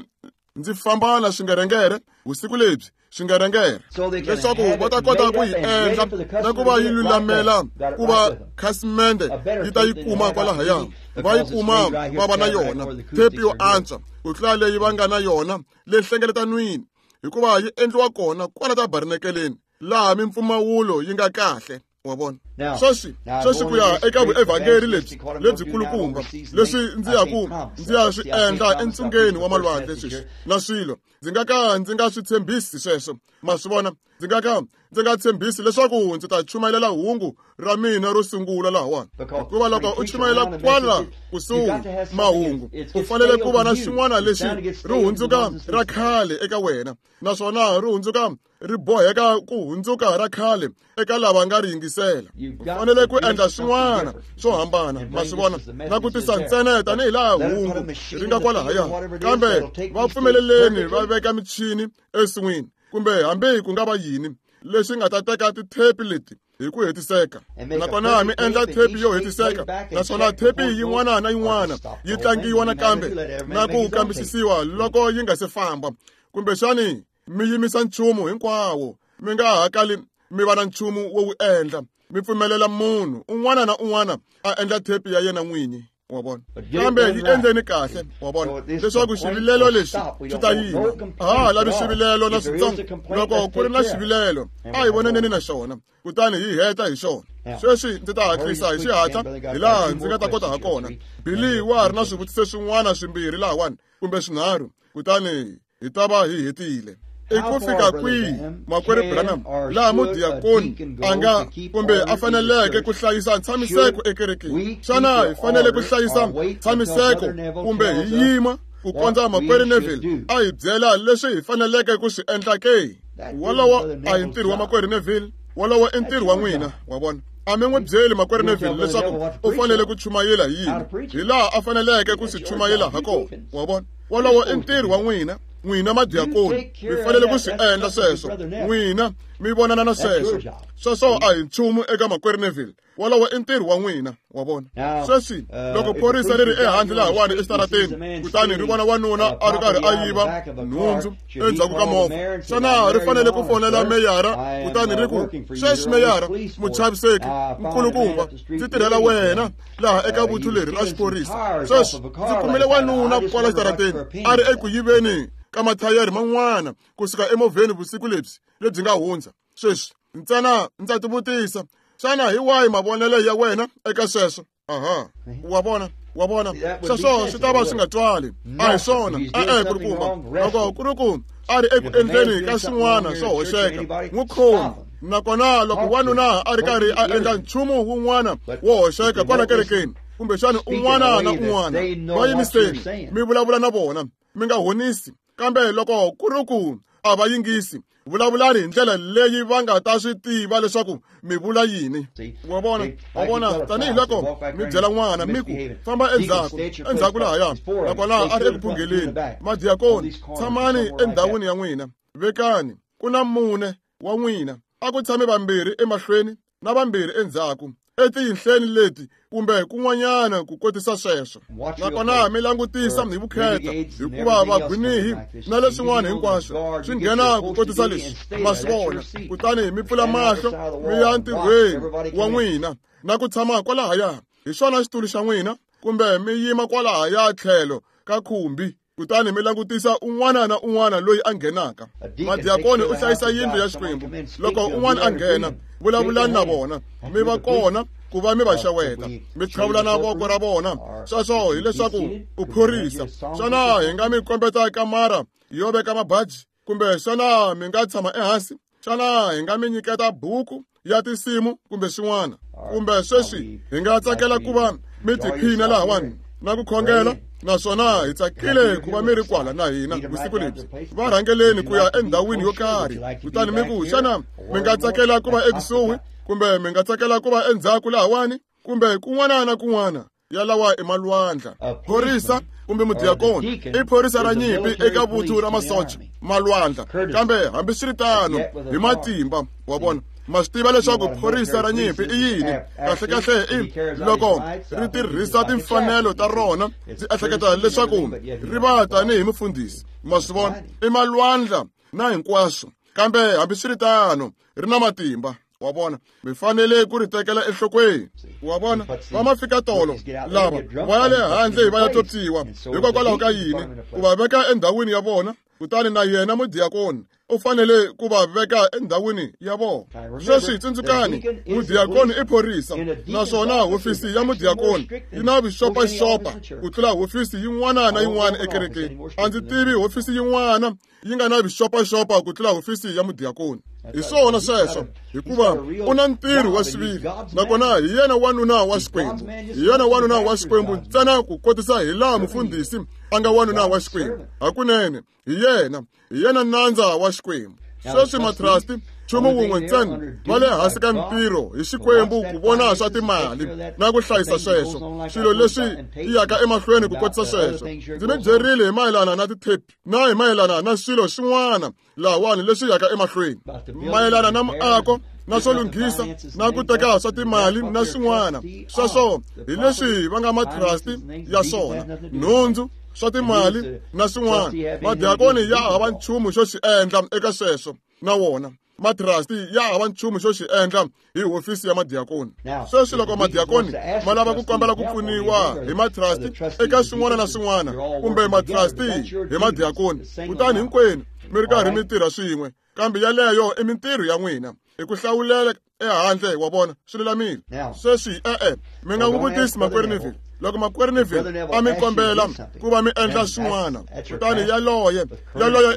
ndzi famba na swingerengere, vusiku lebyi swingerengere, leswaku va ta kota ku yi endla na ku va yi lulamela ku va khasimende yi ta yi kuma kwalahaya, va yi kuma va va na yona thepi yo antswa ku tlula leyi va nga na yona le hlengeletanwini, hikuva yi endliwa kona kwala tabernakeleni laha mimpfumawulo yi nga kahle. Wa vona? Sweswi ku ya eka vuevhangeli lebyi lebyikulukumba leswi ndzi ya ku ndzi ya swi endla entsungeni wa malwandle sweswi na swilo, ndzi nga ka ndzi nga swi tshembisi sweswo. Ma swi vona? Ndzi nga ka ndzi nga tshembisi leswaku ndzi ta chumayela hungu ra mina ro sungula lahawani, hikuva loko u chumayela kwala kusuhi mahungu, u fanele ku va na xin'wana lexi ri hundzuka ra khale eka wena, naswona ri hundzuka ri boheka ku hundzuka ra khale eka lava nga ri yingisela. U fanele ku endla swin'wana swo hambana, ma swi vona, na ku tisa ntsena tanihi laha hungu ri nga kwalahaya. Kambe va pfumeleleni va veka michini ensin'wini, kumbe hambi ku nga va yini leswi nga ta teka tithepi leti hi ku hetiseka, nakona mi endla thepi yo hetiseka, naswona thepi yin'wana na yin'wana yi tlangiwa nakambe na ku kambisisiwa loko yi nga se famba. Kumbexani mi yimisa nchumu hinkwawo, mi nga hakali mi va na nchumu wo wu endla, mi pfumelela munhu un'wana na un'wana a endla thepi ya yena n'winyi. Wa vona? Kambe yi endleni kahle, wa vona, leswaku xivilelo lexi xi ta yima. A ha lavi xivilelo na switsongo. Loko ku ri na xivilelo, a hi vonaneni na xona, kutani hi heta hi xona. Sweswi ndzi ta hatlisa hi xihatla hi laha ndzi nga ta kota ha kona. Billy wa ha ri na swivutiso swin'wana swimbirhi lahawani kumbe swinharhu, kutani hi ta va hi hetile. I ku fika kwihi, Makwerhu Branham, laha mudiyakoni a nga kumbe a faneleke ku hlayisa ntshamiseko ekerekeni? Xana hi fanele ku hlayisa ntshamiseko kumbe hi yima ku kondza Makwerhu Neville a hi byela leswi hi faneleke ku swi endla ke? Wolowo a hi ntirho wa Makwerhu Neville, wolowo i ntirho wa n'wina, wa vona. A mi n'wi byeli Makwerhu Neville leswaku u fanele ku chumayela hi yini, hi laha a faneleke ku swi chumayela ha kona, wa vona. Wolowo i ntirho wa n'wina, n'wina madiyakoni, mi fanele ku swi endla sweswo, n'wina mi vonana na sweswo. Sweswo a hi nchumu eka Makwerhu Neville, wolowo i ntirho wa n'wina, wa vona. Sweswi loko phorisa ri ri ehandle lahawani exitarateni, kutani ri vona wanuna a ri karhi a yiva nhundzu endzhaku ka movha, xana ri fanele ku fonela meyara kutani ri ku, sweswi meyara, muchaviseki nkulukumba, ndzi tirhela wena laha eka vuthu leri ra xiphorisa. Sweswi ndzi kumile wanuna kwala xitarateni a ri eku yiveni ka mathayere man'wana kusuka emovheni vusiku lebyi nga hundza. Sweswi ntsena ndza tivutisa, xana hi wahi mavonelo ya wena eka sweswo? Aha, wa vona, wa vona, sweswo swi ta va swi nga twali. A hi swona, e-e, kulukumba. Loko ku ri ku a ri eku endleni ka swin'wana swo hoxeka, n'wi khomi. Nakona loko wanuna a ri karhi a endla nchumu wun'wana wo hoxeka kwala kerekeni, kumbexana un'wana na un'wana, va yimiseni, mi vulavula na vona, mi nga honisi. Kambe loko ku ri ku a va yingisi, vulavulani hi ndlela leyi va nga ta swi tiva leswaku mi vula yini. Wa vona, wa vona, tanihiloko mi byela n'wana mi ku famba endzhaku, endzhaku lahaya, nakona a ri eku phungheleni. Madiyakoni, tshamani endhawini ya n'wina, vekani ku na mune wa n'wina, a ku tshame vambirhi emahlweni na vambirhi endzhaku, etiyinhleni leti kumbe kun'wanyana ku kotisa sweswo. Nakona mi langutisa hi vukheta, hikuva vagwinihi na leswin'wana hinkwaswo swi nghena ku kotisa leswi, ma swi vona. Kutani mi pfula mahlo mi ya ntirhweni wa n'wina na ku tshama kwalahaya, hi xona xitulu xa n'wina, kumbe mi yima kwalahaya tlhelo ka khumbi, kutani mi langutisa un'wana na un'wana loyi a nghenaka. Madiyakoni u hlayisa yindlu ya Xikwembu. Loko un'wana a nghena, vulavulani na vona, mi va kona ku va mi va xeweta, mi tlhavulana voko ra vona. Sweswo hileswaku u phorisa. Xana hi nga mi kombeta kamara yo veka mabaji, kumbe xana mi nga tshama ehansi? Xana hi nga mi nyiketa buku ya tinsimu kumbe swin'wana? Kumbe sweswi hi nga tsakela ku va mi tiphina lahawani na ku khongela, naswona hi tsakile ku va mi ri kwala na hina vusiku lebyi. Va rhangeleni ku ya endhawini yo karhi, kutani mi ku, xana mi nga tsakela ku va ekusuhi, kumbe mi nga tsakela ku va endzhaku lahawani, kumbe kun'wana na kun'wana? Yalawa i malwandla. Phorisa kumbe mudiyakoni i phorisa ra nyimpi eka vuthu ra masocha, malwandla. Kambe hambiswiritano hi matimba, wa vona. Ma swi tiva leswaku phorisa ra nyimpi i yini? Kahlekahle i loko ri tirhisa timfanelo ta rona, ndzi ehleketa leswaku ri va tanihi mufundhisi. Ma swi vona, i malwandla na hinkwaswo, kambe hambiswiritano ri na matimba. Wa vona, mi fanele ku ri tekela enhlokweni. Wa vona, va ma fika tolo lava va ya le handle va ya totiwa. Hikokwalaho ka yini ku va veka endhawini ya vona? Kutani na yena mudiyakoni u fanele ku va veka endhawini ya vona. Sweswi tsundzukani, mudiyakoni i phorisa, naswona hofisi ya mudiyakoni yi na vuxopaxopa ku tlula hofisi yin'wana na yin'wana ekerekeni. A ndzi tivi hofisi yin'wana yi nga na vuxopaxopa ku tlula hofisi ya mudiyakoni. Hi swona sweswo, hikuva u na ntirho wa xiviri, nakona hi yena wanuna wa Xikwembu. Hi yena wanuna wa Xikwembu ntsena ku kotisa hi laha mufundhisi a nga wanuna wa Xikwembu. Hakunene, hi yena, hi yena nandza wa Xikwembu. Sweswi matrasti, nchumu wun'we ntsena, va le hansi ka ntirho hi Xikwembu ku vona swa timali na ku hlayisa sweswo, swilo leswi yaka emahlweni ku kotisa sweswo. Ndzi mi byerile hi mayelana na tithepi na hi mayelana na swilo swin'wana lahawani leswi yaka emahlweni, mayelana na muako na swo lunghisa na ku teka swa timali na swin'wana. Sweswo hi leswi va nga matrasti ya swona, nhundzu, swa timali na swin'wana. Madiyakoni ya hava nchumu xo xi endla eka sweswo na wona. Matrasti ya hava nchumu xo xi endla hi hofisi ya madiyakoni. Sweswi loko madiyakoni ma lava ku kombela ku pfuniwa hi matrasti eka swin'wana na swin'wana, kumbe matrasti hi madiyakoni, kutani hinkwenu mi ri karhi mi tirha swin'we, kambe yaleyo i mintirho ya n'wina hi ku hlawulela ehandle, wa vona, swi lulamile. Sweswi e-e, mi nga n'wi vutisi Makwerhu Neville. Loko makwerhu Neville a mi kombela ku va mi endla swin'wana, kutani yaloye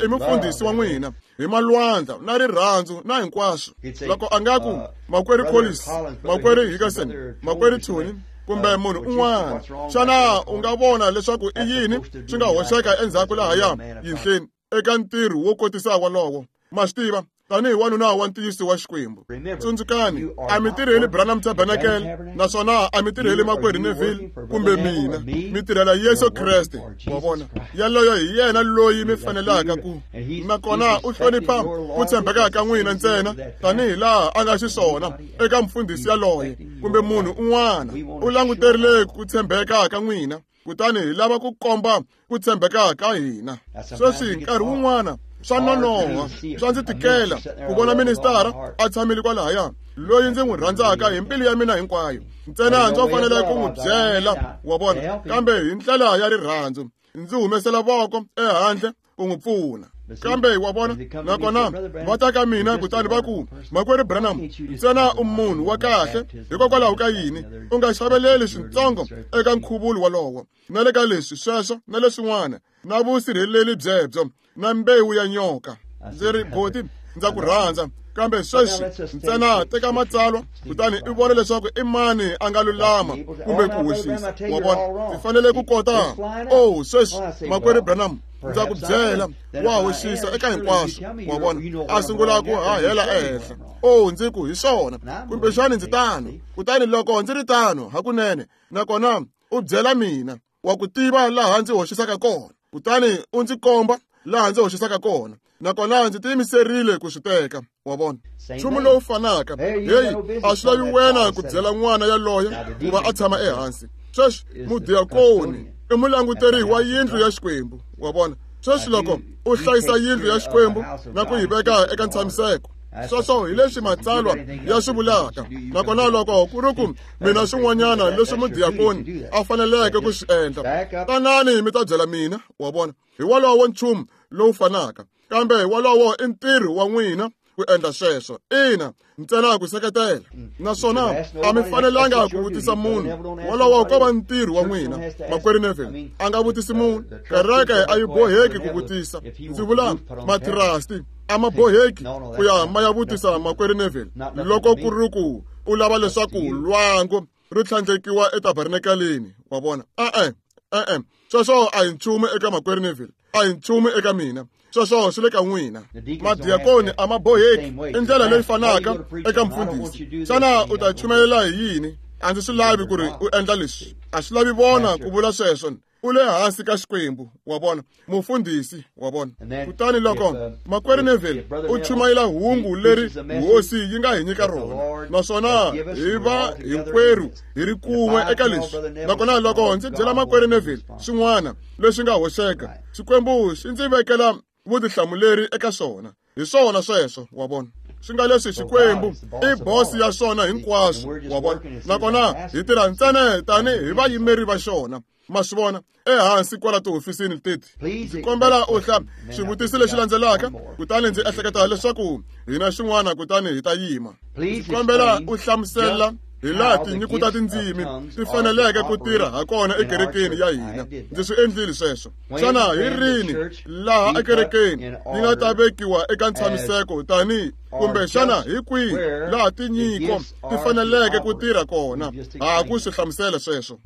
i mufundhisi wa n'wina hi malwandla na rirhandzu na hinkwaswo. Loko a nga ku makwerhu Collins, makwerhu Hickerson, makwerhu Tony, kumbe munhu un'wana, xana u nga vona leswaku i yini swi nga hoxeka endzhaku lahaya yinhleni eka ntirho wo kotisa walowo? Ma swi tiva, tanihi wanuna wa ntiyiso wa Xikwembu. Tsundzukani, a mi tirheli Branham Tabernacle, naswona a mi tirheli makwerhu Neville kumbe mina. Mi tirhela Yesu Kreste, wa vona. Yaloyo hi yena loyi mi fanelaka ku. Nakona u hlonipha ku tshembeka ka n'wina ntsena tanihi laha a nga xiswona eka mufundhisi yaloye kumbe munhu un'wana. U languterile ku tshembeka ka n'wina, kutani hi lava ku komba ku tshembeka ka hina. Sweswi nkarhi wun'wana swa nonoha, swa ndzi tikela ku vona ministara a tshamile kwalahaya, loyi ndzi n'wi rhandzaka hi mbilu ya mina hinkwayo. Ntsena ndzo fanele ku n'wi byela, wa vona, kambe hi ndlela ya rirhandzu ndzi humesela voko ehandle ku n'wi pfuna. Kambe wa vona, nakona va ta ka mina kutani va ku, makwerhu Branham, ntsena u munhu wa kahle, hikokwalaho ka yini u nga xaveleli swintsongo eka nkhuvulo walowo, na le ka leswi sweswo na leswin'wana, na vusirheleli byebyo na mbewu ya nyoka? Ndzi ri, boti, ndza ku rhandza, kambe sweswi ntsena teka matsalwa kutani u vona leswaku i mani a nga lulama kumbe ku hoxisa. Wa vona, ndzi fanele ku kota. Oh, sweswi makwerhu Branham, ndza ku byela, wa hoxisa eka hinkwaswo. Wa vona, a sungula ku hahela ehenhla. Oh, ndzi ku hi swona, kumbexani ndzi tano. Kutani loko ndzi ri tano hakunene, nakona u byela mina, wa ku tiva laha ndzi hoxisaka kona, kutani u ndzi komba laha ndzi hoxisaka kona, nakona ndzi tiyimiserile ku swi teka. Wa vona, nchumu lowu fanaka. Heyi, a swi lavi wena ku byela n'wana yaloye ku va a tshama ehansi. Sweswi mudiakoni i mulanguteri wa yindlu ya Xikwembu. Wa vona, sweswi loko u hlayisa yindlu ya Xikwembu na ku yi veka eka ntshamiseko, sweswo hi leswi matsalwa ya swi vulaka. Nakona loko ku ri ku mina swin'wanyana leswi mudiakoni a faneleke ku swi endla, tanani mi ta byela mina. Wa vona, hi walowo nchumu lowu fanaka, kambe walowo i ntirho wa n'wina ku endla sweswo. Ina, ntsena ku seketela, naswona a mi fanelanga ku vutisa munhu. Walowo ko va ntirho wa n'wina. Makwerhu Neville a nga vutisi munhu, kereke a yi boheki ku vutisa. Ndzi vula matrasti a ma boheki ku ya ma ya vutisa makwerhu Neville loko ku ri ku u lava leswaku lwangu ri tlhandlekiwa etabernakeleni. Wa vona, e-e, sweswo a hi nchumu eka makwerhu Neville, a hi nchumu eka mina. Sweswo swi le ka n'wina. Madiakoni a ma boheki i ndlela leyi fanaka eka mfundhisi. Xana u ta chumayela hi yini? A ndzi swi lavi ku ri u endla leswi. A swi lavi vona ku vula sweswo. U le hansi ka Xikwembu, wa vona, mufundhisi, wa vona. Kutani loko makwerhu Neville u chumayela hungu leri hosi yi nga hi nyika rona, naswona hi va hinkwerhu hi ri kun'we eka leswi, nakona loko ndzi byela makwerhu Neville swin'wana leswi nga hoxeka, Xikwembu xi ndzi vekela vutihlamuleri eka swona. Hi swona sweswo, wa vona. Swi nga leswi Xikwembu i bosi ya swona hinkwaswo, wa vona. Nakona hi tirha ntsena tanihi vayimeri va xona. Ma swi vona, ehansi kwala tihofisini teti. Ndzi kombela u hla xivutiso lexi landzelaka, kutani ndzi ehleketa leswaku hina xin'wana, kutani hi ta yima. Ndzi kombela u hlamusela hi laha tinyiko ta tindzimi ti faneleke ku tirha ha kona ekerekeni ya hina. Ndzi swi endlile sweswo. Xana hi rini laha ekerekeni yi nga ta vekiwa eka ntshamiseko tanihi, kumbe xana hi kwihi laha tinyiko ti faneleke ku tirha kona? Ha ku swi hlamusela sweswo.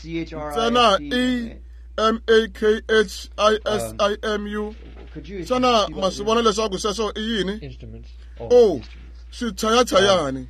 Ntsena E M A K H I S I M U. Xana ma swi vona leswaku sweswo i yini? Oh, swichayachayani.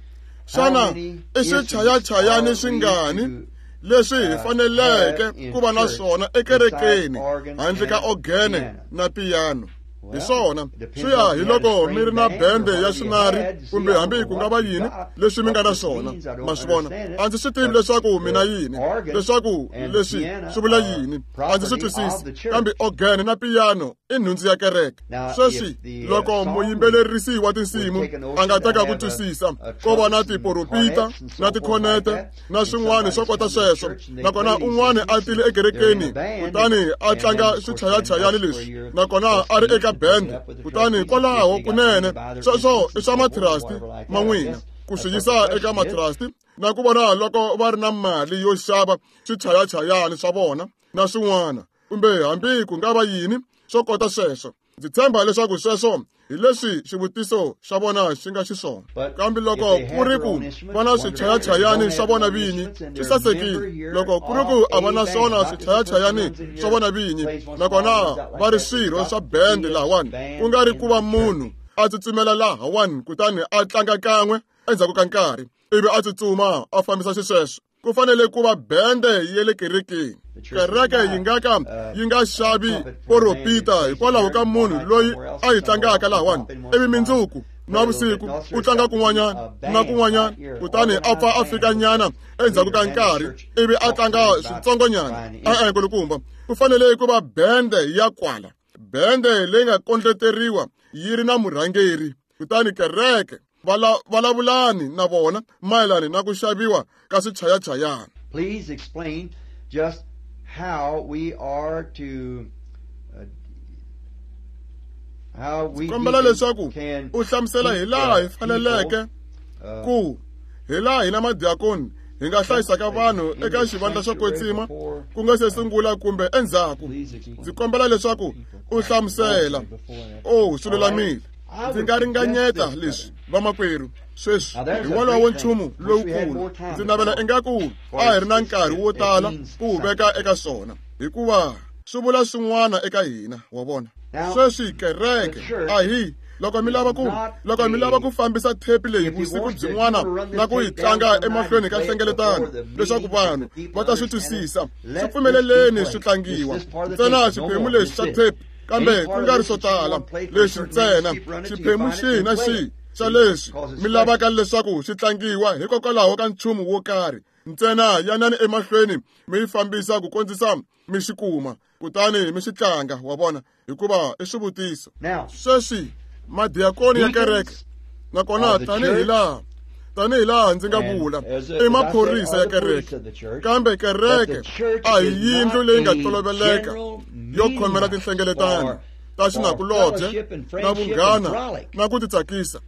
Xana i swichayachayani swingani leswi hi faneleke ku va na swona ekerekeni handle ka ogene na piyano? Hi swona, swi ya hi loko mi ri na bende ya swinari kumbe hambi ku nga va yini leswi mi nga na swona. Ma swi vona, a ndzi swi tivi leswaku mina yini, leswaku leswi swi vula yini, a ndzi swi twisisi, kambe ogene na piyano i nhundzu ya kereke. Sweswi loko muyimbelerisi wa tinsimu a nga teka ku twisisa ko va na tiporopita na tikhonete na swin'wana swo kota sweswo, nakona un'wana a tile ekerekeni kutani a tlanga swichayachayani leswi, nakona a ri eka bende, kutani kwalaho kunene sweswo i swa matrasti ma n'wina. ku swi yisa eka matrasti na ku vona loko va ri na mali yo xava swichayachayani swa vona na swin'wana kumbe hambi ku nga va yini swo kota sweswo. Ndzi tshemba leswaku sweswo hi leswi xivutiso xa vona xi nga xiswona. Kambe loko ku ri ku va na swichayachayani swa vona vinyi swi sasekile. Loko ku ri ku a va na swona swichayachayani swa vona vinyi nakona va ri swirho swa bende lahawani, ku nga ri ku va munhu a tsutsumela lahawani kutani a tlanga kan'we endzhaku ka nkarhi ivi a tsutsuma a fambisa xisweswo. Ku fanele ku va bende ya le kerekeni. Kereke yi nga ka yi nga xavi poropita hikwalaho ka munhu loyi a yi tlangaka lahawani ivi mindzuku na vusiku u tlanga kun'wanyana na kun'wanyana kutani a pfa a fika nyana endzhaku ka nkarhi ivi a tlanga switsongonyana. E-e, nkulukumba, ku fanele ku va bende ya kwala, bende leyi nga kondleteriwa yi ri na murhangeri. Kutani kereke vulavulani na vona mayelana na ku xaviwa ka swichayachayana. Please explain just how we are to how we kombela leswaku u hlamusela hi laha hi faneleke ku hi laha hina madiakoni hi nga hlayisaka vanhu eka xivandla xo kwetsima ku nga se sungula kumbe endzhaku. Ndzi kombela leswaku u hlamusela. Oh, swi lulamile. Ndzi nga ringanyeta leswi vamakwerhu sweswi hi wolowo nchumu lowukulu. Ndzi navela ingaku a hi ri na nkarhi wo tala ku wu veka eka swona, hikuva swi vula swin'wana eka hina, wa vona. Sweswi kereke a hi loko mi lava ku fambisa thepi leyi vusiku byin'wana na ku yi tlanga emahlweni ka nhlengeletano leswaku vanhu va ta swi twisisa, swi pfumeleleni swi tlangiwa ntsena xiphemu lexi xa thepi, kambe ku nga ri swo tala leswi ntsena xiphemu xihi na xihi xa leswi mi lavaka leswaku swi tlangiwa hikokwalaho ka nchumu wo karhi ntsena yanani emahlweni mi yi fambisa ku kondzisa mi xi kuma kutani mi xi tlanga, wa vona, hikuva i swivutiso. Sweswi madiakoni ya kereke nakona tanihi laha ndzi nga vula i maphorisa ya kereke, kambe kereke a hi yindlu leyi nga toloveleka yo khomela tinhlengeletano ta xinakulobye na vunghana na ku titsakisa.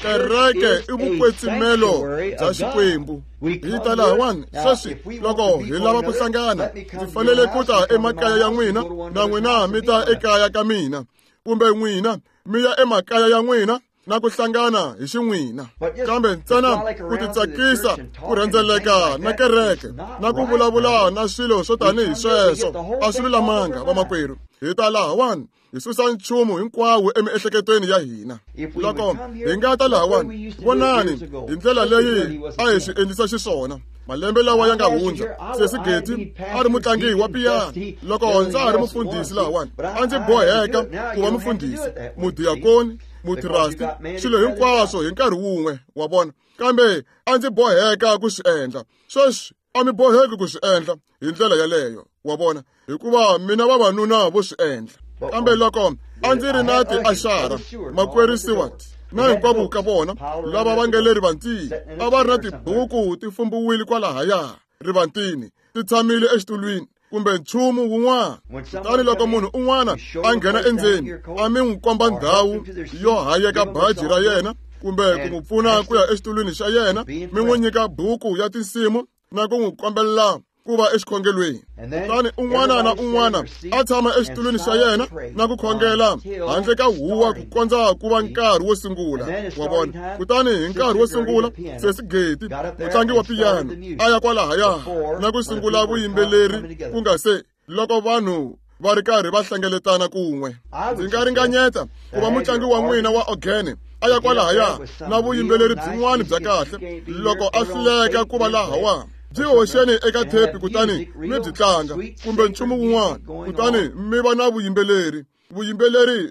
Kereke i vukwetsimelo bya Xikwembu. Hi ta lahawani sweswi loko hi lava ku hlangana, ndzi fanele ku ta emakaya ya n'wina na n'wina mi ta ekaya ka mina, kumbe n'wina mi ya emakaya ya n'wina na ku hlangana hi xin'wina. Kambe ntsena ku titsakisa, ku rhendzeleka na kereke na ku vulavula na swilo swo tanihi sweswo a swi lulamanga, vamakwerhu. Hi ta lahawani hi susa nchumu hinkwawo emiehleketweni ya hina. Loko hi nga ta lahawani, vonani hi ndlela leyi a hi swi endlisa xiswona malembe lawa ya nga hundza. Sesi Geti a ri mutlangi wa piyano. Loko ndza ha ri mufundhisi lahawani, a ndzi boheka ku va mufundhisi, mudiakoni, mutrasti, swilo hinkwaswo hi nkarhi wun'we, wa vona. Kambe a ndzi boheka ku swi endla. Sweswi a mi boheki ku swi endla hi ndlela yaleyo, wa vona, hikuva mina vavanuna vo swi endla. Kambe loko a ndzi ri na tiaxara, makwerhu Seward na hinkwavo ka vona lava va nga le rivantini a va ri na tibuku ti fumbiwile kwalahaya rivantini, ti tshamile exitulwini kumbe nchumu wun'wana. Kutani loko munhu un'wana a nghena endzeni, a mi n'wi komba ndhawu yo hayeka baji ra yena kumbe ku n'wi pfuna ku ya exitulwini xa yena, mi n'wi nyika buku ya tinsimu na ku n'wi kombelela ku va exikhongelweni. Kutani un'wana na un'wana a tshama exitulwini xa yena na ku khongela handle ka huwa ku kondza ku va nkarhi wo sungula, wa vona. Kutani hi nkarhi wo sungula, Sesi Geti, mutlangi wa piyano, a ya kwalahaya na ku sungula vuyimbeleri ku nga se loko vanhu va ri karhi va hlengeletana kun'we. Ndzi nga ringanyeta ku va mutlangi wa n'wina wa ogene a ya kwalahaya na vuyimbeleri byin'wana bya kahle. Loko a hluleka ku va lahawa, byi hoxeni eka thepi kutani mi byi tlanga kumbe nchumu wun'wana, kutani mi va na vuyimbeleri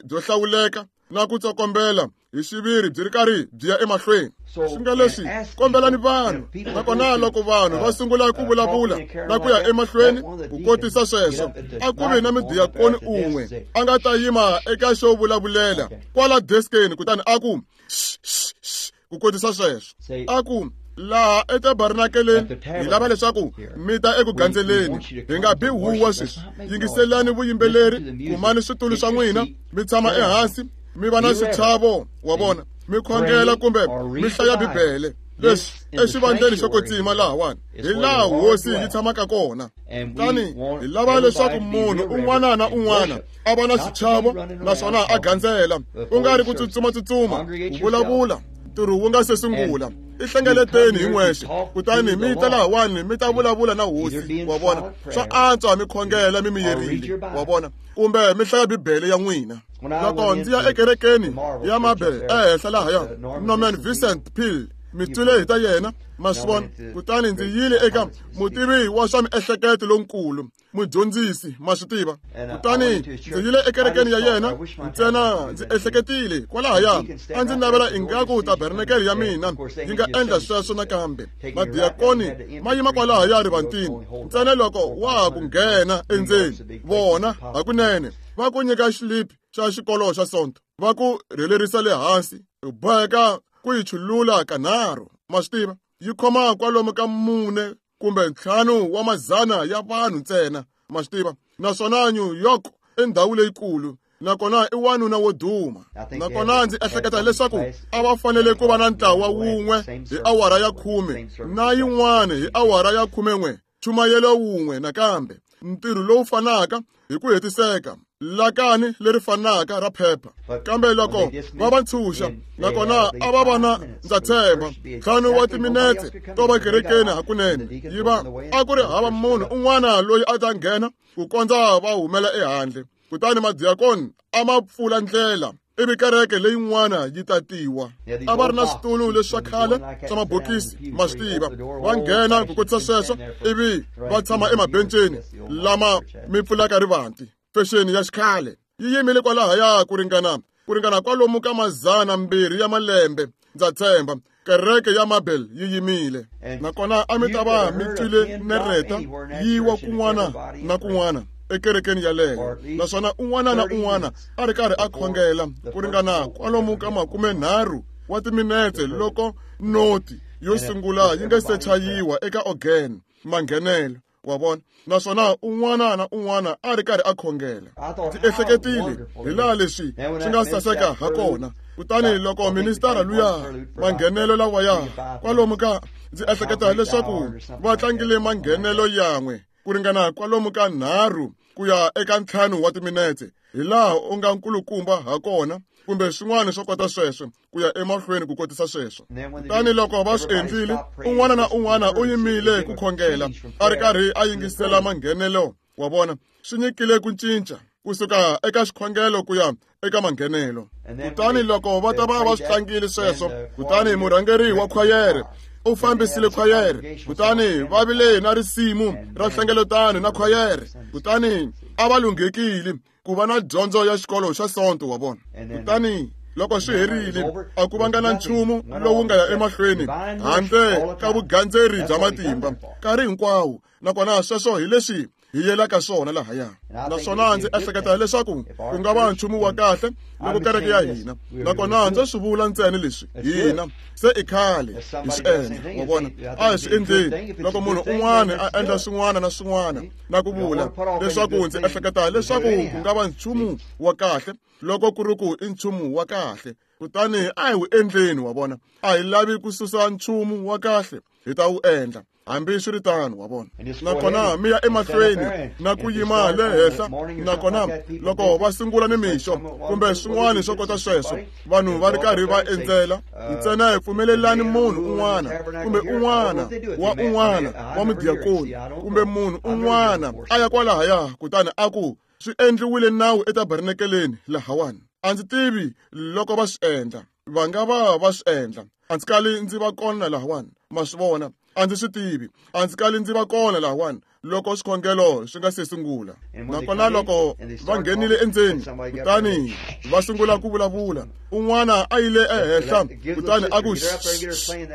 byo hlawuleka na ku tsokombela hi xiviri byi ri karhi byi ya emahlweni. Swi nga leswi, kombelani vanhu, nakona loko vanhu va sungula ku vulavula na ku ya emahlweni ku kotisa sweswo, a ku vi na mudiakoni un'we a nga ta yima eka xo vulavulela kwala deskeni kutani a ku ku kotisa sweswo, a ku laha etabernakeleni hi lava leswaku mi ta eku gandzeleni, hi nga bi huwa sweswi. Yingiselani vuyimbeleri, kumani switulu swa n'wina, mi tshama ehansi, mi va na xichavo, wa vona, mi khongela kumbe mi hlaya Bibele. Leswi exivandleni xo kwetsima lahawani hi laha hosi yi tshamaka kona. Kutani hi lava leswaku munhu un'wana na un'wana a va na xichavo naswona a gandzela, ku nga ri ku tsutsuma-tsutsuma, ku vulavula ntirho wu nga se sungula. I hlengeleteni hi n'wexe, kutani mi ta lahawani mi ta vulavula na hosi, wa vona. Swa antswa mi khongela mi miyerile, wa vona, kumbe mi hlaya Bibele ya n'wina. Loko ndzi ya ekerekeni ya Mabel ehenhla lahaya, Norman Vincent Peale, mi twile hi ta yena, ma swi vona. Kutani ndzi yile eka mutivi wa swa miehleketo lonkulu, mudyondzisi, ma swi tiva. Kutani ndzi yile ekerekeni ya yena, ntsena ndzi ehleketile kwalahaya a ndzi navela ingaku tabernakele ya mina yi nga endla sweswo nakambe. Madiyakoni ma yima kwalahaya rivantini, ntsena loko wa ha ku nghena endzeni, vona hakunene va ku nyika xilipi xa xikolo xa Sonto, va ku rhelerisa le hansi, u boheka ku yi chulula kanharhu, ma swi tiva. Yi khoma kwalomu ka 4 kumbe 5 wa mazana ya vanhu ntsena, ma swi tiva. Naswona New York i ndhawu leyikulu, nakona i wanuna wo duma. Nakona ndzi ehleketa leswaku a va fanele ku va na ntlawa wun'we hi awara ya 10 na yin'wana hi awara ya 11, chumayelo wun'we nakambe, ntirho lowu fanaka hi ku hetiseka, lakani leri fanaka ra phepha. Kambe loko va va ntshunxa, nakona a va va na, ndza tshemba, 5 wa timinetse to va kerekeni hakunene, yi va a ku ri hava munhu un'wana loyi a ta nghena ku kondza va humela ehandle. Kutani madiyakoni a ma pfula ndlela, ivi kereke leyin'wana yi tatiwa. A va ri na switulu leswi swa khale swa mabokisi, ma swi tiva. Va nghena ku kotisa sweswo, ivi va tshama emabenceni lama mi pfulaka rivanti. Fexeni ya xikhale yi yimile kwalahaya ku ringana kwalomu ka 200 ya malembe, ndza tshemba. Kereke ya Mabel yi yimile. Nakona a mi ta va mi twile nereta yi wa kun'wana na kun'wana ekerekeni yaleyo, naswona un'wana na un'wana a ri karhi a khongela ku ringana kwalomu ka 30 wa timinetse loko noti yo sungula yi nga se chayiwa eka organ manghenelo, wa vona. Naswona un'wana na un'wana a ri karhi a khongela. Ndzi ehleketile hi laha leswi swi nga saseka ha kona. Kutani loko ministara luya manghenelo lawaya kwalomu ka, ndzi ehleketa leswaku va tlangile manghenelo yan'we ku ringana kwalomu ka 3 ku ya eka 5 wa timinetse, hi laha u nga nkulukumba ha kona, kumbe swin'wana swo kota sweswo, ku ya emahlweni ku kotisa sweswo. Kutani loko va swi endlile, un'wana na un'wana u yimile ku khongela, a ri karhi a yingisela manghenelo, wa vona. Swi nyikile ku cinca kusuka eka xikhongelo ku ya eka manghenelo. Kutani loko va ta va va swi tlangile sweswo, kutani murhangeri wa khwayere u fambisile khwayere, kutani va vile na risimu ra hlengeletano na khwayere. Kutani a va lunghekile ku va na dyondzo ya xikolo xa Sonto, wa vona. Kutani loko swi herile, a ku vanga na nchumu lowu nga ya emahlweni handle ka vugandzeri bya matimba nkarhi hinkwawo. Nakona sweswo hi leswi hi yelaka swona lahaya. Naswona ndzi ehleketa leswaku ku nga va nchumu wa kahle loko kereke ya hina, nakona ndzi swi vula ntsena leswi hina se i khale hi swi endla, wa vona. A hi swi endleni. Loko munhu un'wana a endla swin'wana na swin'wana na ku vula leswaku ndzi ehleketa leswaku ku nga va nchumu wa kahle loko ku ri ku i nchumu wa kahle, kutani a hi wu endleni, wa vona. A hi lavi ku susa nchumu wa kahle, hi ta wu endla hambiswiritano, wa vona. Nakona mi ya emahlweni na ku yima le henhla. Nakona loko va sungula nimixo kumbe swin'wana swo kota sweswo, vanhu va ri karhi va endzela, ntsena hi pfumelelani munhu un'wana kumbe un'wana wa un'wana wa mudiyakoni kumbe munhu un'wana a ya kwalahaya, kutani a ku swi endliwile nawu etabernakeleni lahawani. A ndzi tivi loko va swi endla, va nga va va swi endla. A ndzi kali ndzi va kona lahawani, ma swi vona. A ndzi swi tivi, a ndzi kali ndzi va kona lahawani loko swikhongelo swi nga se sungula. Nakona loko va nghenile endzeni, kutani va sungula ku vulavula, un'wana a yile ehenhla, kutani a ku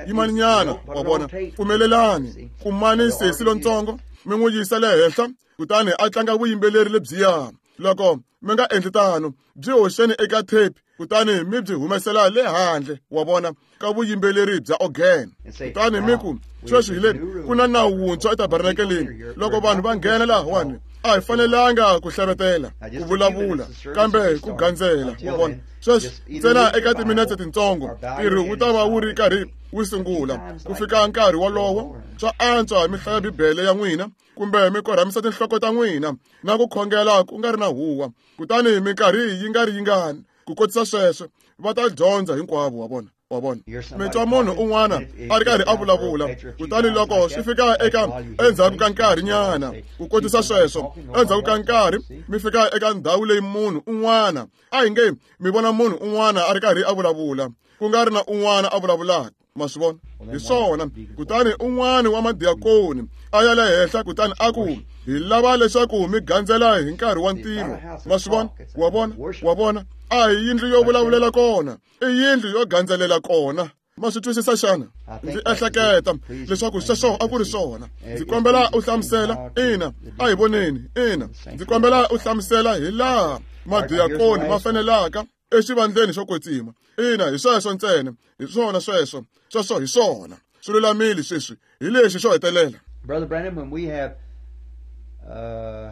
yimaninyana, wa vona, pfumelelani kumani sesi lontsongo mi n'wi yisa le henhla, kutani a tlanga vuyimbeleri lebyiya. Loko mi nga endli tano, byi hoxeni eka tape, kutani mi byi humesela le handle, wa vona, ka vuyimbeleri bya organ. Kutani mi ku, sweswi hi le ku na nawu wuntshwa etabernakeleni. Loko vanhu va nghena lahawani, A hi fanelanga ku hlavetela, ku vulavula, kambe ku gandzela, wa vona. Sweswi ntsena eka timinetse tintsongo ntirho wu ta va wu ri karhi wu sungula. Ku fika nkarhi wolowo, swa antswa mi hlaya Bibele ya n'wina kumbe mi korhamisa tinhloko ta n'wina na ku khongela ku nga ri na huwa, kutani minkarhi yi nga ri yingani ku kotisa sweswo va ta dyondza hinkwavo, wa vona. Wa vona, mi twa munhu un'wana a ri karhi a vulavula, kutani loko swi fika eka endzhaku ka nkarhinyana ku kotisa sweswo, endzhaku ka nkarhi mi fika eka ndhawu leyi munhu un'wana a hi nge mi vona munhu un'wana a ri karhi a vulavula, ku nga ri na un'wana a vulavulaka. Ma swi vona? Hi swona. Kutani un'wana wa madiakoni a ya le henhla kutani a ku, hi lava leswaku mi gandzela hi nkarhi wa ntirho. Ma swi vona? Wa vona? Wa vona? A hi yindlu yo vulavulela kona, i yindlu yo gandzelela kona. Ma swi twisisa xana? Ndzi ehleketa leswaku sweswo a ku ri swona. Ndzi kombela u hlamusela. Ina, a hi voneni. Ina, ndzi kombela u hlamusela hi laha madiakoni ma fanelaka exivandleni xo kwetsima. Ina, hi sweswo ntsena. Hi swona sweswo. Sweswo hi swona. Swi lulamile sweswi. Hi lexi xo hetelela. Brother Branham, when we have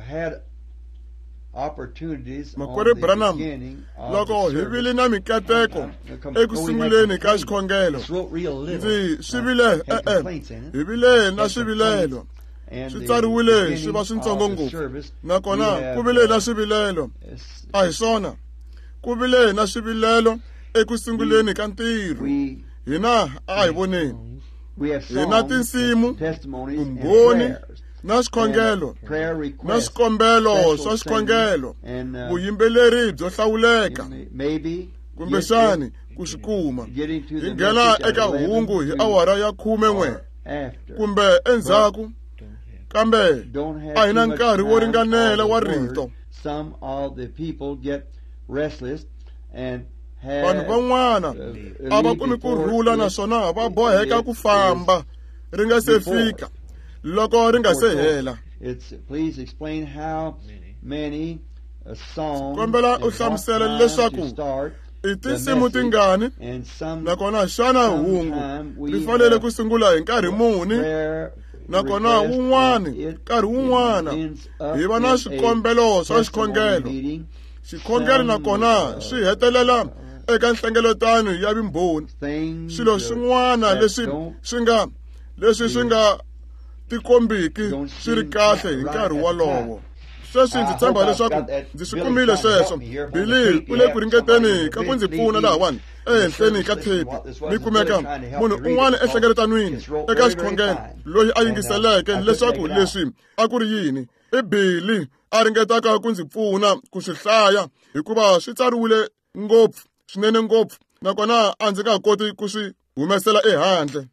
had opportunities Makwerhu Branham, loko hi vile na mikateko eku sunguleni ka xikhongelo, ndzi swi vile hi vile na swivilelo, swi tsariwile swi va swintsongo ngopfu, nakona ku vile na swivilelo. A hi swona, ku vile na swivilelo eku sunguleni ka ntirho. Hina a hi voneni, hi na tinsimu, vumbhoni na swikhongelo na swikombelo swa swikhongelo, vuyimbeleri byo hlawuleka, kumbexani ku swi kuma. Hi nghena eka hungu hi awara ya 11 kumbe endzhaku, kambe a hi na nkarhi wo ringanela wa rito. Vanhu van'wana a va kumi ku rhula naswona va boheka ku famba ri nga se fika loko ri nga se hela. Kombela u hlamusela leswaku i tinsimu tingani, nakona xana hungu ri fanele ku sungula hi nkarhi muni, nakona wun'wani nkarhi wun'wana hi va na swikombelo swa xikhongelo. Xikhongelo nakona swi hetelela eka nhlengeletano ya vumbhoni. Swilo swin'wana leswi swi nga tikombiki swi ri kahle hi nkarhi wolowo. Sweswi ndzi tshemba leswaku ndzi swi kumile sweswo. Billy u le ku ringeteni ka ku ndzi pfuna lahawani ehenhleni ka thepi. Mi kumeka munhu un'wana enhlengeletanweni eka xikhongelo loyi a yingiseleke leswaku leswi a ku ri yini. I Billy a ringetaka ku ndzi pfuna ku swi hlaya hikuva swi tsariwile ngopfu swinene ngopfu, nakona a ndzi nga koti ku swi humesela ehandle.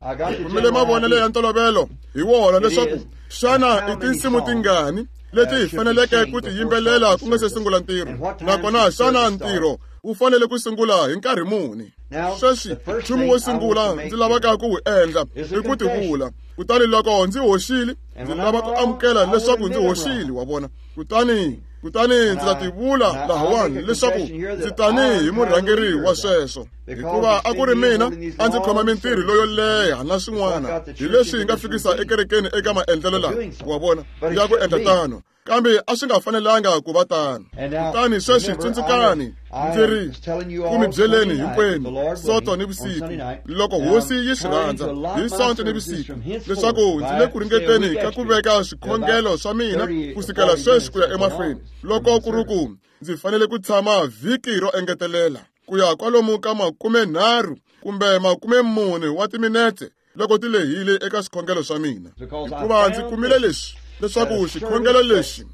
Kumile mavonelo ya ntolovelo hi wona leswaku xana i tinsimu tingani leti hi faneleke ku ti yimbelela ku nga se sungula ntirho, nakona xana ntirho wu fanele ku sungula hi nkarhi muni. Sweswi nchumu wo sungula ndzi lavaka ku wu endla i ku tivula. Kutani loko ndzi hoxile, ndzi lava ku amukela leswaku ndzi hoxile, wa vona. Kutani ndzi ta tivula lahawani leswaku ndzi tanihi murhangeri wa sweswo, hikuva a ku ri mina a ndzi khoma mintirho loyo leha na swin'wana hi leswi hi nga fikisa ekerekeni eka maendlelo lawa, wa vona, ya ku endla tano. Kambe a swi nga fanelanga ku va tano. Kutani sweswi tsundzukani, ndzi ri ku mi byeleni hinkwenu Sonto ni vusiku, loko Hosi yi swi rhandza, hi Sonto ni vusiku, leswaku ndzi le ku ringeteni ka ku veka swikhongelo swa mina kusukela sweswi ku ya emahlweni, loko ku ri ku ndzi fanele ku tshama vhiki ro engetelela ku ya kwalomu ka 30 kumbe 40 wa timinetse loko ti lehile eka swikhongelo swa mina, hikuva ndzi kumile leswi leswaku xikhongelo lexi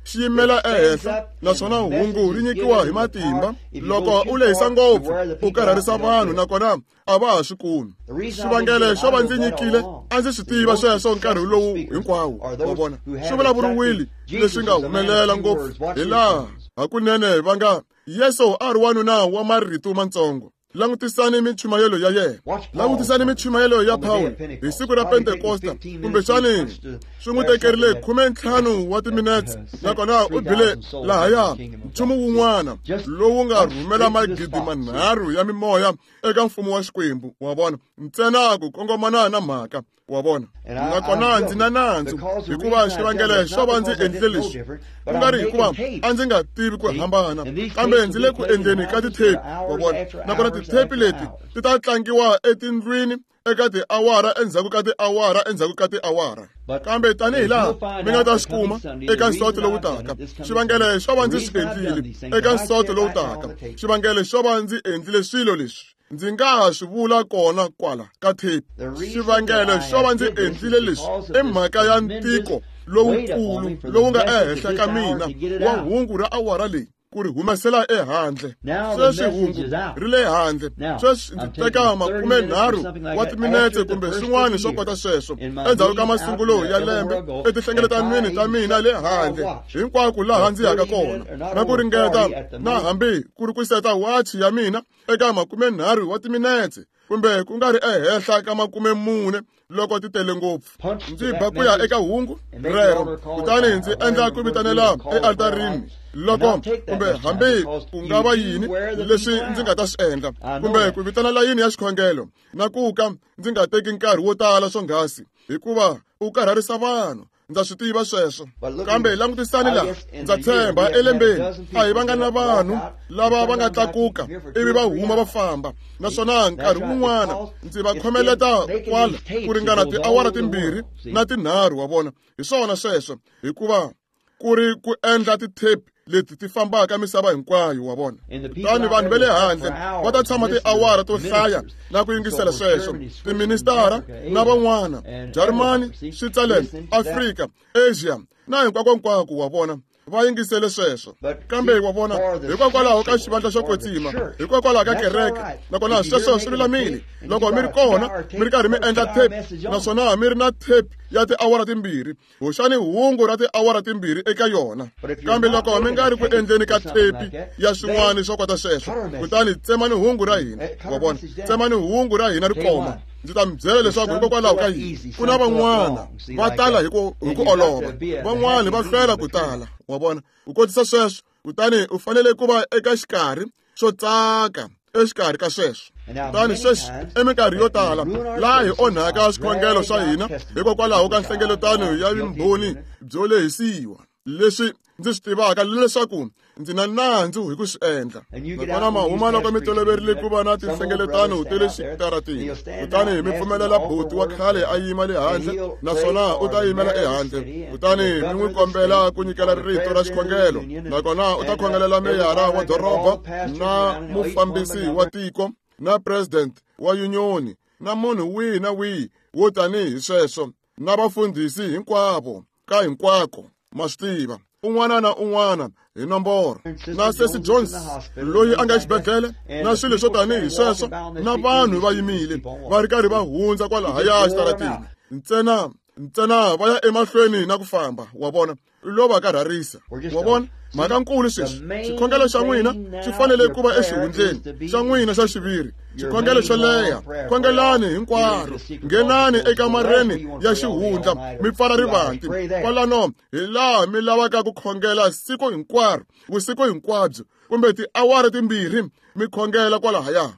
xi yimela ehenhla naswona hungu ri nyikiwa hi matimba. Loko u lehisa ngopfu u karharisa vanhu nakona a va ha swi kumi. Xivangelo xo va ndzi nyikile a ndzi swi tiva sweswo nkarhi lowu hinkwawo, wa vona, swi vulavuriwile leswi nga humelela ngopfu hi laha hakunene va nga Yesu a ri wanuna wa marito mantsongo. Langutisani minchumayelo ya yena. Langutisani minchumayelo ya Pawulo hi siku ra Pentekosta, kumbexani swi n'wi tekerile 15 wa timinetse, nakona u bile lahaya nchumu wun'wana lowu nga rhumela 3,000 ya mimoya eka mfumo wa Xikwembu, wa vona, ntsena ku kongomana na mhaka, wa vona. Nakona ndzi na nandzu hikuva xivangelo xo va ndzi endlile leswi ku nga ri hikuva a ndzi nga tivi ku hambana, kambe ndzi le ku endleni ka tithepi, wa vona. Nakona tithepi leti ti ta tlangiwa etindlwini eka tiawara endzhaku ka tiawara endzhaku ka tiawara. Kambe tanihi laha mi nga ta swi kuma eka nsoto lowu taka, xivangelo xo va ndzi swi endlile eka nsoto lowu taka, xivangelo xo va ndzi endlile swilo leswi ndzi nga ha swi vula kona kwala ka thepi. Xivangelo xo va ndzi endlile leswi i mhaka ya ntiko lowukulu lowu nga ehenhla ka mina wa hungu ra awara leyi ku ri humesela ehandle. Sweswi hungu ri le handle. Sweswi ndzi teka 30 wa timinetse kumbe swin'wana swo kota sweswo endzhaku ka masungulo ya lembe etinhlengeletanweni ta mina le handle hinkwako laha ndzi yaka kona, na ku ringeta na hambi ku ri ku seta wachi ya mina eka 30 wa timinetse kumbe ku nga ri ehenhla ka 40 loko ti tele ngopfu. Ndzi ba ku ya eka hungu rero, kutani ndzi endla ku vitanela ealtarini loko kumbe hambi ku nga va yini leswi ndzi nga ta swi endla, kumbe ku vitana layini ya xikhongelo, na ku ka ndzi nga teki nkarhi wo tala swonghasi hikuva u karharisa vanhu. Ndza swi tiva sweswo. Kambe langutisani laha, ndza tshemba elembeni a hi vanga na vanhu lava va nga tlakuka ivi va huma va famba, naswona nkarhi wun'wana ndzi va khomeleta kwala ku ringana tiawara 2 na 3, wa vona. Hi swona sweswo, hikuva ku ri ku endla tithepi leti ti fambaka misava hinkwayo, wa vona. Kutani vanhu va le handle va ta tshama tiawara to hlaya na ku yingisela sweswo, tiministara na van'wana, Jarimani, Switzerland, Afrika, Asia na hinkwakonkwako, wa vona, va yingisele sweswo. Kambe wa vona, hikokwalaho ka xivandla xo kwetsima, hikokwalaho ka kereke, nakona sweswo swi lulamile. Loko mi ri kona mi ri karhi mi endla tape, naswona mi ri na tape ya tiawara 2, hoxani hungu ra tiawara 2 eka yona. Kambe loko mi nga ri ku endleni ka tape ya swin'wana swo kota sweswo, kutani tsemani hungu ra hina, wa vona, tsemani hungu ra hina ri koma. Ndzi ta mi byela leswaku hikokwalaho ka yini ku na van'wana va tala hi ku olova, van'wana va hlwela ku tala, wa vona. U kotisa sweswo, kutani u fanele ku va eka xikarhi xo tsaka exikarhi ka sweswo. Kutani sweswi eminkarhi yo tala laha hi onhaka swikhongelo swa hina hikokwalaho ka nhlengeletano ya vumbhoni byo lehisiwa, leswi ndzi swi tivaka leswaku ndzi na nandzu hi ku swi endla. Nakona mahuma loko mi toloverile ku va na tinhlengeletano ta le xitaratini, kutani mi pfumelela buti wa khale a yima le handle, naswona u ta yimela ehandle, kutani mi n'wi kombela ku nyikela rito ra xikhongelo, nakona u ta khongelela meyara wa doroba na mufambisi wa tiko na president wa union na munhu wihi na wihi wo tanihi sweswo, na vafundhisi hinkwavo ka hinkwako, ma swi tiva, un'wana na un'wana hi nomboro, na Sesi Jones loyi a nga exibedhlele, na swilo swo tanihi sweswo, na vanhu va yimile va ri karhi va hundza kwalahaya xitaratini, ntsena va ya emahlweni na ku famba, wa vona, lo va karharisa, wa vona. Mhaka nkulu sweswi, xikhongelo xa n'wina xi fanele ku va exihundleni xa n'wina xa xiviri, xikhongelo xo leha. Khongelani hinkwaro, nghenani ekamareni ya xihundla mi pfala rivanti kwalano, hi laha mi lavaka ku khongela siku hinkwaro, vusiku hinkwabyo, kumbe tiawara 2 mi khongela kwalahaya.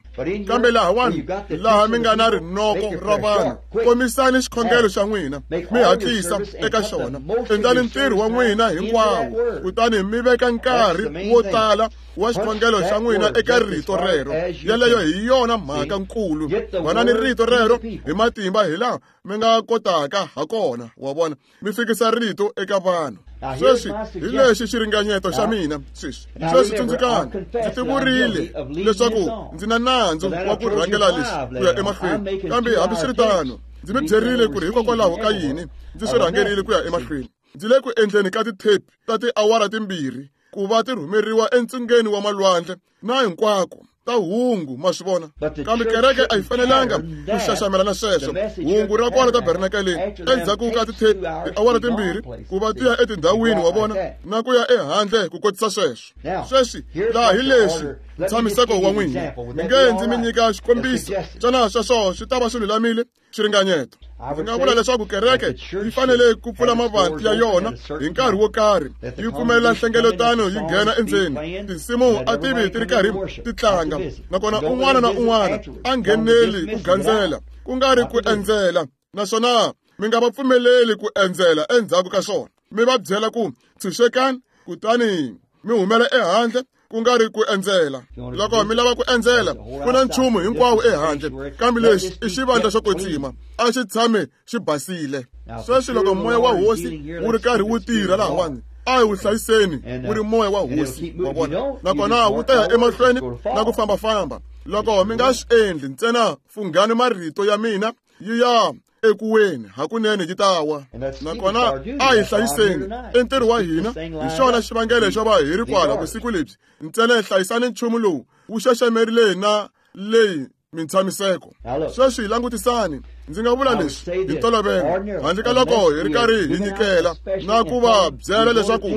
Kambe lahawani laha mi nga na rinoko ra vanhu, komisani xikhongelo xa n'wina mi hatlisa eka xona, endlani ntirho wa n'wina hinkwawo, kutani mi veka nkarhi wo tala wa xikhongelo xa n'wina eka rito rero. Yeleyo hi yona mhaka nkulu. Vanani rito rero hi matimba hi laha mi nga kotaka ha kona, wa vona, mi fikisa rito eka vanhu. Sweswi hi lexi xiringanyeto xa mina sweswi. Sweswi tsundzukani, ndzi tivurile leswaku ndzi na nandzu wa ku rhangela leswi ku ya emahlweni, kambe hambiswiritano ndzi mi byerile ku ri hikokwalaho ka yini ndzi swi rhangerile ku ya emahlweni. Ndzi le ku endleni ka tithepi ta tiawara 2 ku va ti rhumeriwa entsungeni wa malwandle na hinkwako. ta hungu, ma swi vona. Kambe kereke a yi fanelanga ku xaxamela na sweswo. Hungu ra kwala tabernakeleni endzhaku ka tiawara timbirhi ku va ti ya etindhawini, wa vona, na ku ya ehandle ku kotisa sweswo. Sweswi laha hi leswi ntshamiseko wa n'wina. Mi nge ndzi mi nyika xikombiso. Xana sweswo swi ta va swi lulamile? Xiringanyeto. Ndzi nga vula leswaku kereke yi fanele ku pfula mavanti ya yona hi nkarhi wo karhi, yi pfumelela nhlengeletano yi nghena endzeni. Tinsimu a ti vi ti ri karhi ti tlanga, nakona un'wana na un'wana a ngheneli ku gandzela, ku nga ri ku endzela. Naswona mi nga va pfumeleli ku endzela endzhaku ka swona. Mi va byela ku tshunxekani, kutani mi humela ehandle, ku nga ri ku endzela. Loko mi lava ku endzela, ku na nchumu hinkwawo ehandle, kambe lexi i xivandla xo kwetsima, a xi tshame xi basile. Sweswi loko moya wa hosi wu ri karhi wu tirha lahawani, a hi wu hlayiseni wu ri moya wa hosi, wa vona, nakona wu ta ya emahlweni na ku fambafamba. Loko mi nga swi endli, ntsena funghani marito ya mina yi ya ekuweni, hakunene yi ta wa. Nakona a hi hlayiseni i ntirho wa hina. Hi xona xivangelo xo va hi ri kwala vusiku lebyi. Ntsena hi hlayisani nchumu lowu wu xaxamerile na leyi mintshamiseko. Sweswi langutisani, ndzi nga vula leswi hi ntolovelo, handle ka loko hi ri karhi hi nyikela na ku va byela leswaku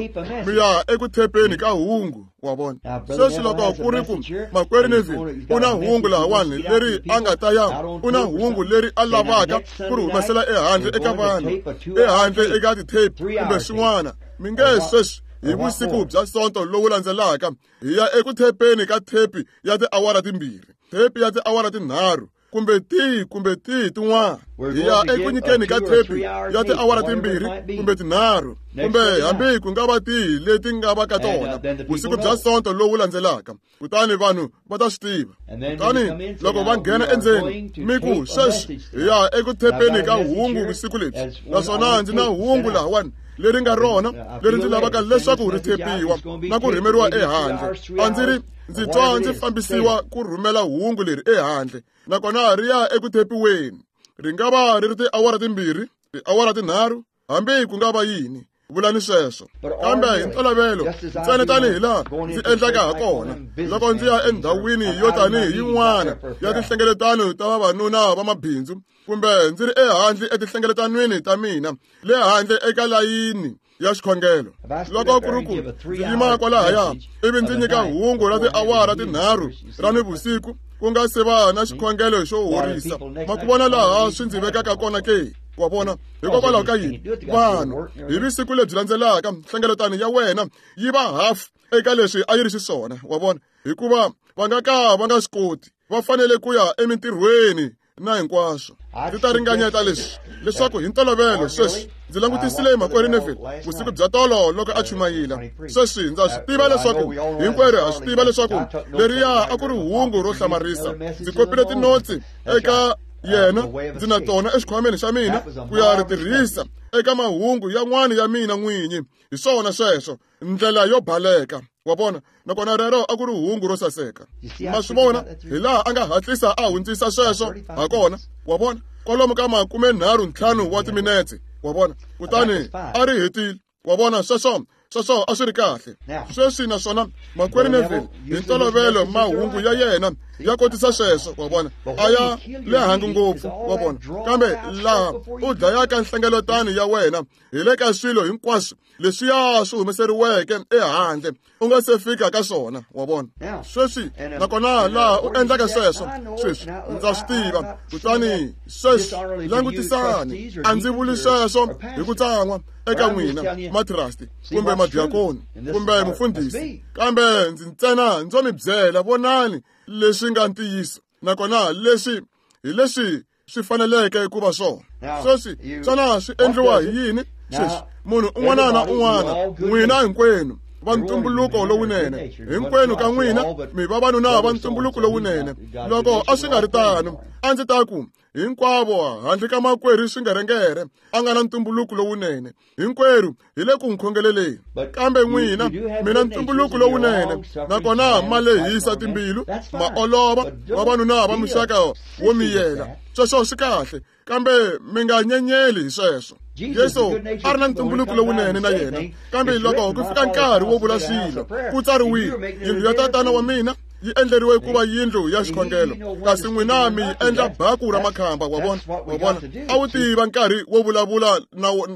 mi ya eku thepeni ka hungu, wa vona. Sweswi loko ku ri ku makwerhu Neville u na hungu lahawani leri a nga ta ya, u na hungu leri a lavaka ku ri humesela ehandle eka vanhu, ehandle eka ti-tape kumbe swin'wana, mi nge sweswi hi vusiku bya Sonto lowu landzelaka hi ya eku thepeni ka thepi ya tiawara timbirhi, thepi ya tiawara tinharhu, kumbe tihi tin'wana. Hi ya eku nyikeni ka thepi ya tiawara timbirhi kumbe tinharhu, kumbe hambi ku nga va tihi leti nga va ka tona, vusiku bya Sonto lowu landzelaka. Kutani vanhu va ta swi tiva. Kutani loko va nghena endzeni, mi ku sweswi hi ya eku thepeni ka hungu vusiku lebyi, naswona ndzi na hungu lahawani leri nga rona leri ndzi lavaka leswaku ri thepiwa na ku rhumeriwa ehandle. A ndzi ri ndzi twa ndzi fambisiwa ku rhumela hungu leri ehandle, nakona ri ya eku thepiweni. Ri nga va ri ri tiawara timbirhi, tiawara tinharhu, hambi ku nga va yini. Vulani sweswo. Kambe hi ntolovelo, ntsena tanihi laha ndzi endlaka ha kona, loko ndzi ya endhawini yo tanihi yin'wana ya tinhlengeletano ta vavanuna va mabindzu, kumbe ndzi ri ehandle etinhlengeletanweni ta mina le handle eka layini ya xikhongelo, loko ku ri ku ndzi yima kwalahaya ivi ndzi nyika hungu ra tiawara tinharhu ra nivusiku ku nga se va na xikhongelo xo horisa, ma ku vona laha swi ndzi vekaka kona ke? Wa vona, hikokwalaho ka yini vanhu hi vusiku lebyi landzelaka nhlengeletano ya wena yi va half eka leswi a yi ri xiswona, wa vona, hikuva va nga ka va nga swi koti, va fanele ku ya emintirhweni na hinkwaswo. Ndzi ta ringanyeta leswi leswaku hi ntolovelo sweswi ndzi langutisile makwerhu Neville vusiku bya tolo loko a chumayila. Sweswi ndza swi tiva leswaku hinkwerhu ha swi tiva leswaku leriya a ku ri hungu ro hlamarisa. Ndzi kopile tinotsi eka yena, ndzi na tona exikhwameni xa mina ku ya ri tirhisa eka mahungu yan'wana ya mina n'winyi. Hi swona sweswo, ndlela yo baleka, wa vona. Nakona rero a ku ri hungu ro saseka. Ma swi vona hi laha a nga hatlisa a hundzisa sweswo ha kona, wa vona, kwalomu ka 35 wa timinetse, wa vona. Kutani a ri hetile, wa vona. Sweswo a swi ri kahle. Sweswi naswona makwerhu Neville hi ntolovelo mahungu ya yena ya kotisa sweswo, wa vona, a ya le hangi ngopfu, wa vona. Kambe laha u dlayaka nhlengeletano ya wena hi le ka swilo hinkwaswo leswiya swi humeseriweke ehandle u nga se fika ka swona, wa vona. Sweswi nakona laha u endlaka sweswo, sweswi ndza swi tiva. Kutani sweswi langutisani, a ndzi vuli sweswo hi ku tsan'wa eka n'wina matrasti kumbe madiakoni kumbe mufundhisi, kambe ndzi ntsena ndzo mi byela, vonani leswi nga ntiyiso, nakona leswi hi leswi swi faneleke ku va swona. Sweswi xana swi endliwa hi yini? Sweswi munhu un'wana na un'wana, n'wina hinkwenu va ntumbuluko lowunene, hinkwenu ka n'wina mi vavanuna va ntumbuluko lowunene. Loko a swi nga ri tano, a ndzi ta ku hinkwavo handle ka makwerhu Swingerengere a nga na ntumbuluko lowunene, hinkwerhu hi le ku n'wi khongeleleni. Kambe n'wina mina ntumbuluko lowunene, nakona ma lehisa timbilu, ma olova, vavanuna va muxaka wo miyela. Sweswo swi kahle, kambe mi nga nyenyeli hi sweswo. Yesu a ri na ntumbuluko lowunene na yena, kambe loko ku fika nkarhi wo vula swilo, ku tsariwile, yindlu ya tatana wa mina yi endleriwe ku va yindlu ya xikhongelo, kasi n'wina mi yi endla baku ra makhamba. Wa vona, wa vona, a wu tiva nkarhi wo vulavula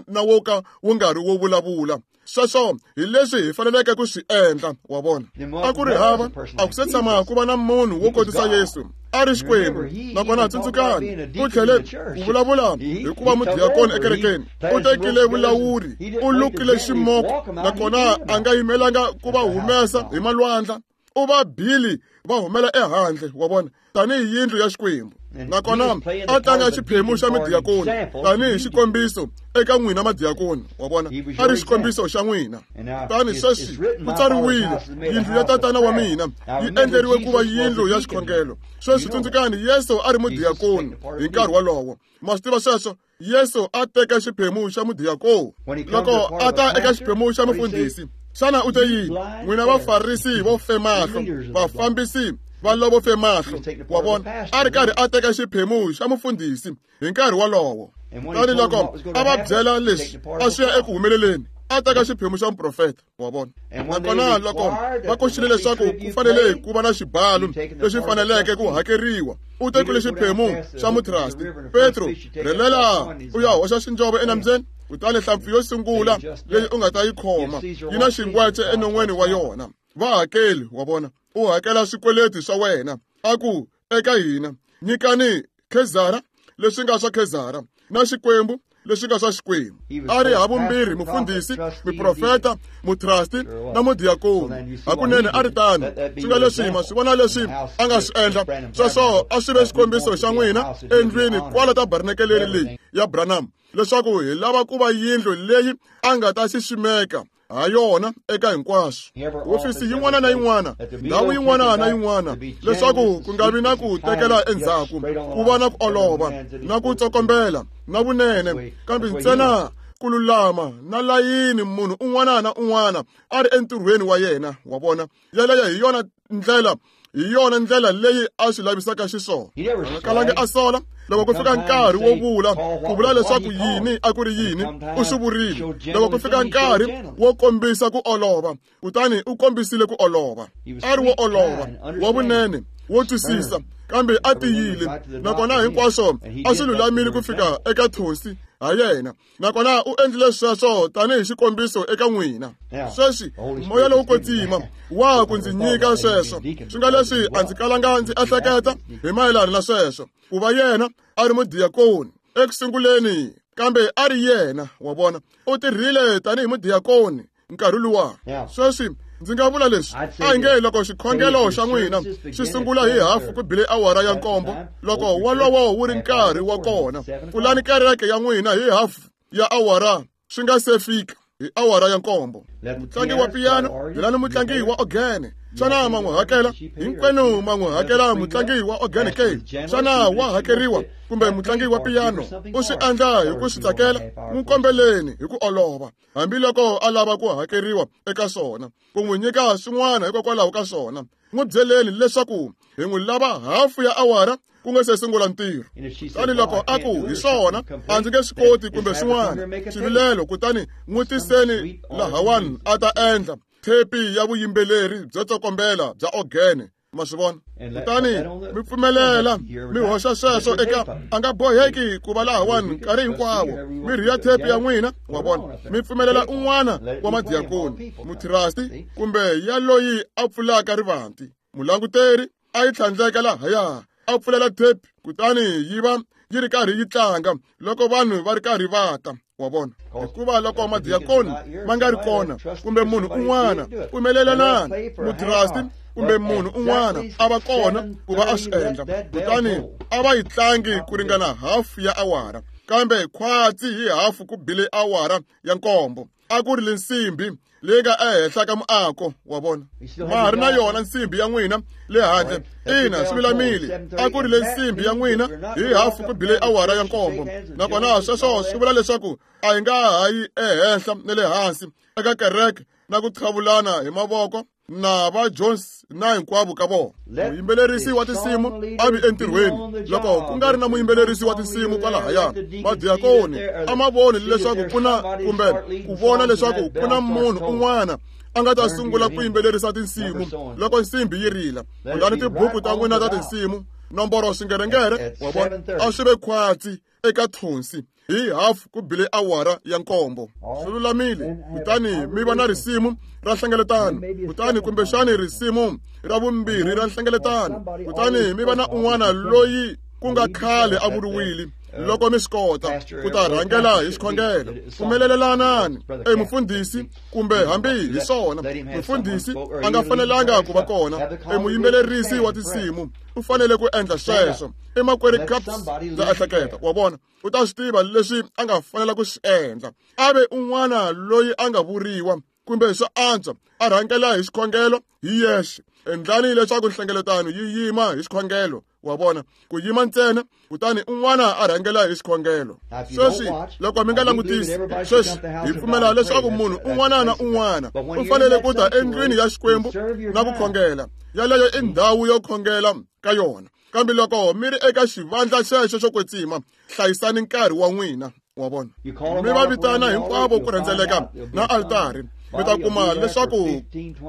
na wo ka wu nga ri wo vulavula. Sweswo hi leswi hi faneleke ku swi endla. Wa vona, a ku ri hava, a ku se tshama ku va na munhu wo kotisa Yesu, a ri Xikwembu. Nakona tsundzukani, u tlhele ku vulavula hi ku va mudiyakoni ekerekeni. U tekile vulawuri, u lukile ximoko, nakona a nga yimelanga ku va humesa hi malwandla. U va bili va humela ehandle, wa vona, tanihi yindlu ya Xikwembu. Nakona a tlanga xiphemu xa midiyakoni tanihi xikombiso eka n'wina madiyakoni. Wa vona, a ri xikombiso xa n'wina. Kutani sweswi ku tsariwile, yindlu ya tatana wa mina yi endleriwe ku va yindlu ya xikhongelo. Sweswi tsundzukani, Yesu a ri mudiyakoni hi nkarhi wolowo. Ma swi tiva sweswo? Yesu a teka xiphemu xa mudiyakoni. Loko a ta eka xiphemu xa mufundhisi, xana u te yini? N'wina vafarisi vo fe mahlo, vafambisi va lovo fe mahlo. Wa vona, a ri karhi a teka xiphemu xa mufundhisi hi nkarhi wolowo. Kutani loko a va byela leswi a swi ya eku humeleleni, a teka xiphemu xa muprofeta. Wa vona, nakona loko va koxile leswaku ku fanele ku va na xibalo lexi faneleke ku hakeriwa, u tekile xiphemu xa mutrasti. Petro, rhelela u ya hoxa xinjovo enambyeni, kutani hlampfi yo sungula leyi u nga ta yi khoma yi na xingwece enon'weni wa yona. Va hakeli, wa vona, u hakela swikweleti swa wena. A ku eka hina, nyikani Khezara leswi nga swa Khezara, na Xikwembu leswi nga swa Xikwembu. A ri havumbirhi mufundhisi, muprofeta, mutrasti na mudiyakoni. Hakunene a ri tano. Swi nga leswi ma swi vona leswi a nga swi endla. Sweswo a swi ve xikombiso xa n'wina endlwini kwala tabernakeleni leyi ya Branham, leswaku hi lava ku va yindlu leyi a nga ta xiximeka ha yona eka hinkwaswo, hofisi yin'wana na yin'wana, ndhawu yin'wana na yin'wana, leswaku ku nga vi na ku tekela endzhaku, ku va na ku olova na ku tsokombela na vunene, kambe ntsena ku lulama na layini, munhu un'wana na un'wana a ri entirhweni wa yena. Wa vona, yeleyo hi yona ndlela, hi yona ndlela leyi a swi lavisaka xiswona. A nga kalangi a sola loko ku fika nkarhi wo vula, ku vula leswaku yini a ku ri yini, u swi vurile. Loko ku fika nkarhi wo kombisa ku olova, kutani u kombisile ku olova. A ri wo olova, wa vunene, wo twisisa, kambe a tiyile. Nakona hinkwaswo a swi lulamile ku fika eka thonsi ha yena. Nakona u endlile sweswo tanihi xikombiso eka n'wina. Sweswi moya lowu kwetsima wa ku ndzi nyika sweswo. Swi nga leswi a ndzi kalanga ndzi ehleketa hi mayelana na sweswo, ku va yena a ri mudiyakoni eku sunguleni, kambe a ri yena. Wa vona, u tirhile tanihi mudiyakoni nkarhi luwa. Sweswi ndzi nga vula leswi, a hi nge loko xikhongelo xa n'wina xi sungula hi hafu ku bile awara ya 7, loko wolowo wu ri nkarhi wa kona, pfulani kereke ya n'wina hi hafu ya awara swi nga se fika hi awara ya 7. Mutlangi wa piyano, byelani mutlangi wa ogene, xana ma n'wi hakela? Hinkwenu ma n'wi hakela mutlangi wa ogene ke? Xana wa hakeriwa? Kumbe mutlangi wa piyano u swi endla hi ku swi tsakela? N'wi kombeleni hi ku olova, hambiloko a lava ku hakeriwa eka swona, ku n'wi nyika swin'wana hikokwalaho ka swona. N'wi byeleni leswaku hi n'wi lava hafu ya awara ku nga se sungula ntirho. Kutani loko a ku hi swona, a ndzi nge swi koti kumbe swin'wana xivilelo, kutani n'wi tiseni lahawani a ta endla thepi ya vuyimbeleri byo tsokombela bya ogene. Ma swi vona? Kutani mi pfumelela mi hoxa sweswo eka, a nga boheki ku va lahawani nkarhi hinkwawo. Mi rhiya thepi ya n'wina, wa vona, mi pfumelela un'wana wa madiyakoni, mutrasti, kumbe ya loyi a pfulaka rivanti, mulanguteri, a yi tlhandleka lahaya, a pfulela thepi, kutani yi va yi ri karhi yi tlanga loko vanhu va ri karhi va ta. Wa vona, hikuva loko madiyakoni ma nga ri kona, kumbe munhu un'wana, pfumelelanani, mutrasti kumbe munhu un'wana a va kona ku va a swi endla, kutani a va yi tlangi ku ringana hafu ya awara, kambe khwatsi hi hafu ku bile awara ya 7, a ku ri le nsimbi leyi nga ehenhla ka muako. Wa vona, ma ha ri na yona nsimbi ya n'wina le handle. Ina, swi lulamile. A ku ri le nsimbi ya n'wina hi hafu ku bile awara ya 7. Nakona sweswo swi vula leswaku a hi nga ha yi ehenhla na le hansi eka kereke na ku qhavulana hi mavoko na va Jones na hinkwavo ka vona. Muyimbelerisi wa tinsimu a vi entirhweni. Loko ku nga ri na muyimbelerisi wa tinsimu kwalahaya, madiyakoni a ma voni leswaku ku na, kumbe ku vona leswaku ku na munhu un'wana a nga ta sungula ku yimbelerisa tinsimu loko nsimbi yi rila. Kutani tibuku ta n'wina ta tinsimu nomboro swingerengere wa vona a swi ve khwatsi eka thonsi hi hafu ku bile awara ya 7. Swi lulamile. Kutani mi va na risimu ra nhlengeletano, kutani kumbexani risimu ra vumbirhi ra nhlengeletano, kutani mi va na un'wana loyi ku nga khale a vuriwile loko mi swi kota ku ta rhangela hi xikhongelo. Pfumelelanani emufundhisi kumbe hambi hi swona mufundhisi a nga fanelanga ku va kona, emuyimbelerisi wa tinsimu u fanele ku endla sweswo. I makwerhu Caps, ndza ehleketa, wa vona, u ta swi tiva leswi a nga fanela ku swi endla. A ve un'wana loyi a nga vuriwa kumbe swo antswa a rhangela hi xikhongelo hi yexe. Endlani leswaku nhlengeletano yi yima hi xikhongelo, wa vona, ku yima ntsena, kutani un'wana a rhangela hi xikhongelo. Sweswi loko mi nga langutisi sweswi, hi pfumela leswaku munhu un'wana na un'wana u fanele ku ta endlwini ya Xikwembu na ku khongela. Yaleyo i ndhawu yo khongela ka yona. Kambe loko mi ri eka xivandla xexo xo kwetsima, hlayisani nkarhi wa n'wina, wa vona. Mi va vitana hinkwavo ku rhendzeleka na altari, mi ta kuma leswaku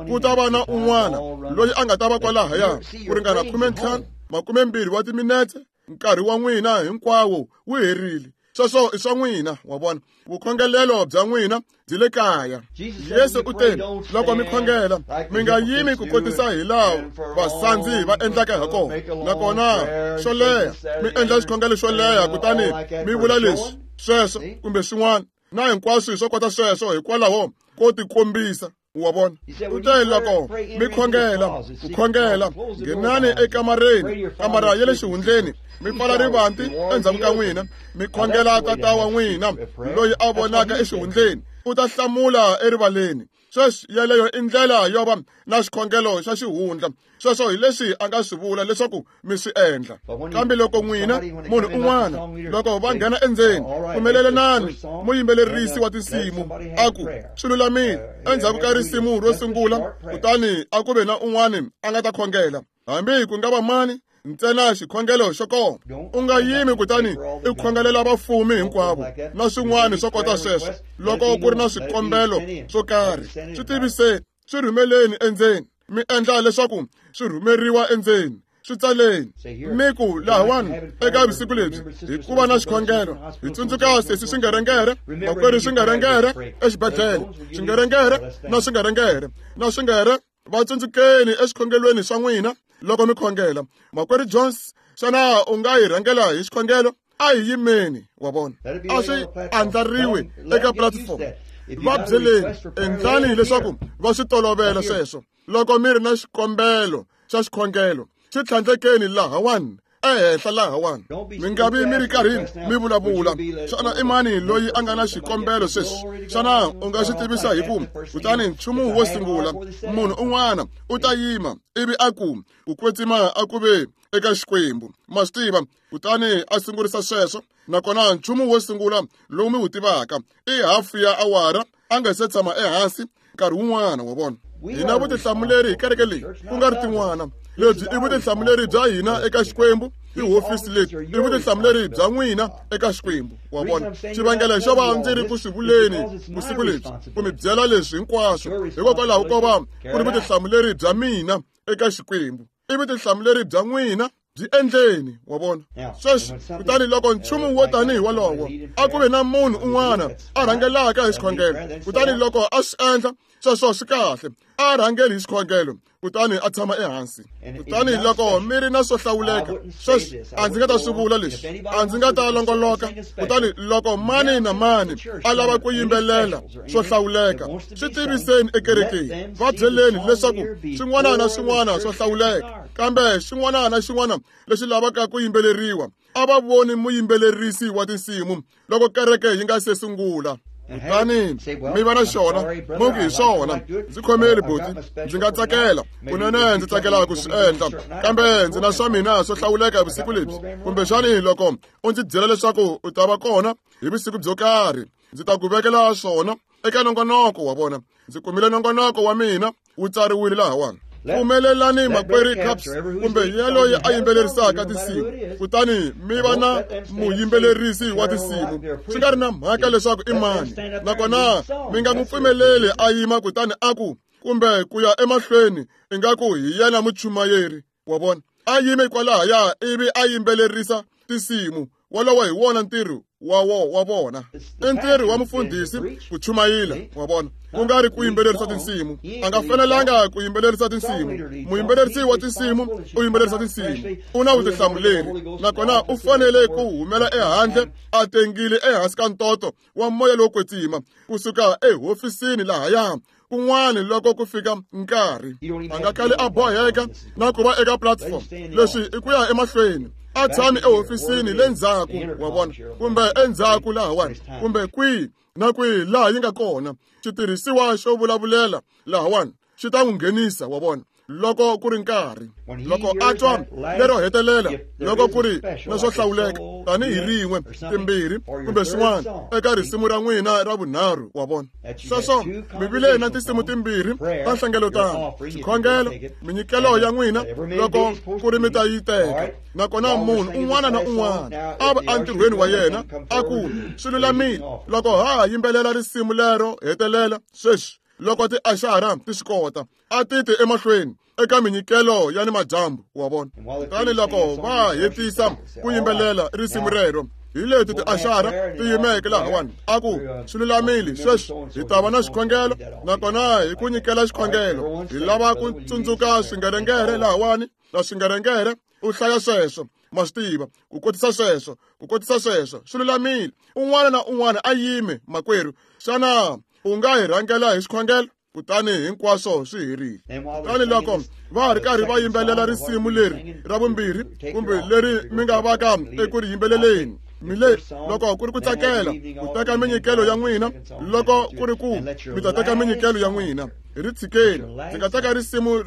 ku ta va na un'wana loyi a nga ta va kwalahaya ku ringana 15 20 wa timinetse. Nkarhi wa n'wina hinkwawo wu herile. Sweswo i swa n'wina, wa vona. Vukhongelelo bya n'wina byi le kaya. Yesu u te, loko mi khongela mi nga yimi ku kotisa hi laha vasandzi va endlaka ha kona, nakona xo leha mi endla xikhongelo xo leha, kutani mi vula leswi sweswo kumbe swin'wana na hinkwaswo swo kota sweswo hikwalaho ko tikombisa, wa vona. U te loko mi khongela ku khongela, nghenani ekamareni, kamara ya le xihundleni, mi pfala rivanti endzhaku ka n'wina, mi khongela Tata wa n'wina loyi a vonaka exihundleni, u ta hlamula erivaleni. Sweswi yeleyo i ndlela yo va na xikhongelo xa xihundla. Sweswo hi leswi a nga swi vula leswaku mi swi endla. Kambe loko n'wina munhu un'wana loko va nghena endzeni, pfumelelanani muyimbelerisi wa tinsimu a ku swi lulamile endzhaku ka risimu ro sungula, kutani a ku ve na un'wana a nga ta khongela, hambi ku nga va mani, ntsena xikhongelo xo koma. U nga yimi kutani i khongelela vafumi hinkwavo na swin'wana swo kota sweswo. Loko ku ri na swikombelo swo karhi, swi tiviseni, swi rhumeleni endzeni, mi endla leswaku swi rhumeriwa endzeni, swi tsaleni, mi ku lahawani eka vusiku lebyi hi ku va na xikhongelo, hi tsundzuka sesi swingerengere, makwerhu swingerengere exibedhlele, swingerengere na swingerengere na swingere, va tsundzukeni exikhongelweni swa n'wina loko mi khongela. Makwerhu Jones, xana u nga hi rhangela hi xikhongelo? A hi yimeni, wa vona. A swi andlariwe eka platform. Va byeleni, endlani leswaku va swi tolovela sweswo. Loko mi ri na xikombelo xa xikhongelo, swi tlhandlekeni lahawani ehenhla lahawani. Mi nga vi mi ri karhi mi vulavula. Xana i mani loyi a nga na xikombelo sweswi? Xana u nga swi tivisa hi ku? Kutani nchumu wo sungula, munhu un'wana u ta yima ivi a ku, ku kwetsima a ku ve eka Xikwembu. Ma swi tiva, kutani a sungurisa sweswo. Nakona nchumu wo sungula lowu mi wu tivaka i hafu ya awara a nga se tshama ehansi nkarhi wun'wana, wa vona. Hina vutihlamuleri hi kereke leyi, ku nga ri tin'wana. Lebyi i vutihlamuleri bya hina eka Xikwembu. Tihofisi leti i vutihlamuleri bya n'wina eka Xikwembu, wa vona. Xivangelo xo va ndzi ri ku swi vuleni vusiku lebyi, ku mi byela leswi hinkwaswo, hikokwalaho ko va ku ri vutihlamuleri bya mina eka Xikwembu. I vutihlamuleri bya n'wina, byi endleni, wa vona. Sweswi, kutani loko nchumu wo tanihi wolowo, a ku ve na munhu un'wana a rhangelaka hi xikhongelo, kutani loko a swi endla sweswo swi kahle, a rhangeli hi xikhongelo, kutani a tshama ehansi. Kutani loko mi ri na swo hlawuleka, sweswi a ndzi nga ta swi vula leswi, a ndzi nga ta longoloka. Kutani loko mani na mani a lava ku yimbelela swo hlawuleka, swi tiviseni ekerekeni, va byeleni leswaku swin'wana na swin'wana swo hlawuleka, kambe xin'wana na xin'wana lexi lavaka ku yimbeleriwa, a va voni muyimbelerisi wa tinsimu loko kereke yi nga se sungula. Kutani mi va na xona, mi ku hi swona, ndzi khomeli buti, ndzi nga tsakela kunene, ndzi tsakela ku swi endla, kambe ndzi na swa mina swo hlawuleka vusiku lebyi. Kumbexani loko u ndzi byela leswaku u ta va kona hi vusiku byo karhi, ndzi ta ku vekela swona eka nongonoko, wa vona. Ndzi kumile nongonoko wa mina wu tsariwile lahawani. Pfumelelani makwerhu Caps kumbe yaloye a yimbelerisaka tinsimu, kutani mi va na muyimbelerisi wa tinsimu, swi nga ri na mhaka leswaku i mani. Nakona mi nga n'wi pfumeleli a yima kutani a ku, kumbe ku ya emahlweni ingaku hi yena muchumayeri, wa vona. A yime kwalahaya ivi a yimbelerisa tinsimu, wolowo hi wona ntirho wa vona. I ntirho wa mufundhisi ku chumayela, wa vona, ku nga ri ku yimbelerisa tinsimu. A nga fanelanga ku yimbelerisa tinsimu. Muyimbelerisi wa tinsimu u yimbelerisa tinsimu, u na vutihlamuleri, nakona u fanele ku humela ehandle a tengile ehansi ka ntoto wa moya lowo kwetsima kusuka ehofisini lahaya kun'wana loko ku fika nkarhi. A nga kali a boheka na ku va eka platform. Leswi i ku ya emahlweni, a tshami ehofisini le ndzhaku, wa vona, kumbe endzhaku lahawani, kumbe kwihi na kwihi laha yi nga kona. Xitirhisiwa xo vulavulela lahawani xi ta n'wi nghenisa, wa vona, loko ku ri nkarhi. Loko a twa lero hetelela, loko ku ri na swo hlawuleka tanihi rin'we, timbirhi kumbe swin'wana eka risimu ra n'wina ra vunharhu, wa vona. Sweswo mi vile na tinsimu timbirhi ta nhlengeletano, xikhongelo, minyikelo ya n'wina loko ku ri mi ta yi teka. Nakona munhu un'wana na un'wana a va entirhweni wa yena a ku swi lulamile loko ha yimbelela risimu lero hetelela sweswi, loko tiaxara ti swi kota, a ti ti emahlweni eka minyikelo ya ni madyambu, wa vona. Kutani loko va hetisa ku yimbelela risimu rero, hi leti tiaxara ti yimeke lahawani, a ku swi lulamile sweswi hi ta va na xikhongelo, nakona hi ku nyikela xikhongelo hi lava ku tsundzuka swingerengere lahawani na swingerengere. U hlaya sweswo, ma swi tiva, ku kotisa sweswo, ku kotisa sweswo, swi lulamile. Un'wana na un'wana a yime, makwerhu, xana u nga hi rhangela hi xikhongelo? Kutani hinkwaswo swi herile. Kutani loko va ha ri karhi va yimbelela risimu leri ra vumbirhi kumbe leri mi nga vaka eku ri yimbeleleni, mi le loko ku ri ku tsakela ku teka minyikelo ya n'wina, loko ku ri ku mi ta teka minyikelo ya n'wina, hi ri tshikeni. Ndzi nga teka risimu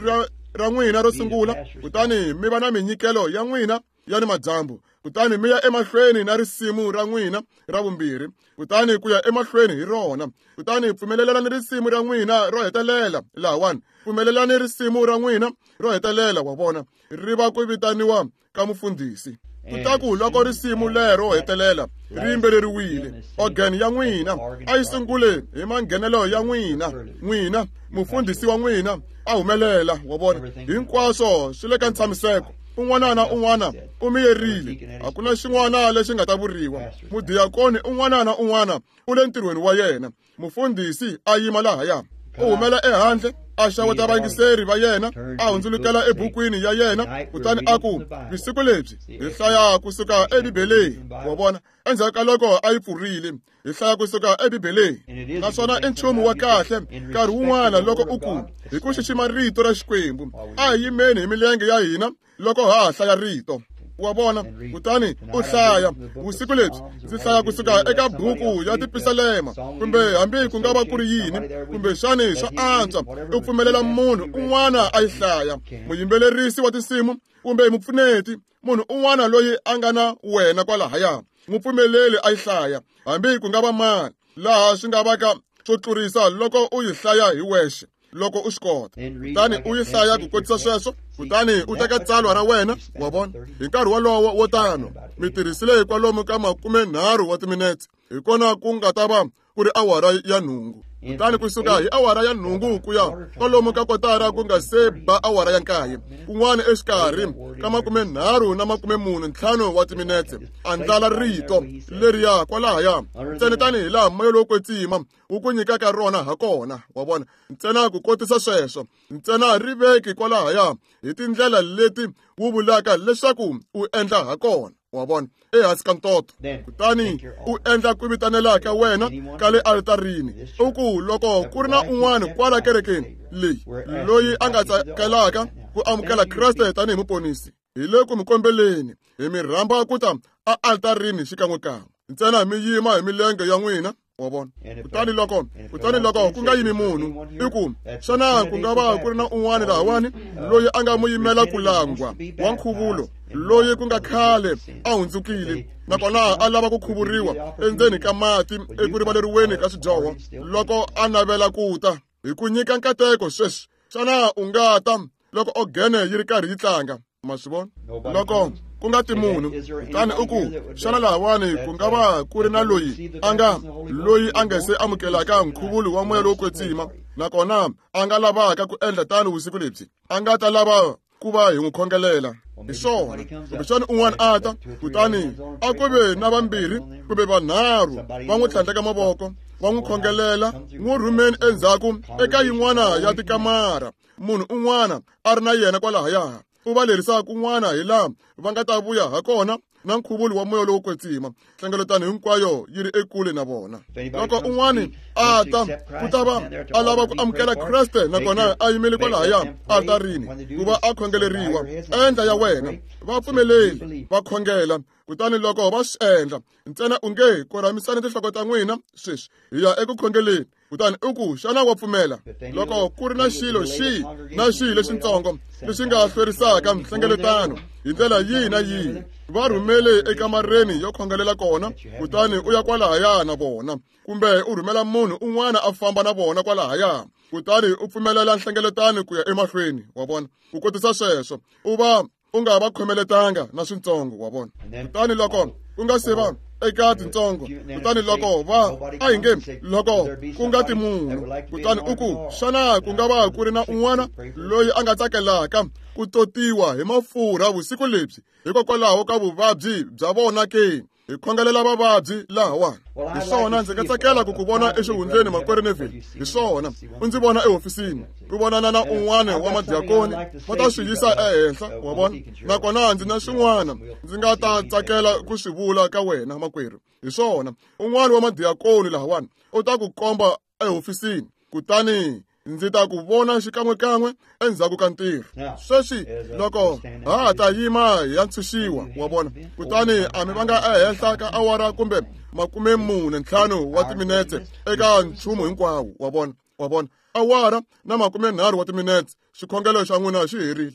ra n'wina ro sungula, kutani mi va na minyikelo ya n'wina ya ni madyambu, kutani mi ya emahlweni na risimu ra n'wina ra vumbirhi, kutani ku ya emahlweni hi rona. Kutani pfumelelani risimu ra n'wina ro hetelela lahawani, pfumelelani risimu ra n'wina ro hetelela, wa vona, ri va ku vitaniwa ka mufundhisi. Kutaku loko risimu lero hetelela ri yimbeleriwile, organ ya n'wina a yi sungule hi manghenelo ya n'wina, n'wina mufundhisi wa n'wina a humelela, wa vona. Hinkwaswo swi le ka ntshamiseko. Un'wana na un'wana u miyerile, a ku na xin'wana lexi nga ta vuriwa. Mudiyakoni un'wana na un'wana u le ntirhweni wa yena. Mufundhisi a yima lahaya, u humela ehandle, a xaweta vayingiseri va yena, a hundzulukela ebukwini ya yena, kutani a ku, vusiku lebyi hi hlaya kusuka eBibeleni, wa vona. Endzhaku ka loko a yi pfurile, hi hlaya kusuka eBibeleni. Naswona i nchumu wa kahle nkarhi wun'wana loko u ku hi ku xixima rito ra Xikwembu, a hi yimeni hi milenge ya hina loko ha hlaya rito, wa vona. Kutani u hlaya vusiku lebyi ndzi hlaya kusuka eka buku ya tipisalema, kumbe hambi ku nga va ku ri yini, kumbe xani swa antswa u pfumelela munhu un'wana a yi hlaya, muyimbelerisi wa tinsimu kumbe mupfuneti, munhu un'wana loyi a nga na wena kwalahaya, n'wi pfumeleli a yi hlaya, hambi ku nga va mani, laha swi nga vaka swo tlurisa loko u yi hlaya hi wexe loko u swi kota. Kutani u yi hlaya ku kotisa sweswo, kutani u teka tsalwa ra wena, wa vona. Hi nkarhi wolowo wo tano mi tirhisile kwalomu ka 30 wa timinetse, hi kona ku nga ta va ku ri awara ya 8. Kutani kusuka hi awara ya 8 ku ya kwalomu ka kotara ku nga se ba awara ya 9, kun'wana exikarhi ka 30 na 45 wa timinetse, andlala rito leriya kwalahaya ntsena tanihi laha moya lowo kwetsima wu ku nyikaka rona ha kona, wa vona. Ntsena ku kotisa sweswo, ntsena ri veki kwalahaya hi tindlela leti wu vulaka leswaku u endla ha kona, wa vona, ehansi ka ntoto. Kutani u endla ku vitanela ka wena ka le alitarini, u ku loko ku ri na un'wana kwala kerekeni leyi loyi a nga tsakelaka ku amukela Kreste tanihi muponisi, hi le ku mi kombeleni, hi mi rhamba ku ta a alitarini xikan'wekan'we. Ntsena mi yima hi milenge ya n'wina, wa vona. Kutani loko ku nga yimi munhu, i ku xana ku nga va ku ri na un'wana lahawani loyi a nga muyimela ku langwa wa nkhuvulo, loyi ku nga khale a hundzukile nakona a lava ku khuvuriwa endzeni ka mati eku rivaleriweni ka swidyoho, loko a navela ku ta hi ku nyika nkateko sweswi, xana u nga ta loko ogene yi ri karhi yi tlanga? Ma swi vona? Loko ku nga ti munhu, kutani u ku, xana lahawani ku nga va ku ri na loyi a nga loyi a nga se amukelaka nkhuvulo wa moya lowo kwetsima, nakona a nga lavaka ku endla tano vusiku lebyi, a nga ta lava ku va hi n'wi khongelela. Hi swona. Kumbexana un'wana a ta, kutani a ku ve na vambirhi kumbe vanharhu va n'wi tlhandleka mavoko, va n'wi khongelela, n'wi rhumeni endzhaku eka yin'wana ya tikamara, munhu un'wana a ri na yena kwalahaya, u va lerisa kun'wana hi laha va nga ta vuya ha kona na nkhuvulo wa moya lowo kwetsima. Nhlengeletano hinkwayo yi ri ekule na vona. Loko un'wana a ta, ku ta va a lava ku amukela Kreste, nakona a yimele kwalahaya altarini ku va a khongeleriwa, endla ya wena, va pfumeleli va khongela. Kutani loko va swi endla, ntsena u nge korhamisani tinhloko ta n'wina sweswi, hi ya eku khongeleni. Kutani u ku, xana wa pfumela? Loko ku ri na xilo xihi na xihi lexitsongo lexi nga hlwerisaka nhlengeletano hi ndlela yihi na yihi, va rhumele ekamareni yo khongelela kona, kutani u ya kwalahaya na vona, kumbe u rhumela munhu un'wana a famba na vona kwalahaya, kutani u pfumelela nhlengeletano ku ya emahlweni. Wa vona? Ku kotisa sweswo, u va u nga va khomeletanga na swintsongo, wa vona. Kutani loko ku nga se va eka tintsongo, kutani loko va a hi nge loko ku nga ti munhu, kutani u ku, xana ku nga va ku ri na un'wana loyi a nga tsakelaka ku totiwa hi mafurha vusiku lebyi hikokwalaho ka vuvabyi bya vona ke? Hi khongelela vavabyi lahawani. Hi swona, ndzi nga tsakela ku ku vona exihundleni, makwerhu Neville. Hi swona, u ndzi vona ehofisini, ku vonana na un'wana wa madiakoni, va ta swi yisa ehenhla, wa vona. Nakona ndzi na swin'wana ndzi nga ta tsakela ku swi vula ka wena, makwerhu. Hi swona, un'wana wa madiakoni lahawani u ta ku komba ehofisini, kutani ndzi ta ku vona xikan'wekan'we endzhaku ka ntirho. Sweswi loko ha ha ta yima hi ya ntshunxiwa, wa vona, kutani a mi vanga ehenhla ka awara kumbe 45 wa timinetse eka nchumu hinkwawo, wa vona, wa vona, awara na 30 wa timinetse, xikhongelo xa n'wina xi herile.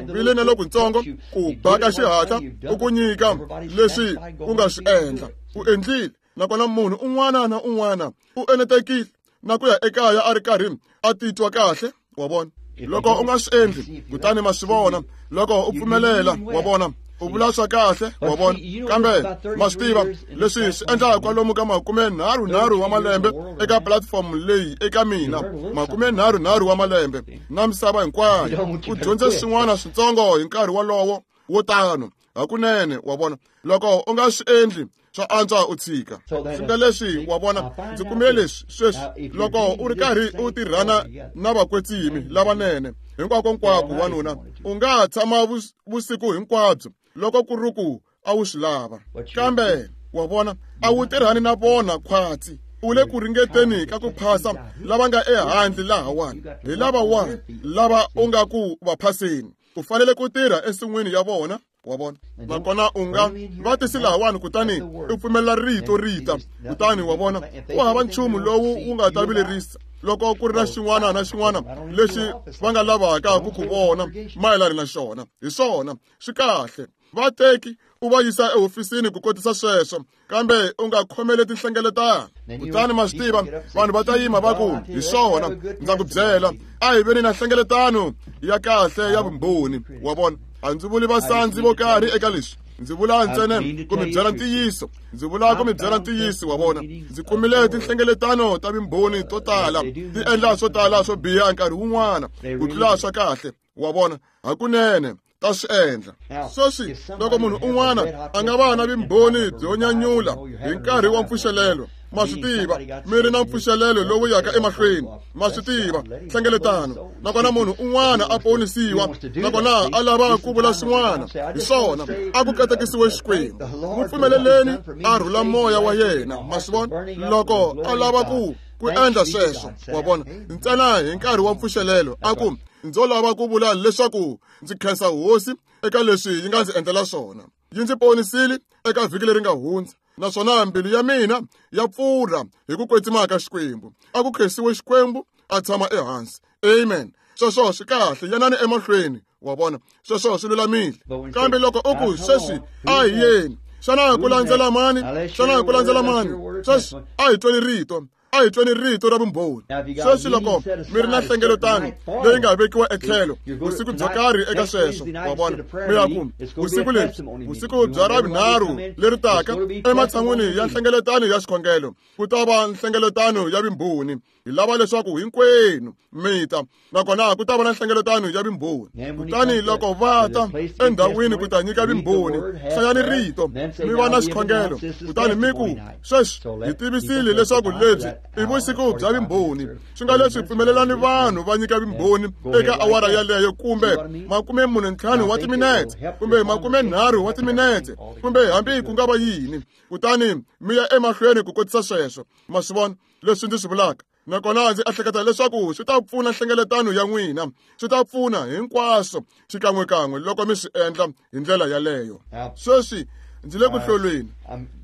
Vile na lokutsongo ku ba ka xihatla u ku nyika leswi u nga swi endla, u endlile, nakona munhu un'wana na un'wana u enetekile na ku ya ekaya a ri karhi a titwa kahle, wa vona. Loko u nga swi endli, kutani ma swi vona, loko u pfumelela, wa vona, u vula swa kahle, wa vona. Kambe ma swi tiva leswi swi endlaka kwalomu ka 33 wa malembe eka platform leyi eka mina, 33 wa malembe na misava hinkwayo, u dyondze swin'wana switsongo hi nkarhi wolowo wo tano hakunene, wa vona. Loko u nga swi endli, swa antswa u tshika. Swi nga leswi, wa vona, ndzi kumile leswi sweswi. Loko u ri karhi u tirhana na vakwetsimi lavanene hinkwako-nkwako, wanuna, u nga tshama vusiku hinkwabyo loko ku ri ku a wu swi lava, kambe wa vona, a wu tirhani na vona khwatsi. U le ku ringeteni ka ku phasa lava nga ehandle lahawani, hi lavawani lava u nga ku va phaseni. U fanele ku tirha ensin'wini ya vona, wa vona. Nakona u nga va tisi lahawani, kutani u pfumelela rito rita, kutani wa vona, ku hava nchumu lowu wu nga ta vilerisa loko ku ri na xin'wana na xin'wana lexi va nga lavaka ku ku vona mayelana na xona. Hi swona, swi kahle. Va teki u va yisa ehofisini ku kotisa sweswo, kambe u nga khomeli tinhlengeletano. Kutani ma swi tiva, vanhu va ta yima va ku, hi swona, ndza ku byela, a hi veni na nhlengeletano ya kahle ya vumbhoni, wa vona. A ndzi vuli vasandzi vo karhi eka leswi, ndzi vula ntsena ku mi byela ntiyiso, ndzi vula ku mi byela ntiyiso, wa vona. Ndzi kumile tinhlengeletano ta vumbhoni to tala ti endla swo tala swo biha nkarhi wun'wana ku tlula swa kahle, wa vona, hakunene ta swi endla. Sweswi loko munhu un'wana a nga va na vumbhoni byo nyanyula hi nkarhi wa mpfuxelelo, ma swi tiva, mi ri na mpfuxelelo lowu yaka emahlweni, ma swi tiva, nhlengeletano, nakona munhu un'wana a ponisiwa, nakona a lava ku vula swin'wana, hi swona, a ku katekisiwe Xikwembu, n'wi pfumeleleni a rhula moya wa yena, ma swi vona, loko a lava ku endla sweswo, wa vona, ntsena hi nkarhi wa mpfuxelelo, a ku, ndzo lava ku vula leswaku ndzi khensa hosi eka leswi yi nga ndzi endlela swona, yi ndzi ponisile eka vhiki leri nga hundza, naswona mbilu ya mina ya pfurha hi ku kwetsima ka Xikwembu. A ku khensiwe Xikwembu, a tshama ehansi. Amen. Sweswo swi kahle, yanani emahlweni, wa vona, sweswo swi lulamile. Kambe loko u ku, sweswi a hi yeni, xana ku landzela mani? Xana ku landzela mani? Sweswi a hi tweni rito. A hi tweni rito ra vumbhoni. Sweswi loko mi ri na nhlengeletano leyi nga vekiwa etlhelo vusiku byo karhi eka sweswo, wa vona, mi ya ku vusiku lebyi, vusiku bya Ravunharhu leri taka, ematshan'wini ya nhlengeletano ya xikhongelo, ku ta va nhlengeletano ya vumbhoni. Hi lava leswaku hinkwenu mi ta, nakona ku ta va na nhlengeletano ya vumbhoni. Kutani loko va ta endhawini ku ta nyika vumbhoni, hlayani rito, mi va na xikhongelo, kutani mi ku, sweswi hi tivisile leswaku lebyi i vusiku bya vumbhoni. Swi nga leswi pfumelelani vanhu va nyika vumbhoni eka awara yaleyo, kumbe 45 wa timinetse, kumbe 30 wa timinetse, kumbe hambi ku nga va yini. Kutani mi ya emahlweni ku kotisa sweswo. Ma swi vona leswi ndzi swi vulaka? Nakona ndzi ehleketa leswaku swi ta pfuna nhlengeletano ya n'wina, swi ta pfuna hinkwaswo xikan'wekan'we loko mi swi endla hi ndlela yaleyo. Sweswi ndzi le ku hlolweni.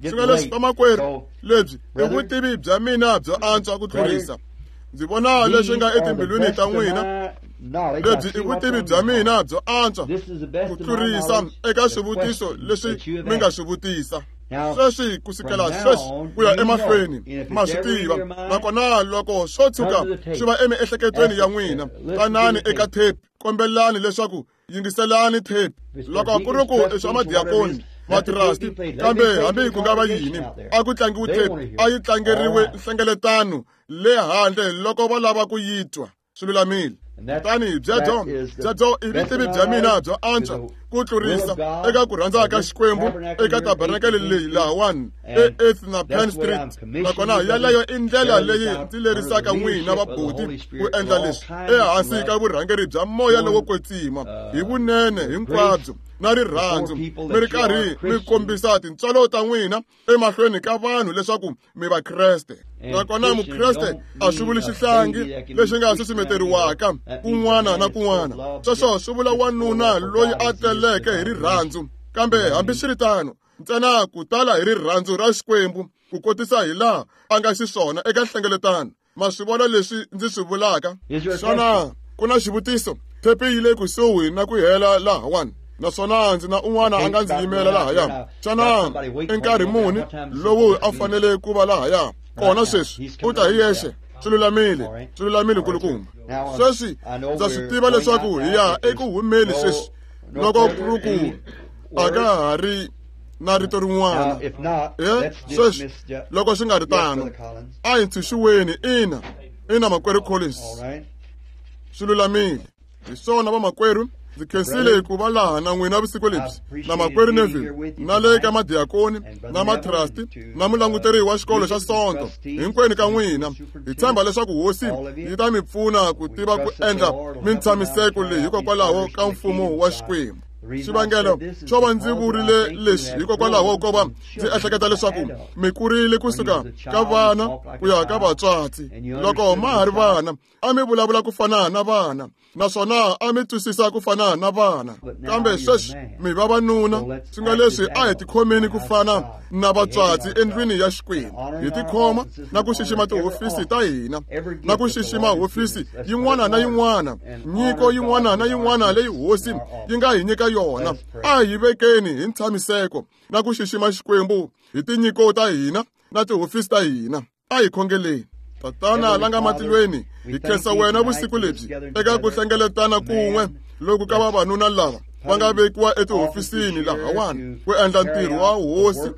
Swi nga leswi vamakwerhu, lebyi i vutivi bya mina byo antswa ku tlurisa. Ndzi vona leswi nga etimbilwini ta n'wina. Lebyi i vutivi bya mina byo antswa ku tlurisa eka swivutiso leswi mi nga swi vutisa. Sweswi kusukela sweswi ku ya emahlweni, ma swi tiva. Nakona loko swo tshuka swi va emiehleketweni ya n'wina, tanani eka tape, kombelani leswaku yingiselani tape. Loko ku ri ku i swa madiakoni, matrasti, kambe hambi ku nga va yini, a ku tlangiwi tape, a yi tlangeriwe nhlengeletano le handle loko va lava ku yi twa. Swi lulamile. Kutani byebyo i vutivi bya mina byo antswa ku tlurisa eka ku rhandza ka Xikwembu eka tabernakele leyi lahawani e-8th na Penn Street. Nakona yaleyo i ndlela leyi ndzi lerisaka n'wina vabuti ku endla leswi ehansi ka vurhangeri bya moya lowo kwetsima, hi vunene hinkwabyo na rirhandzu, mi ri karhi mi kombisa tintswalo ta n'wina emahlweni ka vanhu leswaku mi Vakreste. Nakona Mukreste a swi vuli xihlangi lexi nga susumeteriwaka kun'wana na kun'wana. Sweswo swi vula wanuna loyi a teleke hi rirhandzu, kambe hambiswiritano ntsena ku tala hi rirhandzu ra Xikwembu ku kotisa hi laha a nga xiswona eka nhlengeletano. Ma swi vona leswi ndzi swi vulaka? Xana ku na xivutiso? Thepi yi le kusuhi na ku hela lahawani, naswona ndzi na un'wana a nga ndzi yimela lahaya. Xana i nkarhi muni lowu a fanele ku va lahaya kona sweswi? U ta hi yexe. Swi lulamile, swi lulamile nkulukumba. Sweswi ndza swi tiva leswaku hi ya eku humeni sweswi, loko ku ri ku a ka ha ri na rito rin'wana. Sweswi loko swi nga ri tano, a hi ntshunxiweni. Ina, ina, makwerhu Collins, swi lulamile. Hi swona vamakwerhu, ndzi khensile ku va laha na n'wina vusiku lebyi, na makwerhu Neville, na le ka madiakoni, na matrasti, na mulanguteri wa xikolo xa Sonto, hinkwenu ka n'wina. Hi tshemba leswaku Hosi yi ta mi pfuna ku tiva ku endla mintshamiseko leyi hikokwalaho ka mfumo wa Xikwembu. Xivangelo xo va ndzi vurile leswi hikokwalaho ko va ndzi ehleketa leswaku mi kurile kusuka ka vana ku ya ka vatswatsi. Loko ma ha ri vana, a mi vulavula ku fana na vana, naswona a mi twisisa ku fana na vana. Kambe sweswi mi vavanuna, swi nga leswi a hi tikhomeni ku fana na vatswatsi endlwini ya Xikwembu. Hi tikhoma na ku xixima tihofisi ta hina, na ku xixima hofisi yin'wana na yin'wana, nyiko yin'wana na yin'wana leyi Hosi yi nga hi nyika yona. A hi vekeni hi ntshamiseko na ku xixima Xikwembu hi tinyiko ta hina na tihofisi ta hina. A hi khongeleni. Tatana la nga matilweni, hi khensa wena vusiku lebyi eka ku hlengeletana kun'we loku ka vavanuna lava va nga vekiwa etihofisini lahawani ku endla ntirho wa Hosi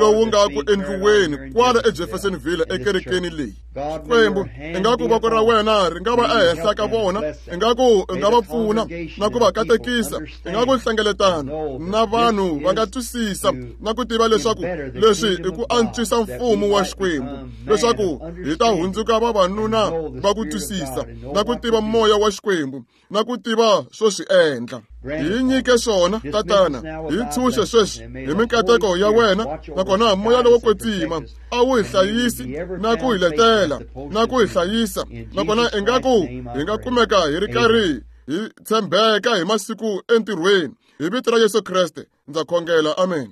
lowu nga ku endliweni kwala eJeffersonville ekerekeni leyi. Xikwembu, ingaku voko ra wena ri nga va ehenhla ka vona, ingaku i nga va pfuna na ku va katekisa, ingaku nhlengeletano na vanhu va nga twisisa na ku tiva leswaku leswi i ku antswisa mfumo wa Xikwembu, leswaku hi ta hundzuka vavanuna va ku twisisa na ku tiva moya wa Xikwembu na ku tiva swo swi endla. Hi nyike swona, Tatana, hi ntshunxe sweswi hi minkateko ya wena, nakona moya lowo kwetsima a wu hi hlayisi na ku hi letela na ku hi hlayisa, nakona ingaku hi nga kumeka hi ri karhi hi tshembeka hi masiku entirhweni. Hi vito ra Yesu Kreste ndza khongela, amen.